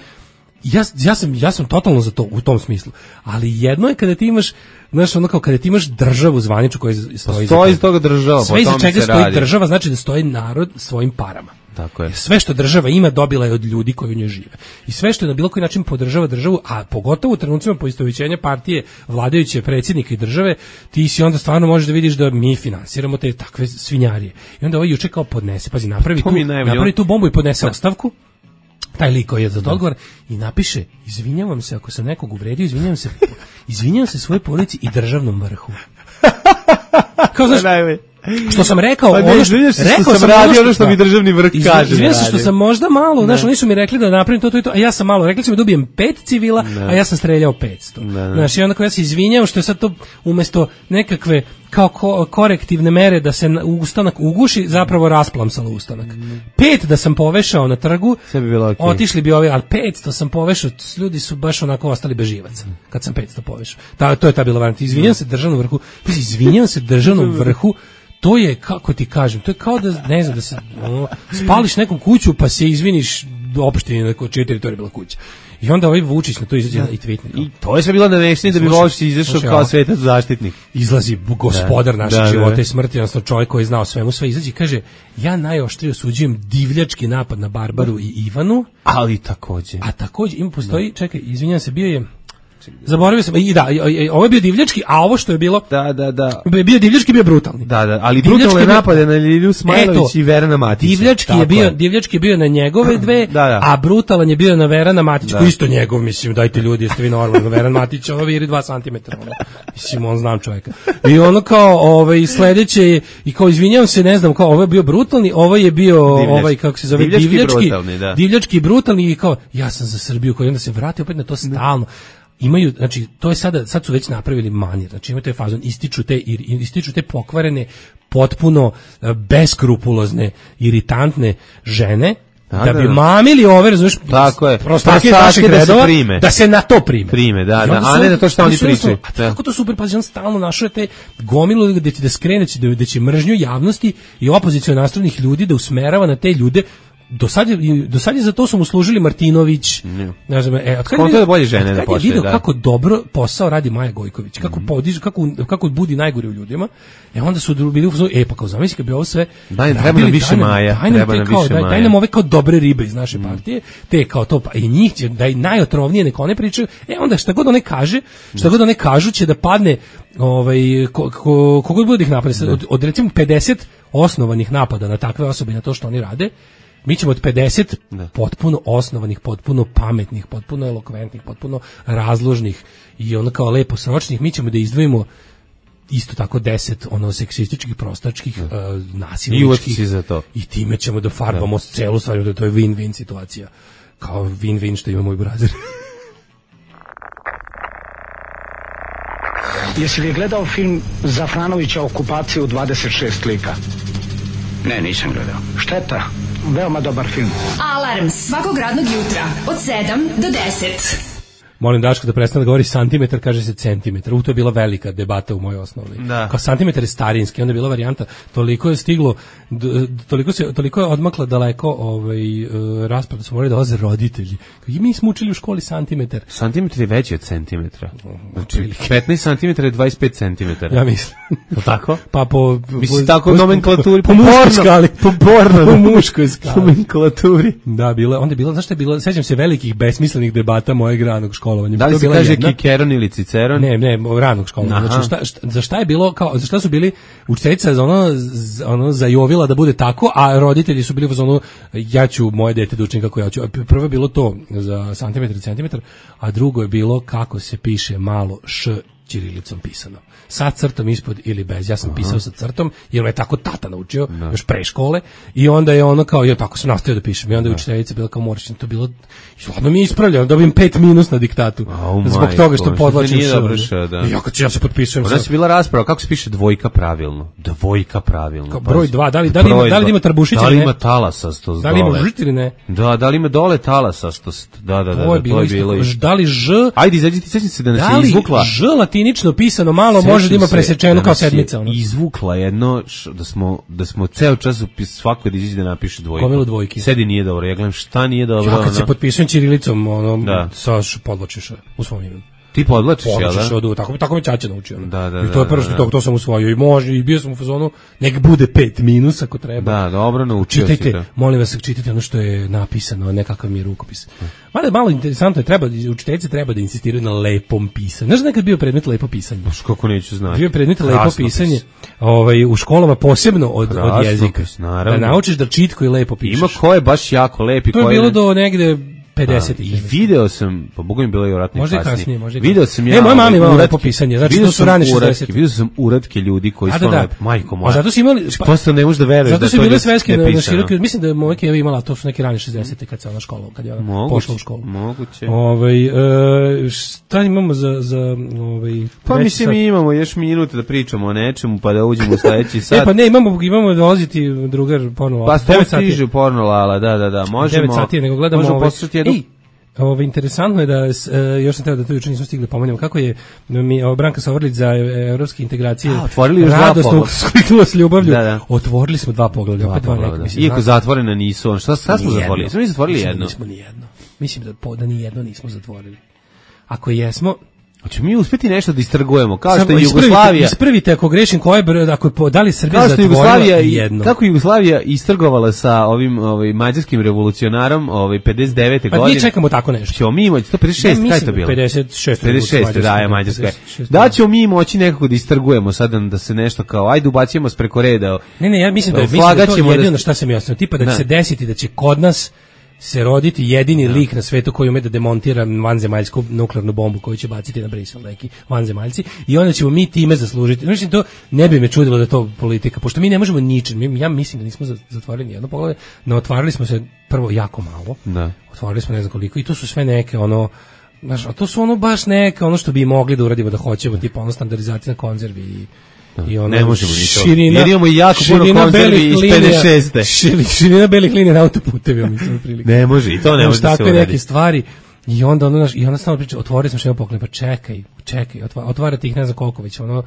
ja, ja sam ja sam totalno za to u tom smislu. Ali jedno je kada ti imaš, znaš, ono kao kada ti imaš državu zvaničnu koja stoji stoji iz toga država, sve iza čega stoji država, znači da stoji narod svojim parama. Tako je. Sve što država ima dobila je od ljudi koji u njoj žive. I sve što na bilo koji način podržava državu, a pogotovo u trenucima poistovećenja partije vladajuće predsjednika i države, ti si onda stvarno možeš da vidiš da mi finansiramo te takve svinjarije. I onda ovaj juče kao podnese, pazi, napravi tu, napravi tu bombu i podnese ostavku. Taj lik koji je za odgovor i napiše: izvinjavam se ako sam nekog uvredio, izvinjavam se, izvinjavam se svojoj porodici i državnom vrhu. Kao znaš, što sam rekao, pa ne, ono što, što rekao sam radio ono što mi državni vrh kaže. Izvinjavam se što sam možda malo, znaš, oni su mi rekli da napravim to, to i to, a ja sam malo, rekli su mi dobijem pet civila, ne. a ja sam streljao petsto. Znaš, i onda ja se izvinjavam što je sad to umjesto nekakve kao ko, korektivne mere da se ustanak uguši, zapravo rasplamsalo ustanak. Mm. Pet da sam povešao na trgu, sve bi bilo okay. Otišli bi ovi, ali petsto sam povešao, ljudi su baš onako ostali bez živaca, mm. kad sam petsto povešao. Ta, to je ta bila varijanta. Izvinjam mm. se državnom vrhu, izvinjam se državnom vrhu, to je, kako ti kažem, to je kao da, ne znam, da se ono, spališ nekom kuću pa se izviniš opštini neko čija teritorija bila kuća. I onda ovaj Vučić na to izađe i tweetne. I to je sve bilo navešteni da bi Vučić izašao kao svetac zaštitnik. Izlazi gospodar naših da, života da. i smrti, odnosno čovjek koji je znao svemu sve, izađe i kaže: ja najoštrije osuđujem divljački napad na Barbaru i Ivanu. Ali takođe. A takođe im postoji, da. čekaj, izvinjam se, bio je... Zaboravio sam, i da, ovo je bio divljački, a ovo što je bilo, da, da, da. bio divljački, bio brutalni. Da, da, ali brutalne napade na Ljilju Smajlović i Verana Matića. Divljački je bio, divljački je bio na njegove dve, da, da. a brutalan je bio na Verana Matića, koji isto njegov, mislim, dajte ljudi, jeste vi normalno, Veran Matić, ovo viri dva centimetra, ono. Mislim, on znam čovjeka. I ono kao, ovaj, sledeće je, i kao, izvinjavam se, ne znam, kao, ovo je bio brutalni, ovo je bio, divljački. ovaj, kako se zove, divljački, divljački, brutalni, da. divljački brutalni, i kao, ja sam za Srbiju, koji onda se vrati opet na to stalno. Imaju, znači, to je sada, sad su već napravili manir, znači imaju taj fazon, ističu te, ističu te pokvarene, potpuno beskrupulozne, iritantne žene, da, da bi da. mamili ove, razumiješ, tako je, prostake naših redova, da, da se na to prime. Prime, da, da, a ne na to što oni pričaju. A kako to super, pa on stalno našao te gomilu da će da skrene, da, da će mržnju javnosti i opozicijone nastrojnih ljudi da usmerava na te ljude. Do sad je, do sad je za to su mu služili Martinović, ne znam, e, od kad je vidio, bolje žene da počne, vidio da. kako dobro posao radi Maja Gojković, kako mm-hmm. podiže, kako kako budi najgore u ljudima. E onda su bili u e pa kao zamisli kad bi ovo sve daj treba nam više Maja, treba nam više Maja. Daj nam ove kao dobre ribe iz naše partije, te kao to pa i njih će da najotrovnije neko ne pričaju. E onda šta god one kaže, šta god one kažu će da padne ovaj ko, ko, kogod bude ih napada od, od recimo pedeset osnovanih napada na takve osobe i na to što oni rade. Mi ćemo od pedeset ne. potpuno osnovanih, potpuno pametnih, potpuno elokventnih, potpuno razložnih i ono kao lepo sročnih, mi ćemo da izdvojimo isto tako deset ono seksističkih, prostačkih, uh, nasilničkih i za to. I time ćemo da farbamo celu stvar, da to je win-win situacija. kao win-win što ima moj brazer. Jesi li gledao film Zafranovića Okupaciju dvadeset šest lika? Ne, nisam gledao. Šteta, veoma dobar film. Alarm svakog radnog jutra od sedam do deset. Molim Daško da prestane da govori santimetar, kaže se centimetar. U to je bila velika debata u mojoj osnovnoj. Da. Kao santimetar je starinski, onda je bila varijanta, toliko je stiglo, d, toliko, se, toliko je odmakla daleko ovaj, uh, rasprava da su morali dolaze roditelji. I mi smo učili u školi santimetar. Santimetar je veći od centimetra. Znači, petnaest santimetara je dvadeset pet centimetara. Ja mislim. Tako? Pa po... Mislim, tako u nomenklaturi. Po, po, po muškoj skali. Po porno. Po muškoj skali. Nomenklaturi. Da, bila, onda je bila, znaš što je bilo, sećam se velikih besmislenih debata mojeg ranog školovanja. Da li se kaže jedna? Kikeron ili Ciceron? Ne, ne, ranog školovanja. Znači, šta, šta, za šta je bilo, kao, za šta su bili učiteljica za ono, za ono zajovila da bude tako, a roditelji su bili za ono, ja ću moje dete da učim kako ja ću. Prvo je bilo to za santimetar i centimetar, a drugo je bilo kako se piše malo š ćirilicom pisano. Sa crtom ispod ili bez. Ja sam Aha. pisao sa crtom, jer me je tako tata naučio, da. još pre škole, i onda je ono kao, ja tako sam nastavio da pišem, i onda je učiteljica bila kao moračna, to bilo, hladno mi je ispravljeno, dobijem pet minus na diktatu, oh zbog toga što podlačim š. Da. Ja, kad ja se potpisujem. Ona je bila rasprava, kako se piše dvojka pravilno? Dvojka pravilno. Kao broj dva, da li, da li, ima, da li ima trbušić ili ne? Da li ima talasastost dole? Da li ima žit ili ne? Da, da li ima dole talasastost? Da, da, da, to je bilo, to je bilo isto. Da li ž... Ajde, izađi ti, sećam se da nas da je izvukla. Da li ž latinično pisano malo može da ima presečeno kao sedmica. Ono. Izvukla jedno, š, da smo da smo ceo čas svako da izađe da napiše dvojku. Gomilu dvojki. Sedi nije dobro, ja gledam šta nije dobro. Ja kad ono. se potpisujem ćirilicom, ono, da. sa podločiš u svom imenu. Ti podlačiš, jel da? Podlačiš od, tako, tako me ćaća naučio. Ono. Da, da, I to je prvo što to, to sam usvojio. I može, i bio sam u fazonu, nek bude pet minus ako treba. Da, dobro, naučio si to. Molim vas, čitajte ono što je napisano, nekakav mi je rukopis. Mada je malo interesantno, je treba, učiteljice treba da insistiraju na lepom pisanju. Znaš da nekad bio predmet lepo pisanje? Baš kako neću znati. Bio predmet lepo pisanje ovaj, u školama posebno od, od jezika. Pis, da naučiš da čitko i lepo pišeš. Ima ko je baš jako lepi. To je bilo do negde pedeset I video sam, pa Bogom bilo i vjerojatno kasnije. Kasnije može video sam ja. Ne, moja mama imala lepo pisanje, znači to su rane šezdeset. Video sam uratke ljudi koji su ono majko moja. A zato su imali, pa, prosto ne možeš da veruješ da to je. Zato su bile sveske na široke, mislim da je moja Keva imala, to su neke rane šezdesete kad se ona škola, kad je ona pošla u školu. Moguće. Ovaj e, šta imamo za za ovaj pa mislim mi imamo još minute da pričamo o nečemu pa da uđemo u sledeći sat. E pa ne, imamo imamo dolaziti drugar porno. Pa devet sati stiže porno lala, da da da, možemo. devet sati nego gledamo. Možemo poslušati jednu. Ovo interesantno je da e, još sam teo da to juče nismo stigli pomenemo kako je mi Branka Sovrlić za evropske integracije. A, otvorili još dva poglavlja. Skliknula s ljubavlju. Da, da. Otvorili smo dva poglavlja, opet dva neka, mislim. Iako zatvorena nisu, on šta, šta smo zatvorili? Smo mi zatvorili mislim jedno. Nismo ni jedno. Mislim da po, da ni jedno nismo zatvorili. Ako jesmo, hoćemo mi uspeti nešto da istrgujemo, kao što je Jugoslavija. Ispravite ako grešim koje broj, ako je da li Srbija zatvorila jedno. Kako Jugoslavija istrgovala sa ovim ovaj mađarskim revolucionarom, ovaj pedeset devete pa godine. Mi čekamo tako nešto. Ćemo mi moći, to pedeset šest, kaj to bilo? pedeset šest, pedeset šest da je Mađarska. Da ćemo mi moći nekako da istrgujemo sad da se nešto kao ajde ubacimo s preko reda. Ne, ne, ja mislim da je mislim da to jedino šta se mi jasno, tipa da će se desiti da će kod nas se roditi jedini lik na svetu koji ume da demontira vanzemaljsku nuklearnu bombu koju će baciti na Brisel neki vanzemaljci i onda ćemo mi time zaslužiti. Mislim, to ne bi me čudilo da je to politika, pošto mi ne možemo ničim. Ja mislim da nismo zatvorili jedno poglavlje, no otvarali smo se prvo jako malo. Da. Otvarali smo ne znam koliko i to su sve neke ono, znaš, a to su ono baš neke ono što bi mogli da uradimo da hoćemo, tipa ono standardizacija na konzervi i I ono, ne možemo ni to. Jer imamo jako puno konzervi iz pedeset šeste. Širina, širina belih linija na autoputevima, mislim, prilike. Ne može, i to ne može da se uradi. Takve neke stvari. I onda, ono, i onda stalno priča, otvorili smo što je poklon, pa čekaj, čekaj, otvarati ih ne znam koliko već, ono,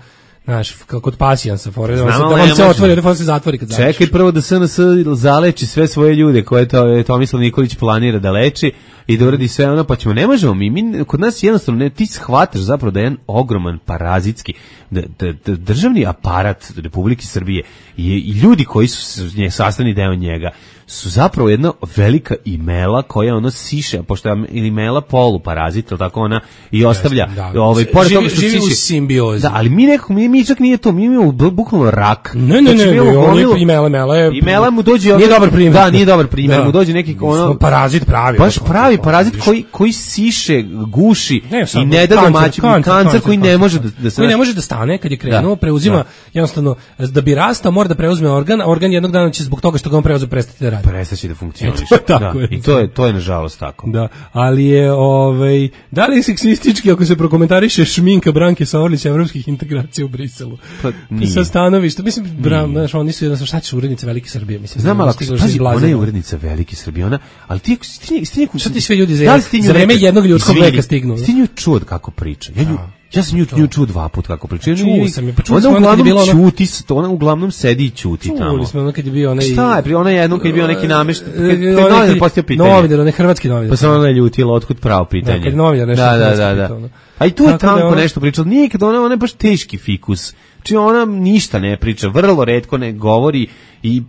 znaš, kod pasijansa, da vam se otvori, da vam se zatvori kad završiš. Čekaj prvo da S N S zaleči sve svoje ljude koje to Tomislav Nikolić planira da leči i da uradi sve ono, pa ćemo, ne možemo mi, mi kod nas jednostavno, ne, ti shvataš zapravo da je jedan ogroman parazitski, da, da, da državni aparat Republike Srbije je, i ljudi koji su nje, sastavni deo njega, su zapravo jedna velika imela koja ono siše, pošto je imela poluparazit, ili tako ona, i ostavlja, da, ovaj, pored toga što živi siše, u simbiozi. Da, ali mi nekako, mi, mi čak nije to, mi imamo bukvalno rak. Ne, ne, znači, ne, ne, on je imela, imela je. Imela mu dođe, nije dobar primjer. Da, nije dobar primjer, da. Mu dođe neki ono, parazit pravi. Baš pravi parazit koji, koji siše, guši ne, i ne da domaći kancer koji ne može da, da se... Koji ne može da stane kad je krenuo, da, preuzima, da. Jednostavno, da bi rastao mora da preuzme organ, a organ jednog dana će zbog toga što ga on preuzme prestati da radi. Prestaće da funkcioniše. Tako da. je. I to je, to je nažalost tako. Da, ali je, ovaj, da li je seksistički ako se prokomentariše šminka Branke Saorlića evropskih integracija u Briselu? Pa nije. Sa stanovišta, mislim, Bram, znaš, oni su jednostavno, šta ćeš urednica Velike Srbije, mislim. Znam, ali stigla pazi, iz ona je Blazena. urednica Velike Srbije, ona, ali ti, ti, ti, ti, Šta ti sve ljudi za, da li si ti nju za vreme nekad- jednog ljudskog Izvini, veka stignu? Ti nju čuo kako priča. Ja nju, ja sam nju, nju čuo dva puta kako priča. Ja Čuo nju- sam je, pa čuo ona sam ono kad je bilo uglavnom ono- ćuti, ona uglavnom sedi i ćuti tamo. Čuli smo ono kad je bio onaj... Šta je, pri ona je jednom kad je bio neki namešten, kad, kad Onaj je novinar neki- postao pitanje. Novinar, onaj hrvatski novinar. Pa se ona je ljutila, otkud pravo pitanje. Da, kad je novinar nešto Da, da, hrvatski da, da. pitao, ono. A i tu je Tako da tanko ona- nešto pričala. Nije kad ona, ona je baš teški fikus. Znači ona ništa ne priča, vrlo retko ne govori i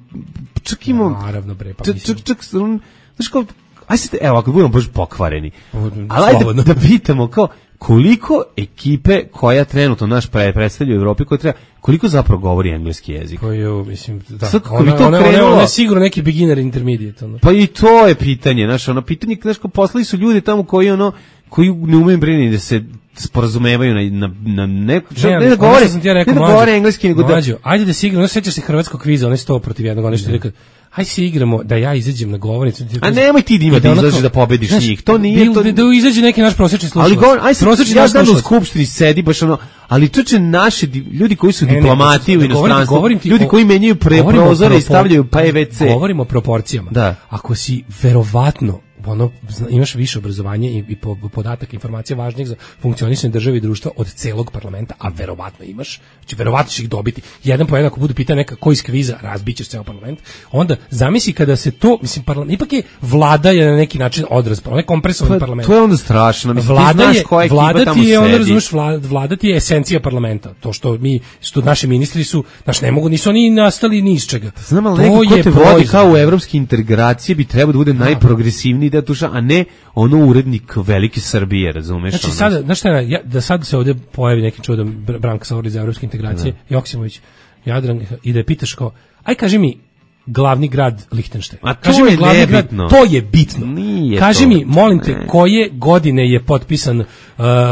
čak ima... Naravno, bre, pa čak, mislim. čak, čak, on- znaš kao, aj sad, evo, ako budemo baš pokvareni, Slobodno. ali ajde da pitamo kao, koliko ekipe koja trenutno naš pre, predstavlja u Evropi, koja treba, koliko zapravo govori engleski jezik? Pa jo, mislim, da. Sad kako Ona, bi to ona, ona, krenulo? ona je sigurno neki beginner intermediate, ono. Pa i to je pitanje, znaš, ono pitanje, znaš, kao poslali su ljudi tamo koji, ono, koji ne umeju brini da se sporazumevaju na, na, na ne, ne, ne da ono govore, što sam ti ja rekao, ne da mlađo, govore engleski, nego da... mlađo, ajde da se igramo, no sećaš se hrvatskog kviza, onaj sto protiv jednog, onaj što je rekao, ajde se igramo da ja izađem na govornicu. A nemoj ti da ima da onako- izađeš da pobediš znaš, njih, to nije... bil- to... Da, da izađe neki naš prosječni slušalac. Ali govor, aj sad, Prosječni ja naš znam da u slušalac. skupštini sedi baš ono, ali čoče naši di- ljudi koji su Ne, ne, diplomati u da govorim- inostranstvu, govorim ti ljudi o- koji menjaju pre govorim o prozore i propor- stavljaju pa P V C. Govorimo o proporcijama. Da. Ako si verovatno ono, zna- imaš više obrazovanje i, i po, podataka, informacija važnih za funkcionisanje države i društva od celog parlamenta, a verovatno imaš, znači verovatno ćeš ih dobiti. Jedan po jedan, ako budu pitanja neka koji iz kviza, razbićeš ceo parlament, onda zamisli kada se to, mislim, parlament, ipak je vlada je na neki način odraz, onaj kompresovani Pa, parlament. to je onda strašno, mislim, Vlada ti znaš je, koja ekipa vlada tamo ti je, onda sedi. razumeš, vlada, vlada ti je esencija parlamenta. To što mi, što naši ministri su, znaš, ne mogu, nisu oni nastali ni iz čega. Znam, ali To neko ko je te vodi proizvod. kao u evropske integracije bi trebao da bude najprogresivniji deo tuša, a ne ono urednik Velike Srbije, razumeš? Znači ono? sada, znaš šta, je, ja, da sad se ovdje pojavi neki čudan Br- Branka Saorlić za evropske integracije, Joksimović, Jadran, i da je pitaš kao, aj kaži mi glavni grad Lihtenštajna. A to Kaži mi je glavni nebitno. grad, to je bitno. Nije Kaži to. mi, molim te, Ne. koje godine je potpisan uh,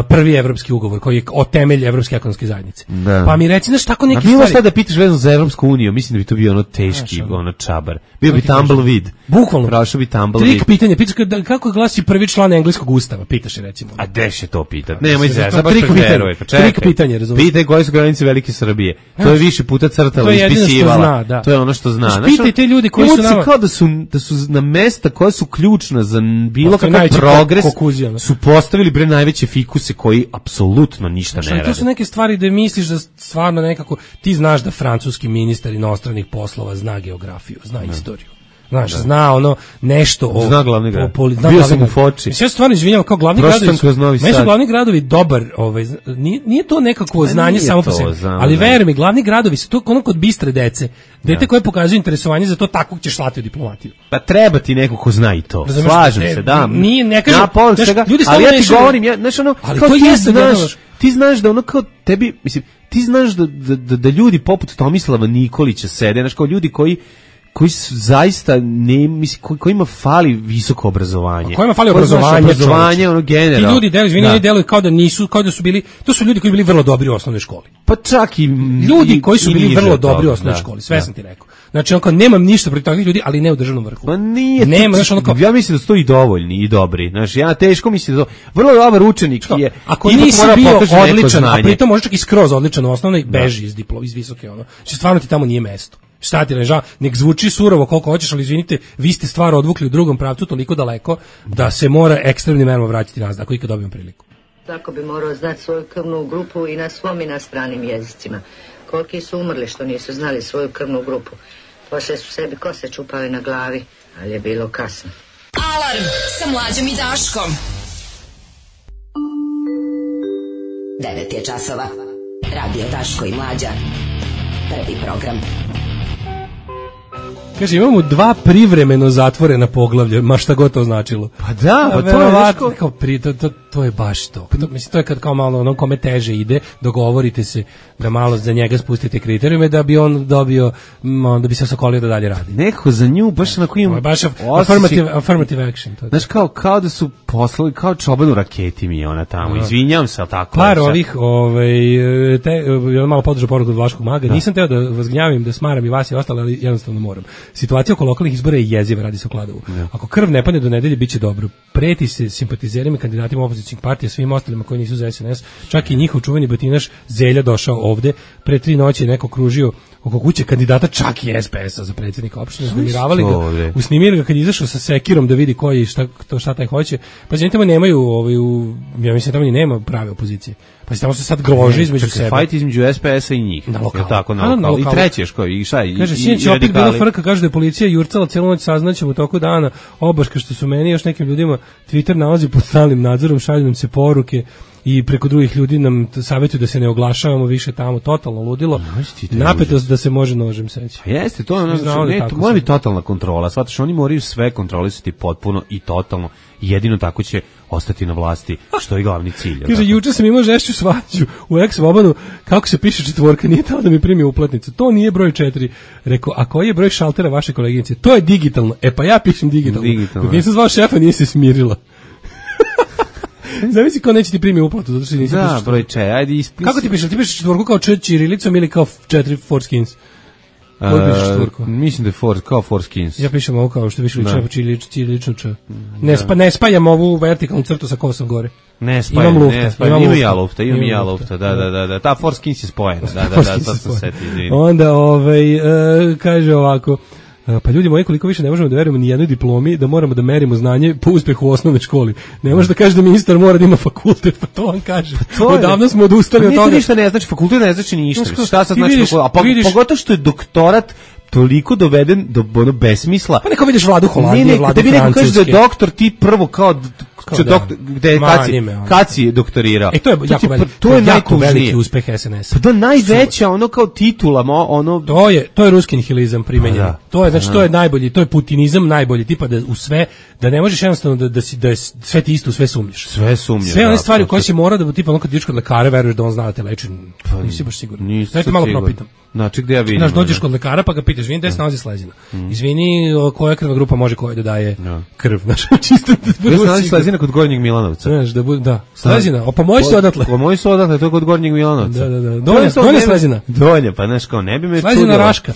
prvi evropski ugovor, koji je o temelj Evropske ekonomske zajednice. Da. Pa mi reci, znaš, tako A neke bilo stvari. šta da pitaš vezano za Evropsku uniju, mislim da bi to bio ono teški, Znaš, ono. ono čabar. Bio bi Kako ti kažem? tumbleweed. Bukvalno. Prošao bi tumbleweed. Trik pitanje, pitaš kada- kako glasi prvi član engleskog ustava, pitaš je recimo. A gde će to pitat? Nemoj to se, je sad baš trik trik pitanje. pitanje. Trik pitanje, razumeš? Pitaj koje su granice Velike Srbije. To je više puta crtala, To je jedino što ispisivala. zna, da. To je ono što zna. Znaš, Znaš, pitaj te ljudi koji imamo su se nama- kao da su, da su na mesta koja su ključna za bilo Postoji kakav najveći progres, ko- kokuzija, ono. su postavili bre najveće fikuse koji apsolutno ništa Znaš, ne ali to rade. su neke stvari da misliš da stvarno nekako, ti znaš da francuski ministar inostranih poslova zna geografiju, zna istoriju. Znaš, zna ono nešto o... Zna glavni grad. o poli- zna Bio glavni sam u grad. Foči. Mislim, ja se stvarno izvinjam, kao glavni Prošao gradovi sam kroz Novi meni su Sad. glavni gradovi dobar, ovaj, z- nije, nije to nekako Pa znanje nije samo po to, sebi, znam, ali da. veruj mi, glavni gradovi su to ono kod bistre dece, dete koje pokazuje interesovanje za to, takvog ćeš slati u diplomatiju. Pa treba ti neko ko zna i to. Razumeš, Slažem ne, se, da. nije- ne kažem- Ja povrh znaš, svega, ljudi ali ja stalno ti mešaju- govorim, ja, znaš ono, Ali kao to ti jeste, da, znaš, da, ti znaš da ono kao tebi, mislim, ti znaš da, da, da, da ljudi poput Tomislava Nikolića sede, znaš, kao ljudi koji koji su zaista ne mislim koji kojima fali visoko obrazovanje. A kojima fali Koji znaš, obrazovanje, obrazovanje čoveče. ono generalno. Ti ljudi deluju, izvini, Da. oni deluju kao da nisu, kao da su bili, to su ljudi koji su bili vrlo dobri u osnovnoj školi. Pa čak i Ljudi i- koji su i bili niže vrlo od toga, dobri u osnovnoj da, školi, sve da. sam ti rekao. Znači, onako, nemam ništa protiv takvih ljudi, ali ne u državnom vrhu. Pa nije. Nema, to- znaš, ono kao- ja mislim da su to i dovoljni i dobri. Znači, ja teško mislim da to vrlo dobar učenik je. Ako ipak nisi mora bio pokaže neko odličan, a znanje. pritom možeš čak i skroz odličan u osnovnoj, beži iz diplo, iz visoke, ono. Znači, stvarno ti tamo nije mesto. Šta ti reža, nek zvuči surovo koliko hoćeš, ali izvinite, vi ste stvar odvukli u drugom pravcu toliko daleko da se mora ekstremnim merama vraćati nazad, ako ikad dobijem priliku. Tako bi morao znati svoju krvnu grupu i na svom i na stranim jezicima. Koliki su umrli što nisu znali svoju krvnu grupu. Poslije su sebi kose čupali na glavi, ali je bilo kasno. Alarm sa Mlađom i Daškom. devet je časova. Radio Daško i Mlađa. Prvi program. Kaže, imamo dva privremeno zatvorena poglavlja, ma šta god to značilo. Pa da, pa to je verovatno, nešto- kao pri, to, to, to je baš to. to mislim, to je kad kao malo ono kome teže ide, dogovorite se da malo za njega spustite kriterijume da bi on dobio, m, da bi se osokolio da dalje radi. Neko za nju, baš onako im... Baš affirmative, affirmative action. To znaš, kao, kao da su poslali, kao čoban u raketi mi je ona tamo. No. Izvinjam se, ali tako. Par ovih, ovaj, te, ja malo podržao poruku od Vlaškog maga. Da. Nisam teo da vas gnjavim, da smaram i vas i ostale, ali jednostavno moram. Situacija oko lokalnih izbora je jeziva, radi se o Kladovu. Da. Ako krv ne padne do nedelje, bit će dobro. Preti se simpatizerima, kandidatima opozicijnih partija, svim ostalima koji nisu za S N S. Čak i njihov čuveni batinaš Zelja došao ovde. Pre tri noći je neko kružio oko kuće kandidata čak i S P S-a za predsjednika opštine. Uznemiravali ga, usnimili ga kad je izašao sa sekirom da vidi koji šta, to, šta taj hoće. Pa znači tamo nemaju, ovaj, u, ja mislim tamo ni nema prave opozicije. Pa tamo se sad grože između sebe. Fajt između S P S-a i njih. Na lokalu. Tako, na lokalu. Na lokalu. I treći još koji, i šta? I, kaže, sinoć opet bila frka, kaže da je policija jurcala cijelu noć, saznaćemo u toku dana, obaška što su meni još nekim ljudima Twitter nalazi pod stalnim nadzorom, šalju nam se poruke i preko drugih ljudi nam savjetuju da se ne oglašavamo više tamo, totalno ludilo. Napetost da se može nožem seći. Jeste, to je ono, znači, ne, to mora biti totalna kontrola. Shvataš, oni moraju sve kontrolisati potpuno i totalno. Jedino tako će ostati na vlasti, što je glavni cilj. Kaže, juče sam imao žešću svađu u ex-Vobanu, kako se piše četvorka, nije tamo da mi primi uplatnicu. To nije broj četiri. Rekao, a koji je broj šaltera vaše koleginice? To je digitalno. E pa ja pišem digitalno. Dok nisam zvao šefa, nije se smirila. Zavisi ko neće ti primi uplatu, zato što nisi da, pišeš. Broj če, ajde ispisi. Kako ti pišeš? Ti pišeš četvorku kao č ćirilicom ili kao četiri Forskins? Kako pišeš četvorku? Mislim da je for, kao Forskins. Ja pišem ovo kao što pišu ćirilično č. Ne, spa, ne spajam ovu vertikalnu crtu sa kosom gore. Ne spajam, imam lufta, ne spajam, imam i ja lufta, imam i ja lufta, da, da, da, da, ta Forskins je spojena, da, da, da, sad sam se ti. Onda, ovaj, uh, kaže ovako, pa ljudi moji, koliko više ne možemo da verujemo ni jednoj diplomi, da moramo da merimo znanje po uspehu u osnovnoj školi. Ne može da kaže da ministar mora da ima fakultet, pa to on kaže. Pa odavno smo odustali pa od toga. Ništa ne znači, fakultet ne znači ništa. Šta sad znači fakultet? A pa, pogotovo što je doktorat toliko doveden do ono besmisla. Pa neko vidiš Vladu Holandije, Vladu Francuske. Da kažeš da je doktor ti prvo kao Kao da. Doktor, gde kad si, kad si doktorirao. E to je jako, veliki, to je jako veliki uspeh S N S. Pa to je najveća ono kao titula, ono to je to je ruski nihilizam primenjen. Da. To je znači to je najbolji, to je putinizam najbolji, tipa da u sve da ne možeš jednostavno da da si da je sve ti isto, sve sumnjiš. Sve sumnjiš. Sve one stvari koje si mora da tipa ono kad ideš kod lekara veruješ da on zna da te leči. Pa nisi baš siguran. Dajte malo propitam. Znači gde ja vidim. Znaš, dođeš kod lekara pa ga pitaš, izvini, gde se nalazi slezina? Mm. Izvini, koja krvna grupa može koja da daje no. krv? Znaš, čisto da bude. Gde se nalazi slezina kod Gornjeg Milanovca? Znaš, da bude, da. Slezina, o pa moji su odatle. Pa moji su odatle, to je kod Gornjeg Milanovca. Da, da, da. Donja, donja slezina. Donja, pa znaš, kao ne bi me slezina čudilo. Raška.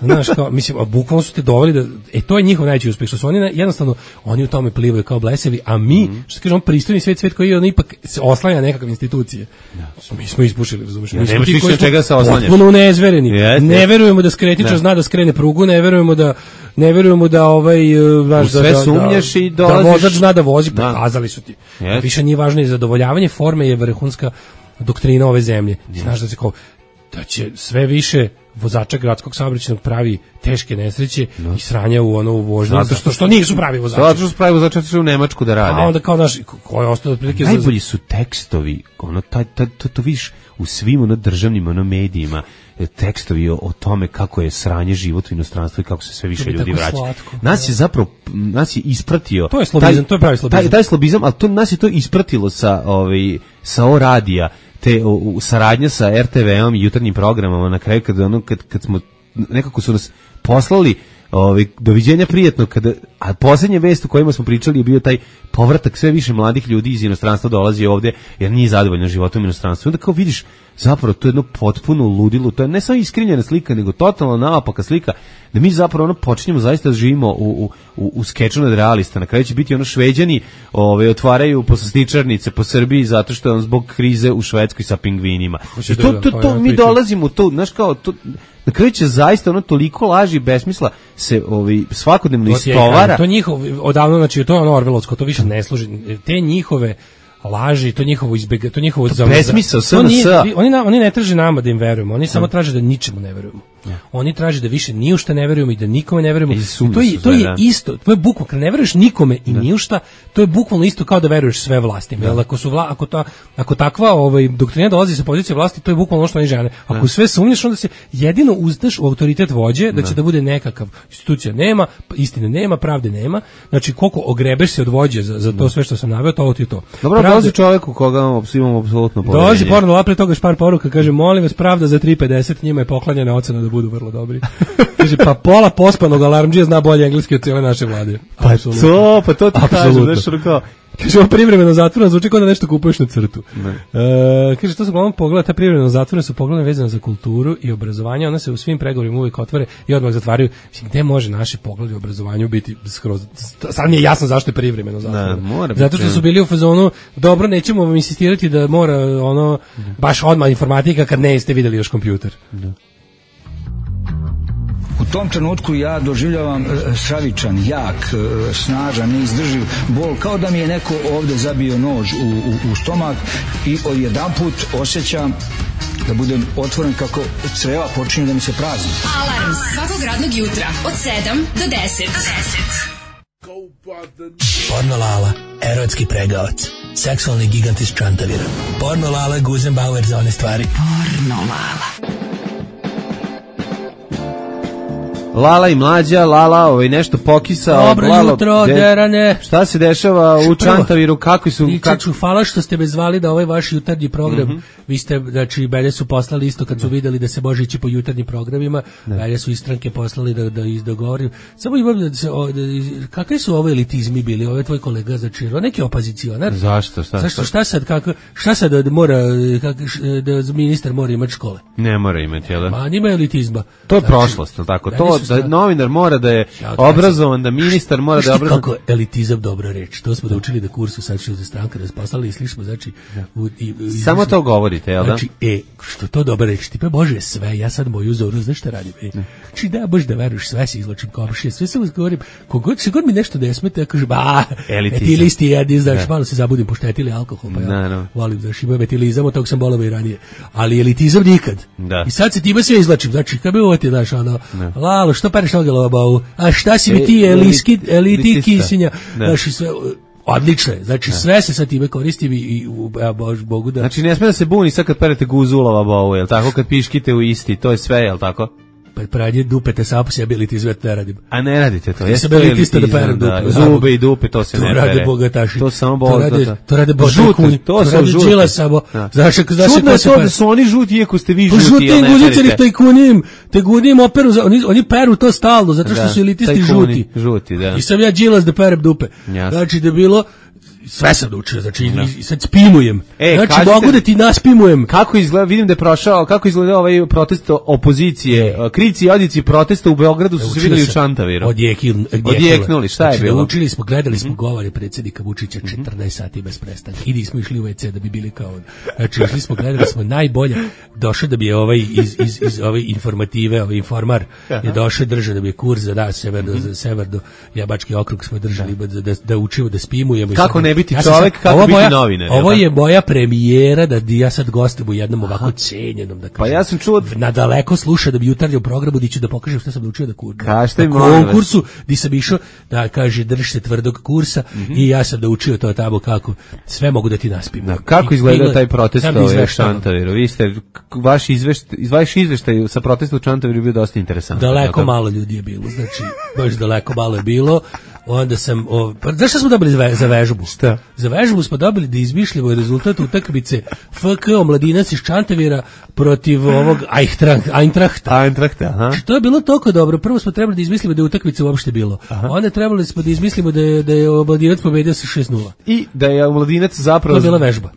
Znaš, kao, mislim, a bukvalno su te doveli da, e, to je njihov najveći uspeh, što su oni jednostavno, oni u tome plivaju kao blesevi, a mi, mm. što kažemo, pristojni svet, svet koji je on ipak se oslanja nekakve institucije. Da. Mi smo ispušili, razumiješ? Ja, nemaš više čega se oslanjaš. Potpuno neizvereni. Ne verujemo da skretičar zna da skrene prugu, ne verujemo da ne verujemo da ovaj znaš da sve sumnjaš i dolaziš da vozač zna da vozi, pokazali su ti. Yes. Više nije važno i zadovoljavanje forme je vrhunska doktrina ove zemlje. Yes. Znaš da se kao da će sve više vozača gradskog saobraćajnog pravi teške nesreće no. i sranja u ono u vožnji zato što što nisu pravi vozači. Zato što su pravi vozači otišli u Nemačku da rade. A onda kao naš ko je ostao otprilike najbolji su tekstovi, ono taj to, to, to viš u svim ono državnim ono medijima tekstovi o, o tome kako je sranje život u inostranstvu i kako se sve više ljudi vraća. Slatko, nas je zapravo nas je ispratio to je slobizam, taj, to je pravi slobizam. Taj, taj slobizam, al to nas je to ispratilo sa ovaj sa O radija te u, u saradnja sa R T V-om i jutarnjim programama na kraju kad ono kad kad smo nekako su nas poslali ovaj doviđenja prijatno kada a posljednja vest o kojima smo pričali je bio taj povratak sve više mladih ljudi iz inostranstva dolazi ovde jer nije zadovoljno životom u inostranstvu. Onda kao vidiš zapravo to je jedno potpuno ludilo, to je ne samo iskrivljena slika nego totalno naopaka slika da mi zapravo ono počinjemo zaista da živimo u u u skeču nad realista. Na kraju će biti ono Šveđani, ovaj otvaraju poslastičarnice po Srbiji zato što je on zbog krize u Švedskoj sa pingvinima. I to to, to mi dolazimo to, znaš kao to na kraju će zaista ono toliko laži i besmisla se ovaj svakodnevno istovara. To njihov odavno znači to je ono orvelovsko, to više ne služi. Te njihove laži, to njihovo izbega, to njihovo besmisao S N S. Oni oni oni ne traže nama da im verujemo, oni samo traže da ničemu ne verujemo. Oni traže da više ni u šta ne verujemo i da nikome ne verujemo. I to je, to sve, je da. isto, to je bukvalno, kad ne veruješ nikome i ni u šta, to je bukvalno isto kao da veruješ sve vlastima. Jer ako su vla, ako ta ako takva ovaj doktrina dolazi sa pozicije vlasti, to je bukvalno ono što oni žele. Ako Da. sve sumnjaš, onda se jedino uzdaš u autoritet vođe, da će Da. da bude nekakav institucija nema, istine nema, pravde nema. Znači koliko ogrebeš se od vođe za, za to sve što sam naveo, to ti je to. Dobro, Pravde- dolazi čovjek u koga imamo apsolutno poverenje. Dolazi porno lala, pre toga špar poruka, kaže, molim vas, pravda za tri pedeset, njima je poklanjena ocena da budu vrlo dobri. Kaže, pa pola pospanog alarmdžija zna bolje engleski od cijele naše vlade. Pa Apsolutno. to, pa to ti kažem, Apsolutno. znaš, ono kao... Kaže, ovo privremeno zatvoreno, zvuči kao da nešto kupuješ na crtu. E, kaže, to su uglavnom pogleda, ta privremeno zatvorena su pogleda vezana za kulturu i obrazovanje, ona se u svim pregovorima uvijek otvore i odmah zatvaraju. Mislim, gde može naši pogledi u obrazovanju biti skroz... Sad mi je jasno zašto je privremeno zatvoreno. Da, mora biti. Zato što su bili u fazonu, dobro, nećemo vam insistirati da mora ono, baš odmah informatika kad ne ste videli još kompjuter. Da. U tom trenutku ja doživljavam e, stravičan, jak, e, snažan, neizdrživ bol, kao da mi je neko ovde zabio nož u, u, u stomak i odjedanput osjećam da budem otvoren kako creva počinju da mi se prazni. Alarm svakog radnog jutra od sedam do deset. Porno Lala, erotski pregavac, seksualni gigant iz Čantavira. Porno Lala, Guzenbauer za one stvari. Porno Lala. Lala i mlađa, Lala, ovaj nešto pokisao. Dobro Lalo, jutro, de- derane. Šta se dešava u Čantaviru, kako su... Ničeću, hvala što ste me zvali da ovaj vaš jutarnji program, Mhm. vi ste, znači, mene su poslali isto kad su videli da se može ići po jutarnjim programima, mene su istranke poslali da, da izdogovorim. Samo imam da se, o, da, kakvi su ovo elitizmi bili, ovo je tvoj kolega, znači, on neki opozicionar. Zašto, šta? Zašto, šta sad, kako, šta sad da mora, kako, š- da ministar mora imati škole? Ne mora imati, jel da? Ma, nima elitizma. To je Znači, prošlost, jel tako? meni To su da sta- novinar mora da je Ja, obrazovan, da ministar mora da je Znaš ti obrazovan. kako elitizam dobra reč. To smo da učili da kursu sad što je za stranka da poslali i slišimo, znači u, i, i, Samo to govorite, jel da? Znači, e, što to dobra reč, tipa Bože sve, ja sad moju zoru, znaš šta radim? E, znači da, Bože da veruješ, sve se izločim komšije, sve se govorim, kogod se god mi nešto ne smete, ja kažem, ba, Elitizam. etilisti jedi, znaš, Da. malo se zabudim, poštetili alkohol, pa ja Naravno. volim, znaš, imam etilizam, od tog sam bolao i ranije, ali elitizam nikad. Da. I sad se time sve izlačim, znači, kad bi ovo ti, znaš, ono, Lalo, što pereš noge lobavu, a šta si mi ti, E, eliski, eliti elitista. kisinja, Da. znaš, i sve, odlično je, znači, sve se sa time koristim i, i u, ja, Bož, Bogu da... Znači ne sme da se buni sad kad perete guzulova bovu, jel tako? Kad piškite u isti, to je sve, jel tako? Pa pranje dupete sa se elitizam ne radim. A ne radite to, Nisam jeste to elitista da perem elitizam, dupe. da, zube i dupe, to se To ne rade pere. bogataši. To samo To rade, bogata. to rade božji Žuti, kunji. to To su rade žuti. Đila samo. Da. Znaš, znaš Čudno ko je se to pere? da su oni žuti, iako ste vi Pa žuti, žuti jel ne guzice ili perete? tajkunim, tajkunim operu, za- oni, oni peru to stalno, zato što Da, su elitisti tajkuni, žuti. žuti, da. I sam ja Đilas da perem dupe. Jasno. Znači da je bilo, sve sam naučio, znači i sad spimujem. E, znači kažite- mogu da ti naspimujem. Kako izgleda, vidim da je prošao, kako izgleda ovaj protest opozicije, krici i odjeci protesta u Beogradu su se vidjeli u Čantaviru. Odjeknuli, Odjeknuli, šta je znači, bilo? Naučili smo, gledali smo govore predsjednika Vučića četrnaest sati bez prestanka. I nismo išli u ve ce da bi bili kao on. Znači, išli smo, gledali smo najbolje. Došao da bi je ovaj iz, iz, iz ove informative, ovaj informar, je došao držao da bi je kurs za da, severno, za severno, Jabački okrug smo držali da, da, da učimo, da spimujemo. I Kako sad- ne biti ja sam čovek, sad- kako ovo biti moja- novinar, jel Ovo tako? je moja premijera da ja sad gostujem u jednom ovako cenjenom, da kažem. Pa ja sam čuo... Na daleko sluša da bi jutarnjem programu di ću da pokažem šta sam naučio da kur. Kažite mi, na molim vas. konkursu di sam išao da kaže držite tvrdog kursa i ja sam da učio to tamo kako sve mogu da ti naspim. Da, kako I- izgleda i- taj protest sad ovaj u izveštavam. Čantaviru? Vi ste, k- vaš izveštaj, vaš izveštaj sa protesta u Čantaviru je bio dosta interesantan. Daleko jel tako? malo ljudi je bilo, znači baš daleko malo je bilo. Onda sam, o, pa znaš šta smo dobili za, ve, za vežbu? Šta? Za vežbu smo dobili da izmišljamo rezultat utakmice F K Omladinac iz Čantavira protiv ovog Eintracht- Eintrachta. Eintrachta, aha. Znači, to je bilo toliko dobro. Prvo smo trebali da izmislimo da je utakmica uopšte bilo. Onda trebali smo da izmislimo da je, da je Omladinac pobedio sa šest nula. I da je Omladinac zapravo... To je bila vežba.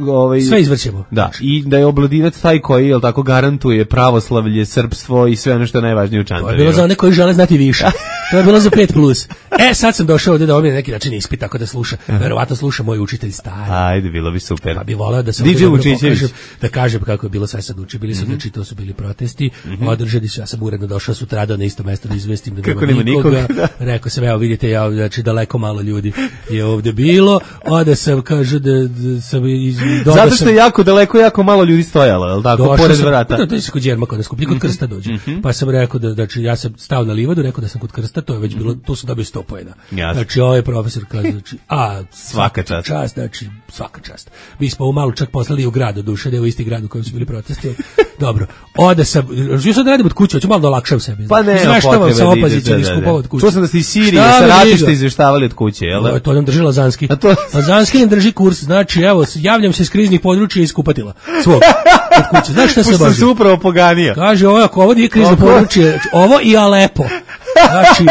Ovaj, Sve izvrćemo. Da, i da je Omladinac taj koji, jel tako, garantuje pravoslavlje, srpstvo i sve ono što je najvažnije u To Čantaviru. je bilo za one koji žele znati više. To je bilo za pet plus. E, sad sam došao ovdje da ovdje na neki način ispit, tako da sluša. Verovatno sluša moj učitelj stari. Ajde, bilo bi super. Pa bi voleo da se D J ovdje dobro Vučićević. pokažem, da kažem kako je bilo sve sad uči. Bili su, znači, to su bili protesti, održani su, ja sam uredno došao sutradan na isto mesto da izvestim da Kako nema nema nikoga. nikoga, da. Rekao sam, evo vidite, ja, znači daleko malo ljudi je ovdje bilo, onda sam, kaže, da, da sam Zato što je jako daleko, jako malo ljudi stojalo, je li tako, došao pored sam, vrata. Da, to je kod Đerma kod nas skuplji, kod Krsta dođe. Mm-hmm. Pa sam rekao da, znači, ja sam stao na livadu, rekao da sam kod Krsta, to je već bilo, to sam dobio sto poena. Jasne. Znači, ovaj profesor kaže, znači, a, svaka čast. čast, znači, svaka čast. Mi smo ovo malo čak poslali u grad, od duše, da je u isti grad u kojem su bili protesti. Dobro, ode sam, još sad radim od kuće, hoću malo da olakšam sebi. Pa ne, izveštavam sa opozicijom skupova od kuće. Čuo sam da ste iz Sirije sa ratišta izveštavali od kuće, jel? No, to nam drži Lazanski. A to... Lazanski nam drži kurs, znači, evo, javljam se iz kriznih područja iz kupatila. Svog, od kuće. Znaš šta se baži? se upravo poganio. Kaže, ovo, ako ovo nije krizno područje, ovo i Alepo. Znači,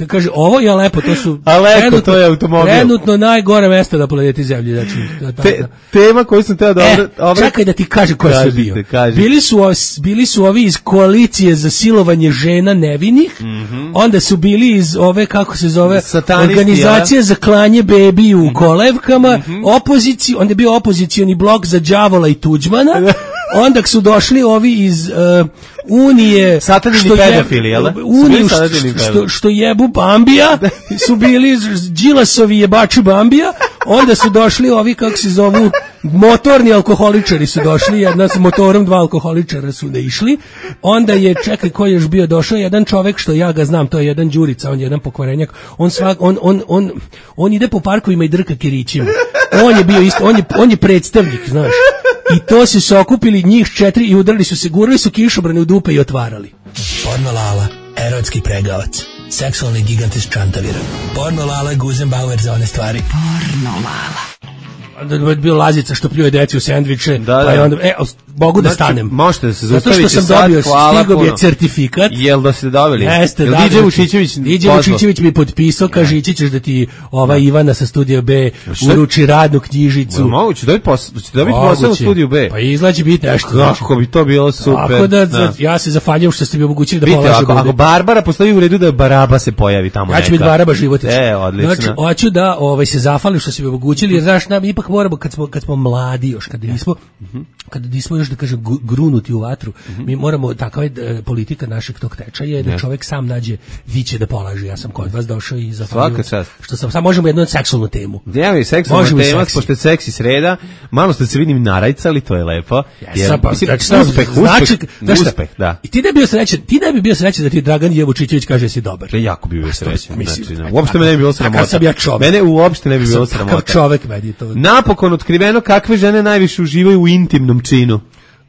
kaže, ovo i Alepo, to su Alepo, trenutno, to je automobil. Trenutno najgore mesto na planeti Zemlji. Znači, da, Te, tema koju sam teo da... E, obra... čekaj da ti kaže ko je bio. Kažite. Bili su, bili su ovi iz koalicije za silovanje žena nevinih, mm-hmm. onda su bili iz ove, kako se zove, satanisti, organizacije ja? za klanje bebi u kolevkama, mm-hmm. opoziciju, onda je bio opozicioni blok za đavola i Tuđmana, onda su došli ovi iz uh, Unije satanini pedofili, jel? Uniju što, što, što jebu Bambija, su bili Đilasovi jebači Bambija, onda su došli ovi, kako se zovu, motorni alkoholičari su došli, jedna s motorom, dva alkoholičara su ne išli, onda je, čekaj, ko je još bio došao, jedan čovek što ja ga znam, to je jedan Đurica, on je jedan pokvarenjak, on, svak, on, on, on, on ide po parkovima i drka kirićima, on je bio isto, on je, on je predstavnik, znaš. I to su se okupili njih četiri i udarili su se, gurali su kišobrane u dupe i otvarali. Porno Lala, erotski pregavac, seksualni gigant iz Čantavira. Porno Lala, Guzenbauer za one stvari. Porno Lala. Da je bio Lazica što pljuje deci u sendviče, da, da. pa je onda, e, mogu da znači, stanem. Možete da se zaustavite zato što sam sad, dobio, hvala stigao puno. je certifikat. Jel da ste dobili? Jeste, Jel da. D J Vučićević D J Vučićević mi potpisao, kaže, ići ćeš da ti ova da. Ivana sa Studija B uruči radnu knjižicu. Moguće, dobiti posao, dobiti posao u Studiju B. Pa izlači biti nešto. Kako bi to bilo super. Tako da, da. ja se zafanjam što ste mi omogućili da Vidite, polažem. Ako, ako Barbara postavi u redu da Baraba se pojavi tamo. Ja ću biti Baraba Životić. E, odlično. Znači, hoću da ovaj, se zafalim što ste mi omogućili, jer znaš, nam ipak moramo, kad smo, kad smo mladi još, kad nismo, uh-huh. kad nismo još, da kažem, grunuti u vatru, uh-huh. mi moramo, takva je politika našeg tog tečaja, je da čovjek sam nađe diće da polaže. Ja sam kod vas došao i zafalio. Što sam, sad možemo jednu seksualnu temu. Ja mi seksualna tema, pošto je seksi sreda, malo ste se vidim narajcali, to je lepo. Jer, ja, pa, mislim, znači, uspeh, znači, uspeh, uspeh, da. I ti ne bi bio srećan, ti ne bi bio srećan da ti Dragan Jevučićević kaže si dobar. Ja jako bi bio srećan. Znači, ne, uopšte me ne bi bilo sramota. Sam ja čovjek. Mene uopšte ne bi bilo sramota. Kakav čovjek meni to. Napokon otkriveno kakve žene najviše uživaju u intimnom činu.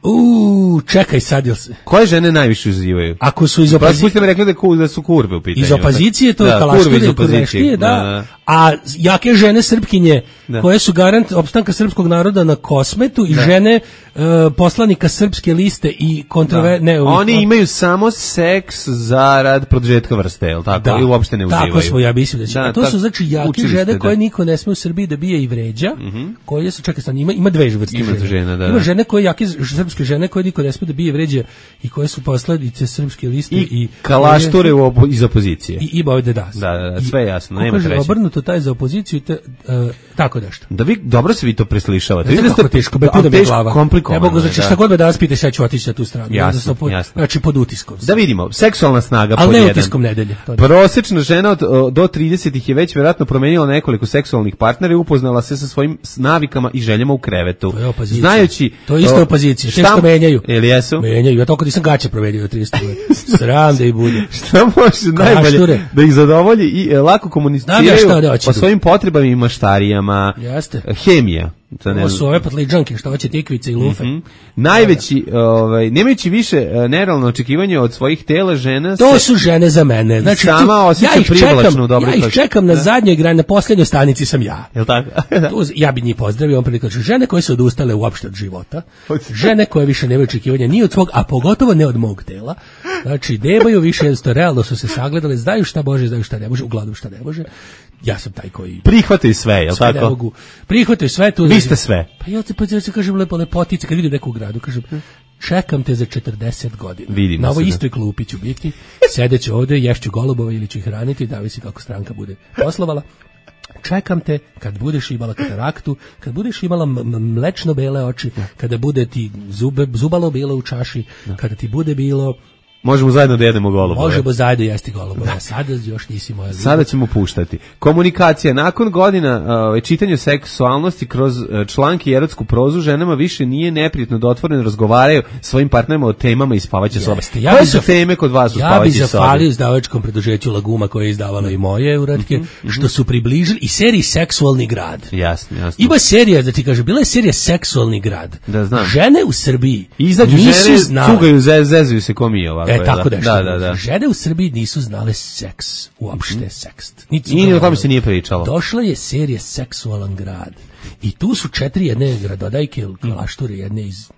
Uuu, čekaj sad, jel se... Koje žene najviše uživaju? Ako su iz opozicije... Pa mi rekli da, ku, da su kurve u pitanju. Iz opozicije, to je da, kalaštine i kurveštije, da. da, da. A jake žene Srpkinje, da. koje su garant opstanka srpskog naroda na Kosmetu i da. žene uh, poslanika Srpske liste i kontrove... Da. Ne, Oni ovih, imaju samo seks zarad produžetka vrste, je li tako? Da. I uopšte ne uživaju. Tako smo, ja mislim da će. Da, a to su znači jake žene da. koje niko ne sme u Srbiji da bije i vređa, mm-hmm. koje su, čekaj sad, ima, ima dve vrste ima žene. žena, da, ima da. žene koje jake srpske žene koje niko ne sme da bije vređa i koje su posledice Srpske liste i, i kalašture u opo, iz opozicije. I ima ovde da. Da, da, da, sve jasno, nema treće. Obrnuto taj za opoziciju te, uh, tako nešto. Da vi dobro se vi to preslišavate. Vidite kako teško, be puno mi glava. Komplikovano. Ne mogu, znači šta god me danas pitaš, ja ću otići na tu stranu. Jasno, pod, jasno. Znači pod utiskom. Da vidimo, seksualna snaga pod jedan. Ali ne utiskom nedelje. Prosečna žena od, do trideset je već vjerojatno promenila nekoliko seksualnih partnera i upoznala se sa svojim navikama i željama u krevetu. To je opozicija. Znajući... To je isto opozicija. Šta menjaju? Ili jesu? Menjaju. Ja toliko nisam gaće provedio tristo godina. Sram da i bude. Šta može najbolje da ih zadovolji i e, lako komuniciraju o svojim potrebama i maštarijama. Jeste. Hemija. Ovo su ove patliđanke, što hoće tikvice i lufe. Mm-hmm. Najveći, ovaj, nemajući više nerealno očekivanje od svojih tela žena... To se, su žene za mene. Znači, sama tu, osjeća ja privlačnu dobro. Ja ih čekam na zadnjoj grani, na posljednjoj stanici sam ja. Jel tako? tu, ja bi njih pozdravio, on prilično. Žene koje su odustale uopšte od života, žene koje više nemaju očekivanja ni od svog, a pogotovo ne od mog tela. Znači, nemaju više, jednostavno, realno su se sagledali, znaju šta može, znaju šta ne može, uglavnom šta ne može. Ja sam taj koji... Prihvataju sve, jel sve tako? Mogu. Prihvataju sve. Tu vi ste sve. Pa ja ti pa ja kažem lepo lepotice, kad vidim neku u gradu, kažem, čekam te za četrdeset godina. Vidimo na ovoj se, istoj klupi ću biti, sedeću ovde, ješću golubove ili ću ih hraniti, da visi kako stranka bude poslovala. Čekam te kad budeš imala kataraktu, kad budeš imala mlečno bele oči, kada bude ti zube, zubalo bilo u čaši, kada ti bude bilo Možemo zajedno da jedemo golubove. Možemo zajedno jesti golubove. Sada još nisi moja ljubav. Sada ćemo puštati. Komunikacija. Nakon godina uh, čitanja seksualnosti kroz uh, članke i erotsku prozu, ženama više nije neprijatno da otvoreno razgovaraju svojim partnerima o temama iz spavaće sobe. Ja Koje su teme kod vas u ja spavaće sobe? Ja bih zahvalio izdavačkom preduzeću Laguma koje je izdavalo i moje uratke, mm-hmm. što su približili i seriji Seksualni grad. Jasno, jasno. Ima serija, da ti kaže, bila je serija Seksualni grad. Da, znam. Žene u Srbiji izađu nisu žene, znale. Cugaju, zezuju se ko mi ovako. E, tako da, da, da, da. Žene u Srbiji nisu znale seks, uopšte mm-hmm. sekst. I ni o tome se nije pričalo. Došla je serija Seksualan grad. I tu su četiri jedne gradodajke, kalašture, jedne iz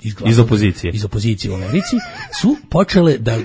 Iz, iz opozicije. Iz opozicije u Americi su počele da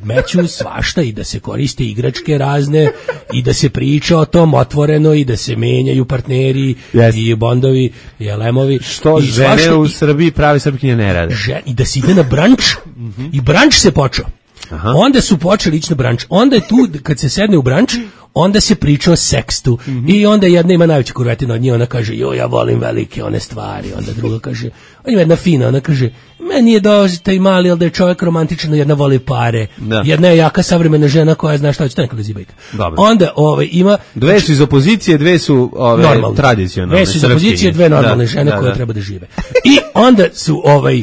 meću svašta i da se koriste igračke razne i da se priča o tom otvoreno i da se menjaju partneri yes. i bondovi i elemovi. Što i žene u Srbiji pravi srpkinje ne rade. Žen, I da se ide na branč mm-hmm. i branč se počeo. Aha. Onda su počeli ići na branč. Onda je tu, kad se sedne u branč, onda se priča o sekstu. Mm-hmm. I onda jedna ima najveća kurvetina od nje, ona kaže, jo, ja volim velike one stvari. Onda druga kaže, ima jedna fina, ona kaže, meni je dosta i mali, ali da je čovjek romantičan, jedna voli pare. Da. Jedna je jaka savremena žena koja zna šta će, to nekada zibajka. Onda ovaj, ima... Dve su iz opozicije, dve su ove, tradicionalne. Dve su iz opozicije, dve normalne da, žene da, koje da. treba da žive. I onda su ovaj...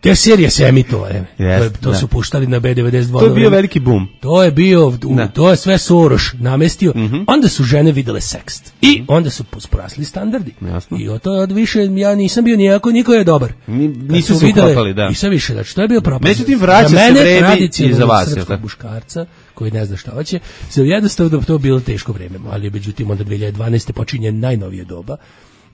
Te serije se emitovale. Yes, to, to su puštali na B devedeset dva. To je bio veliki boom. To je bio, u, to je sve Soroš namestio. Mm-hmm. Onda su žene videle sekst. I mm-hmm. onda su porasli standardi. Jasno. I od od više ja nisam bio nijako, niko je dobar. Ni, nisu se ukopali, da. I sve više, znači to je bio propast. Međutim, vraća se vreme i za vas. Srpskog muškarca koji ne zna šta hoće. Sve jednostavno da to bilo teško vreme. Ali međutim, onda dve hiljade dvanaeste počinje najnovije doba.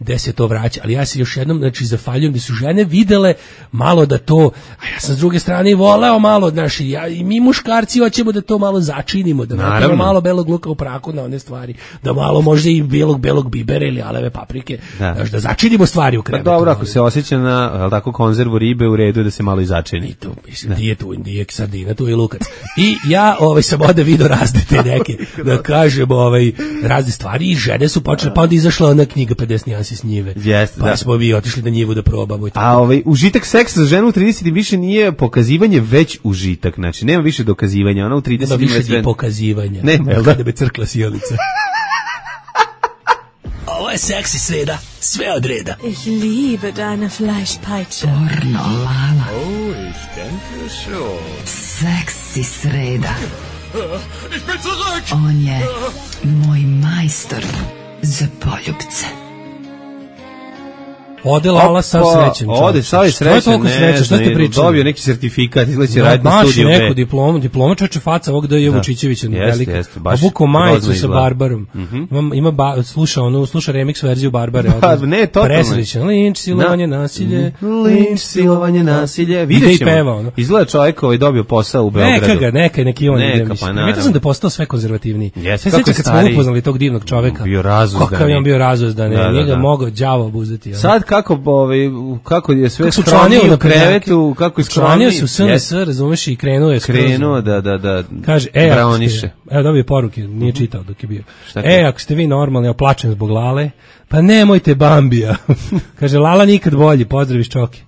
Gde se to vraća, ali ja se još jednom znači zafaljujem da su žene videle malo da to, a ja sam s druge strane i voleo malo, znači ja i mi muškarci hoćemo da to malo začinimo, da napravimo malo belog luka u praku na one stvari, da malo možda i belog belog bibera ili aleve paprike, da, znači, da začinimo stvari u krevetu. Pa dobro, ako se osjeća na, al tako, konzervu ribe, u redu da se malo i začini. I to, mislim, nije tu, nije sardina, tu je lukac. I ja ovaj sam ovde video razne te neke, da kažem, ovaj razne stvari i žene su počele, pa onda izašla ona knjiga pedeset nijansi s njive. Yes, pa da. smo mi otišli na njivu da probamo i tako. A ovaj užitak seksa za ženu u tridesetim više nije pokazivanje, već užitak. Znači nema više dokazivanja, ona u tridesetim nema više ni pokazivanja. Nema, jel da da bi crkla sjelica. Ovo je seksi sreda, sve od reda. Ich liebe deine Fleischpeitsche. Pornolala. Oh, ich denke schon. Seksi sreda. Ich bin zurück. On je moj majstor za poljubce. Ode Lala sav srećen. Ode sav srećen, ne, što ste pričali? Dobio neki sertifikat, izleće raditi na studiju. Maši neku diplomu, diploma čoče faca ovog da je Vučićevića velika. Obuko majicu sa Barbarom. Ima, ima ba, sluša onu, sluša remix verziju Barbare. Ne, totalno. Presrećan, linč, silovanje, nasilje. Linč, silovanje, nasilje. Vidjet ćemo. Izgleda čovjek ovaj dobio posao u Beogradu. Neka ga, neka, neki on. Neka, pa naravno. Među sam da je postao sve konzervativniji. Jeste, kako je stari. Kad smo upoznali tog divnog čoveka. Bio razuzdan. Kakav je on bio razuzdan. Njega mogao đavo obuzdati. Sad kako ovaj kako je sve skromnije u krevetu, kako je skromnije se u S N S, razumeš, i krenuo je skroz. Krenuo da da da. Kaže, e, braniše. Evo dobije poruke, nije čitao dok je bio. E, ako ste vi normalni, ja plačem zbog Lale, pa nemojte Bambija. Kaže, Lala nikad bolji, pozdrav iz Čoke.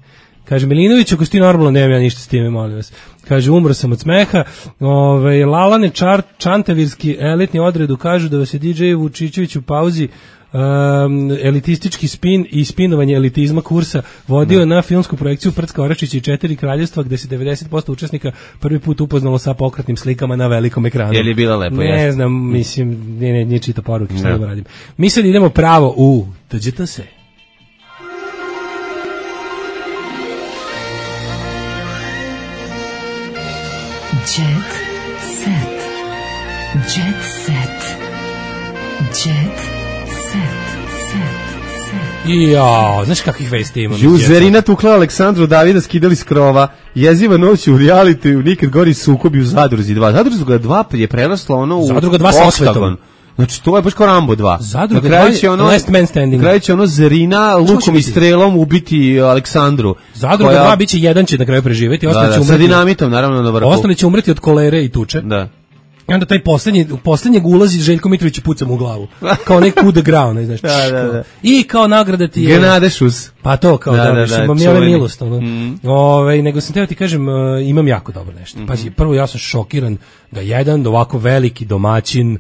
Kaže, Milinović, ako ste normalno, nemam ja ništa s time, molim vas. Kaže, umro sam od smeha. Ove, Lalane čar, čantavirski elitni odredu kažu da vas je D J Vučićević u pauzi Um, elitistički spin i spinovanje elitizma kursa vodio ne. na filmsku projekciju Prcka Oračića i četiri kraljevstva, gde se devedeset posto učesnika prvi put upoznalo sa pokretnim slikama na velikom ekranu. Je li bila lepo? Ne jest? znam, mislim, nije, nije, nije čita poruke, što da radim. Mi sad idemo pravo u Dođete se. Jet set. Jet set. Jet Jao, znaš kakvih vesti imam? Juzerina tukla Aleksandru Davida, skidali s krova, jeziva noć u realitiju, nikad gori sukobi u Zadruzi dva. Zadruga dva je prerasla ono u Zadruga dva sa osvetom. Znači, to je baš kao Rambo dva. Zadruga dva je ono, last man standing. Na kraju će ono Zerina lukom i strelom ubiti Aleksandru. Zadruga koja... dva biće jedan će na kraju preživeti, ostali da, će da, umreti. Sa dinamitom, naravno, na vrhu. Ostali će umreti od kolere i tuče. Da. I onda taj poslednji, u poslednjeg ulazi Željko Mitrović i puca mu u glavu. Kao nek coup de grau, ne znaš. Da, da, da. I kao nagrada ti je... Genadešus. Pa to, kao da, dobiš, da, da, imam ja ove čuveni. milost. Ono. Mm. Ove, nego sam teo ti kažem, uh, imam jako dobro nešto. Mm-hmm. Pazi, prvo ja sam šokiran da jedan ovako veliki domaćin,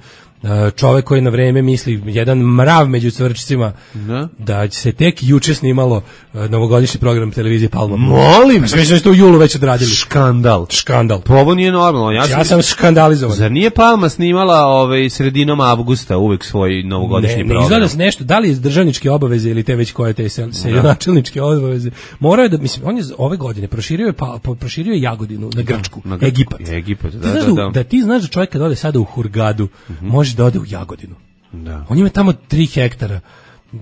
čovek koji na vreme misli, jedan mrav među cvrčicima, da, da se tek juče snimalo novogodišnji program televizije Palma. Molim! Pa sve što u julu već odradili. Škandal. Škandal. Pa ovo nije normalno. Ja, ja sam škandalizovan. Zar nije Palma snimala ovaj, sredinom avgusta uvek svoj novogodišnji ne, program? Ne, izgleda se nešto, da li iz državničke obaveze ili te već koje te seljonačelničke obaveze. Morao je da, mislim, on je ove godine proširio je, pa, proširio je Jagodinu na Grčku, na, na Egipat. Egipat, da, ti znaš da, da, da. da ti znaš da čovjek kad ode sada u Hurgadu, mm-hmm. može da ode u Jagodinu. Da. On ima tamo tri hektara,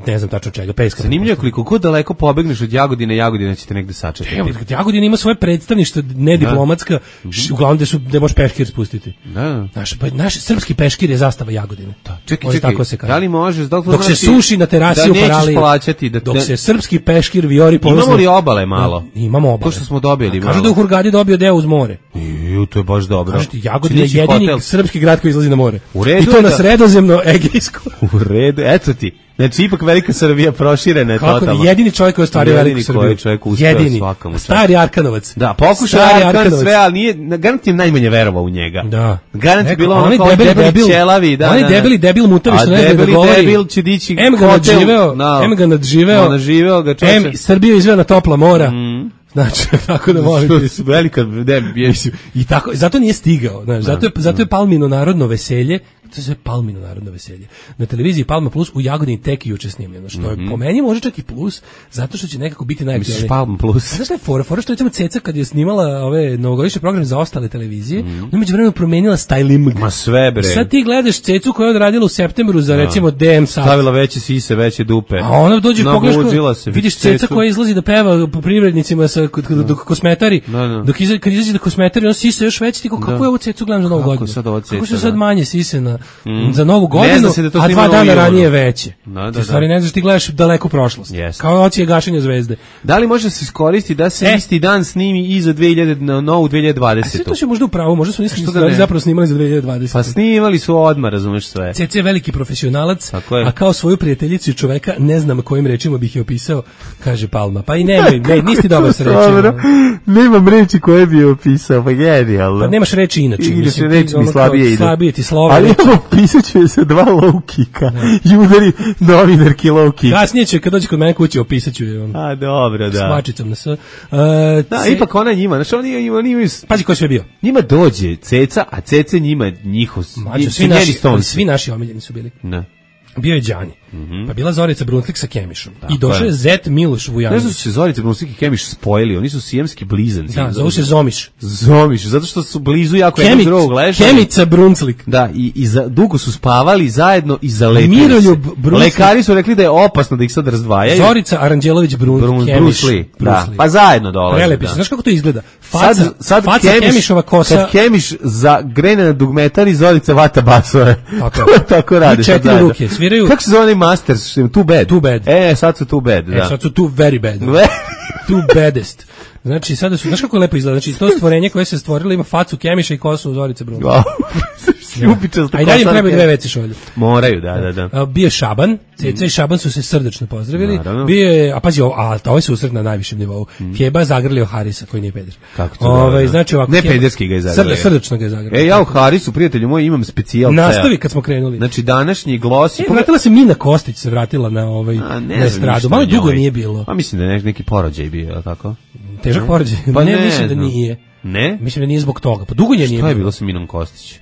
ne znam tačno čega, peska. Zanimljivo koliko god daleko pobegneš od Jagodine, Jagodina će te negde sačekati. Evo, Jagodina ima svoje predstavništvo, nediplomatska, da. š, uglavnom gde su, gde možeš peškir spustiti. Da. Naš, pa, naš srpski peškir je zastava Jagodine. Da. Čekaj, čekaj, tako se kaže. Da li možeš, da li dok se suši na terasi da u Paraliji, plaćati, da, dok da, se srpski peškir vijori ponosno. Imamo li obale malo? Da, imamo obale. To što smo dobili malo. Kažu da u Hurgadi dobio deo uz more. Ju, to je baš dobro. Kažu ti, Jagodina je jedini hotel. Srpski grad koji izlazi na more. U redu I to na da... sredozemno Egejsko. U redu, eto ti. Znači, ipak velika Srbija proširena je totalno. Kako jedini čovjek koji je ostvario veliku Srbiju. Jedini čovjek uspeo jedini. Svakamu. Stari Arkanovac. Da, pokušao Arkan sve, ali nije, garant je najmanje verovao u njega. Da. Garant je bilo ono kao debeli, debeli ćelavi. Da, oni da, debeli, debil mutavi što ne zna da govori. A debeli, debil će dići em ga nadživeo, no. em ga nadživeo, nadživeo ga čoče. Em Srbiju izveo na topla mora. Mm. Znači, tako da molim ti. Velika, ne, i tako, zato nije stigao, znaš, zato je, zato je Palmino narodno veselje, to je Palmino narodno veselje. Na televiziji Palma Plus u Jagodini tek juče snimljeno, što je mm-hmm. po meni može čak i plus, zato što će nekako biti najaktualniji. Misliš Palma Plus? Znaš šta je fora? Fora što recimo Ceca kad je snimala ove novogodišnje programe za ostale televizije, mm-hmm. ona međuvremeno promenila styling. Ma sve bre. Sad ti gledaš Cecu koja je odradila u septembru za no. recimo D M sat. Stavila veće sise, veće dupe. A ona dođe pogledaš, vidiš Ceca koja izlazi da peva po privrednicima sa dok kosmetari, no, no. dok izađe kad izađe da kosmetari, on sise još veće, ti kako je ovu Cecu gledam za novu godinu. Kako su sad manje sise na za novu godinu, da a dva dana ranije veće. Da, da, u stvari ne znaš, ti gledaš daleku prošlost. Yes. Kao ocije gašenja zvezde. Da li može se iskoristiti da se e? isti dan snimi i za dve hiljade na novu dve hiljade dvadesetu? A sve to će možda upravo, možda su nisu da zapravo snimali za dve hiljade dvadesetu. Pa snimali su odmah, razumeš sve. Cece je veliki profesionalac, a kao svoju prijateljicu i čoveka, ne znam kojim rečima bih je opisao, kaže Palma. Pa i nemoj, ne, nisi ti dobar sa rečima. Nemam reči koje bi je opisao, pa genijalno. Pa nemaš reči inače. Mislim, reči mi slabije idu. Slabije ti slova. Ali opisat ću je sa dva low kicka i udari novinarki low kick. Kasnije će, kad dođe kod mene kući, opisat ću je. A, dobro, da. S mačicom na s. Uh, da, ce... ipak ona njima, znači oni, oni imaju... Pazi ko je sve bio. Njima dođe Ceca, a Cece njima njihov... Mačo, svi, naši, svi naši omiljeni su bili. Ne. Bio je Đani, mm-hmm. pa bila Zorica Brunslik sa Kemišom. Tako I došao je Zet Miloš Vujanović. Ne znam su se Zorica Brunslik i Kemiš spojili, oni su sijemski blizanci. Da, zovu se Zomiš. Zomiš, zato što su blizu jako Kemic, jednog drugog ležali. Kemica Brunslik. Da, i, i za, dugo su spavali zajedno i zalepili Miroljub se. Brunslik. Lekari su rekli da je opasno da ih sad razdvajaju. Zorica Aranđelović Brun, Brun, Kemiš. Brusli, da, pa zajedno dolaze. Prelepi, da. Znaš kako to izgleda? Faca, sad, sad faca Kemiš, Kemišova kosa. Kad Kemiš za grene na dugmetar i Zorica vata basove. Tako, tako radi. Četiri ruke, sviraju. Kako se zove Masters, too bad. Too bad. E, sad su too bad, da. E, sad su too very bad. Too baddest. Znači, sada su, znaš kako lepo izgleda? Znači, to stvorenje koje se stvorilo ima facu Kemiša i kosu Zorice Brun. Wow. Ljubičasto. A i dalje trebaju dve veci šolje. Moraju, da, da, da. A, bio Šaban, Ceca i Šaban su se srdačno pozdravili. Naravno. Bio je, a pazi, a to je susret na najvišem nivou. Mm. Fjeba zagrlio Harisa, koji nije peder. Kako to? Ove, da, da. Znači, ovako, ne pederski ga je zagrlio. Srda, srdačno ga je zagrlio. E, ja u Harisu, prijatelju moj, imam specijal. Nastavi kad smo krenuli. Znači, današnji glos... E, vratila se Mina Kostić, se vratila na ovaj a, ne na estradu. Malo dugo nije bilo. Pa mislim da je neki porođaj bio, je li tako? Težak ne? porođaj? Pa ne, ne, mislim da no. nije. Ne? Mislim da nije zbog toga. Pa dugo je nije. Šta je bilo sa Minom Kostić?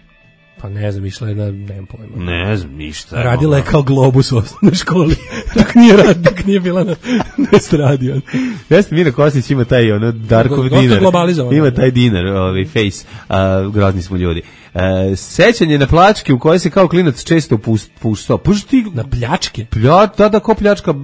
Pa ne znam, išla je na, nemam pojma. Ne znam, ništa. Radila je kao globus u osnovnoj školi. Dok nije rad, dok nije bila na, na estradi. Jeste, Mina Kostić ima taj ono Darkov dinar. Ima taj dinar, ovaj face. Uh, grozni smo ljudi. Uh, sećanje na pljačke u koje se kao klinac često puštao. Pušti na pljačke? Plja, da, da, ko pljačka,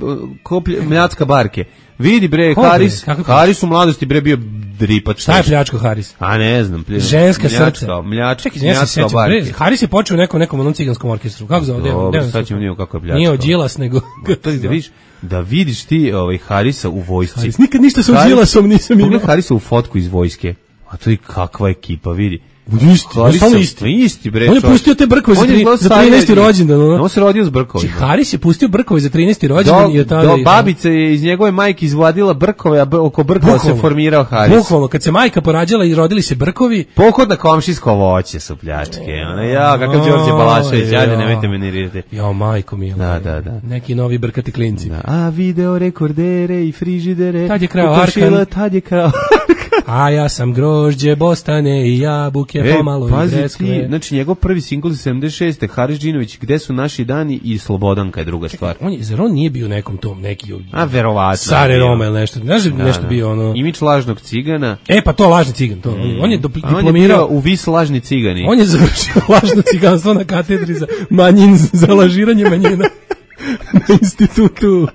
ko pljačka barke. Vidi bre, Ko, Haris, bre? Haris u mladosti bre bio dripač. Šta je pljačko Haris? A ne znam. Pljačka, ženska srce. Mljačka, mljačka barke. Haris je počeo u nekom, nekom onom ciganskom orkestru. Kako zove? Dobro, sad ćemo njegu kako je pljačka. Nije od Đilas, nego... To da vidiš, da vidiš ti ovaj, Harisa u vojsci. Haris, nikad ništa sa Đilasom nisam imao. Pogledaj Harisa u fotku iz vojske. A to je kakva ekipa, vidi. Isti, samo isti. Isti, bre. On je pustio te brkove za, tri, za trinaesti rođendan. On se rodio s brkovima. Haris je pustio brkove za trinaesti rođendan i tada. Do babice je iz njegove majke izvadila brkove, a oko brkova se formirao Haris. Bukvalno, kad se majka porađala i rodili se brkovi. Pohod na komšijsko voće su pljačke. Ona ja, kakav Đorđe Balašević, ajde, nemojte me nervirati. Jo, majko mila. Da, da, da. Neki novi brkati klinci. Da. A video rekordere i frižidere. Tad je krao Arkan. Tad je krao A ja sam grožđe, bostane i jabuke, e, pomalo i breskve. Znači, njegov prvi singl iz sedamdeset šeste. Haris Džinović, Gde su naši dani i Slobodanka je druga stvar. On je, zar on nije bio nekom tom, neki... A, verovatno. Sare Roma ili nešto. Znaš da, nešto da. bio ono... Imić lažnog cigana. E, pa to lažni cigan. To. Mm. On je diplomirao... On je u vis lažni cigani. On je završio lažno ciganstvo na katedri za manjin, za lažiranje manjina na institutu...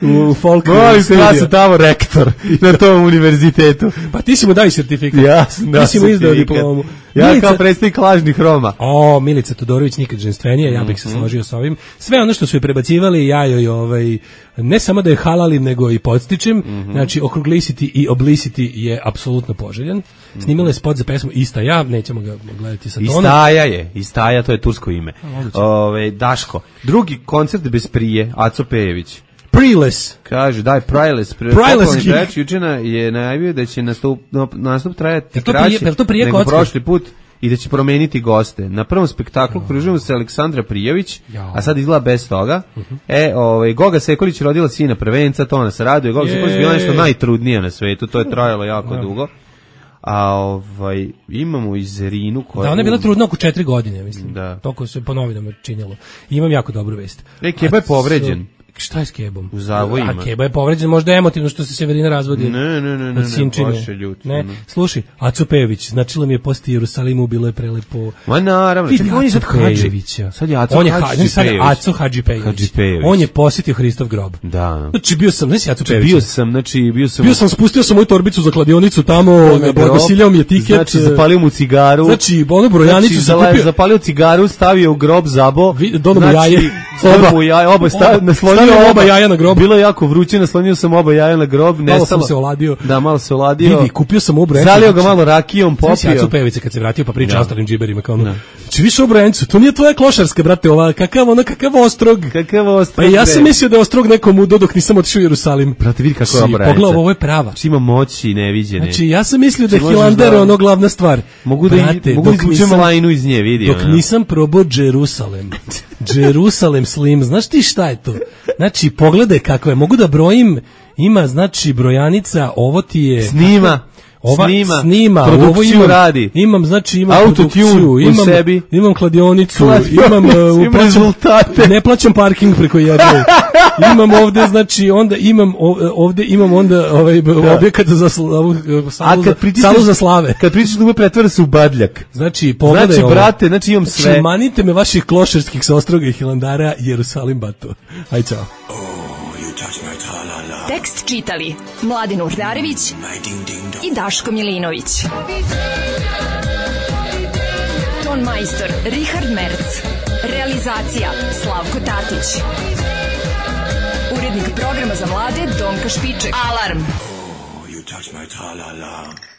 u folk Molim se, ja sam tamo rektor na tom univerzitetu. Pa ti si mu daj sertifikat. Ja sam dao ti si mu izdao diplomu. Ja Milica, kao predstavnik lažnih Roma. O, Milica Todorović nikad ženstvenija, ja bih se složio s ovim. Sve ono što su joj prebacivali, ja joj ovaj, ne samo da je halalim, nego i podstičem. Mm-hmm. Znači, okruglisiti i oblisiti je apsolutno poželjan. Snimila je spot za pesmu Ista ja, nećemo ga gledati sa tonom. Istaja je, Istaja, to je tursko ime. Ove, Daško, drugi koncert bez prije, Aco Pejević. Preless. Kaže, daj, Preless. Preless gig. Jučina je najavio da će nastup, nastup trajati kraći nego kocka? prošli put i da će promeniti goste. Na prvom spektaklu oh. pružimo se Aleksandra Prijović, ja. a sad izgleda bez toga. Uh-huh. E, ovaj, Goga Sekolić rodila sina prvenca, to nas raduje. Goga Sekolić je bila nešto najtrudnija na svetu, to je trajalo jako ja. dugo. A ovaj, imamo i Zerinu koja... Da, ona je bila trudna oko četiri godine, mislim. Da. Toko se po novinama činjelo. Imam jako dobru vest. E, Keba je povređen. Šta je s Kebom? U zavojima. A Keba je povređen, možda emotivno što se Severina razvodi. Ne, ne, ne, ne, baš je ljut. Ne, slušaj, Aco Pejević, značilo mi je posti Jerusalimu, bilo je prelepo. Ma naravno, vidi on je sad Hadživića. Sad je Aco on je Hadži Pejević. Aco Hadži Pejević. On je posjetio Hristov grob. Da. Znači bio sam, znači Aco Pejević. Bio sam, znači bio sam. Bio sam, spustio sam moju torbicu za kladionicu tamo, blagosiljao mi je tiket. Znači zapalio mu cigaru. Znači onu brojanicu sam kupio. Zapalio cigaru, stavio u grob zabo. Dono jaje. Oba jaja, oba naslonio oba jaja na grob. Bilo je jako vruće, naslonio sam oba jaja na grob, malo sam se oladio. Da, malo se oladio. Vidi, kupio sam obrojenicu. Zalio ga malo rakijom, popio. Znači, Aco Pejević kad se vratio pa priča ostalim džiberima kao ono. Znači, više obrojenicu, to nije tvoja klošarska, brate, ova, kakav ono, kakav ostrog. Kakav ostrog. Pa ja sam mislio da je ostrog nekom udo dok nisam otišao u Jerusalim. Brate, vidi kako je obrojenica. Pogledaj, ovo je prava. Ima moći neviđene. Znači, ja sam mislio da je Hilander ono glavna stvar. Mogu da mogu izvučem lajnu iz nje, vidi. Dok nisam probao Jerusalem. Jerusalem Slim, znaš ti šta je to? Znači, pogledaj kako je, mogu da brojim, ima, znači, brojanica, ovo ti je... Snima, ova, snima, snima produkciju ovo imam, radi. Imam, znači, imam autotune imam, u sebi. Imam kladionicu, imam, uh, imam rezultate. Ne plaćam parking preko jedne. Imam ovde, znači, onda imam, ovde imam onda ovaj, objekat za slavu, salu, za, salu za slave. Kad pričaš da me pretvara se u badljak. Znači, pogledaj znači, ovo. brate, znači imam sve. Znači, manite me vaših klošarskih sa Ostroga i Hilandara, Jerusalim Bato. Aj, čao. Tekst čitali Mladin Urdarević i Daško Milinović. Ton majstor Richard Merc. Realizacija Slavko Tatić. Urednik programa za mlade Donka Špiček. Alarm! Oh, you touch my tra-la-la.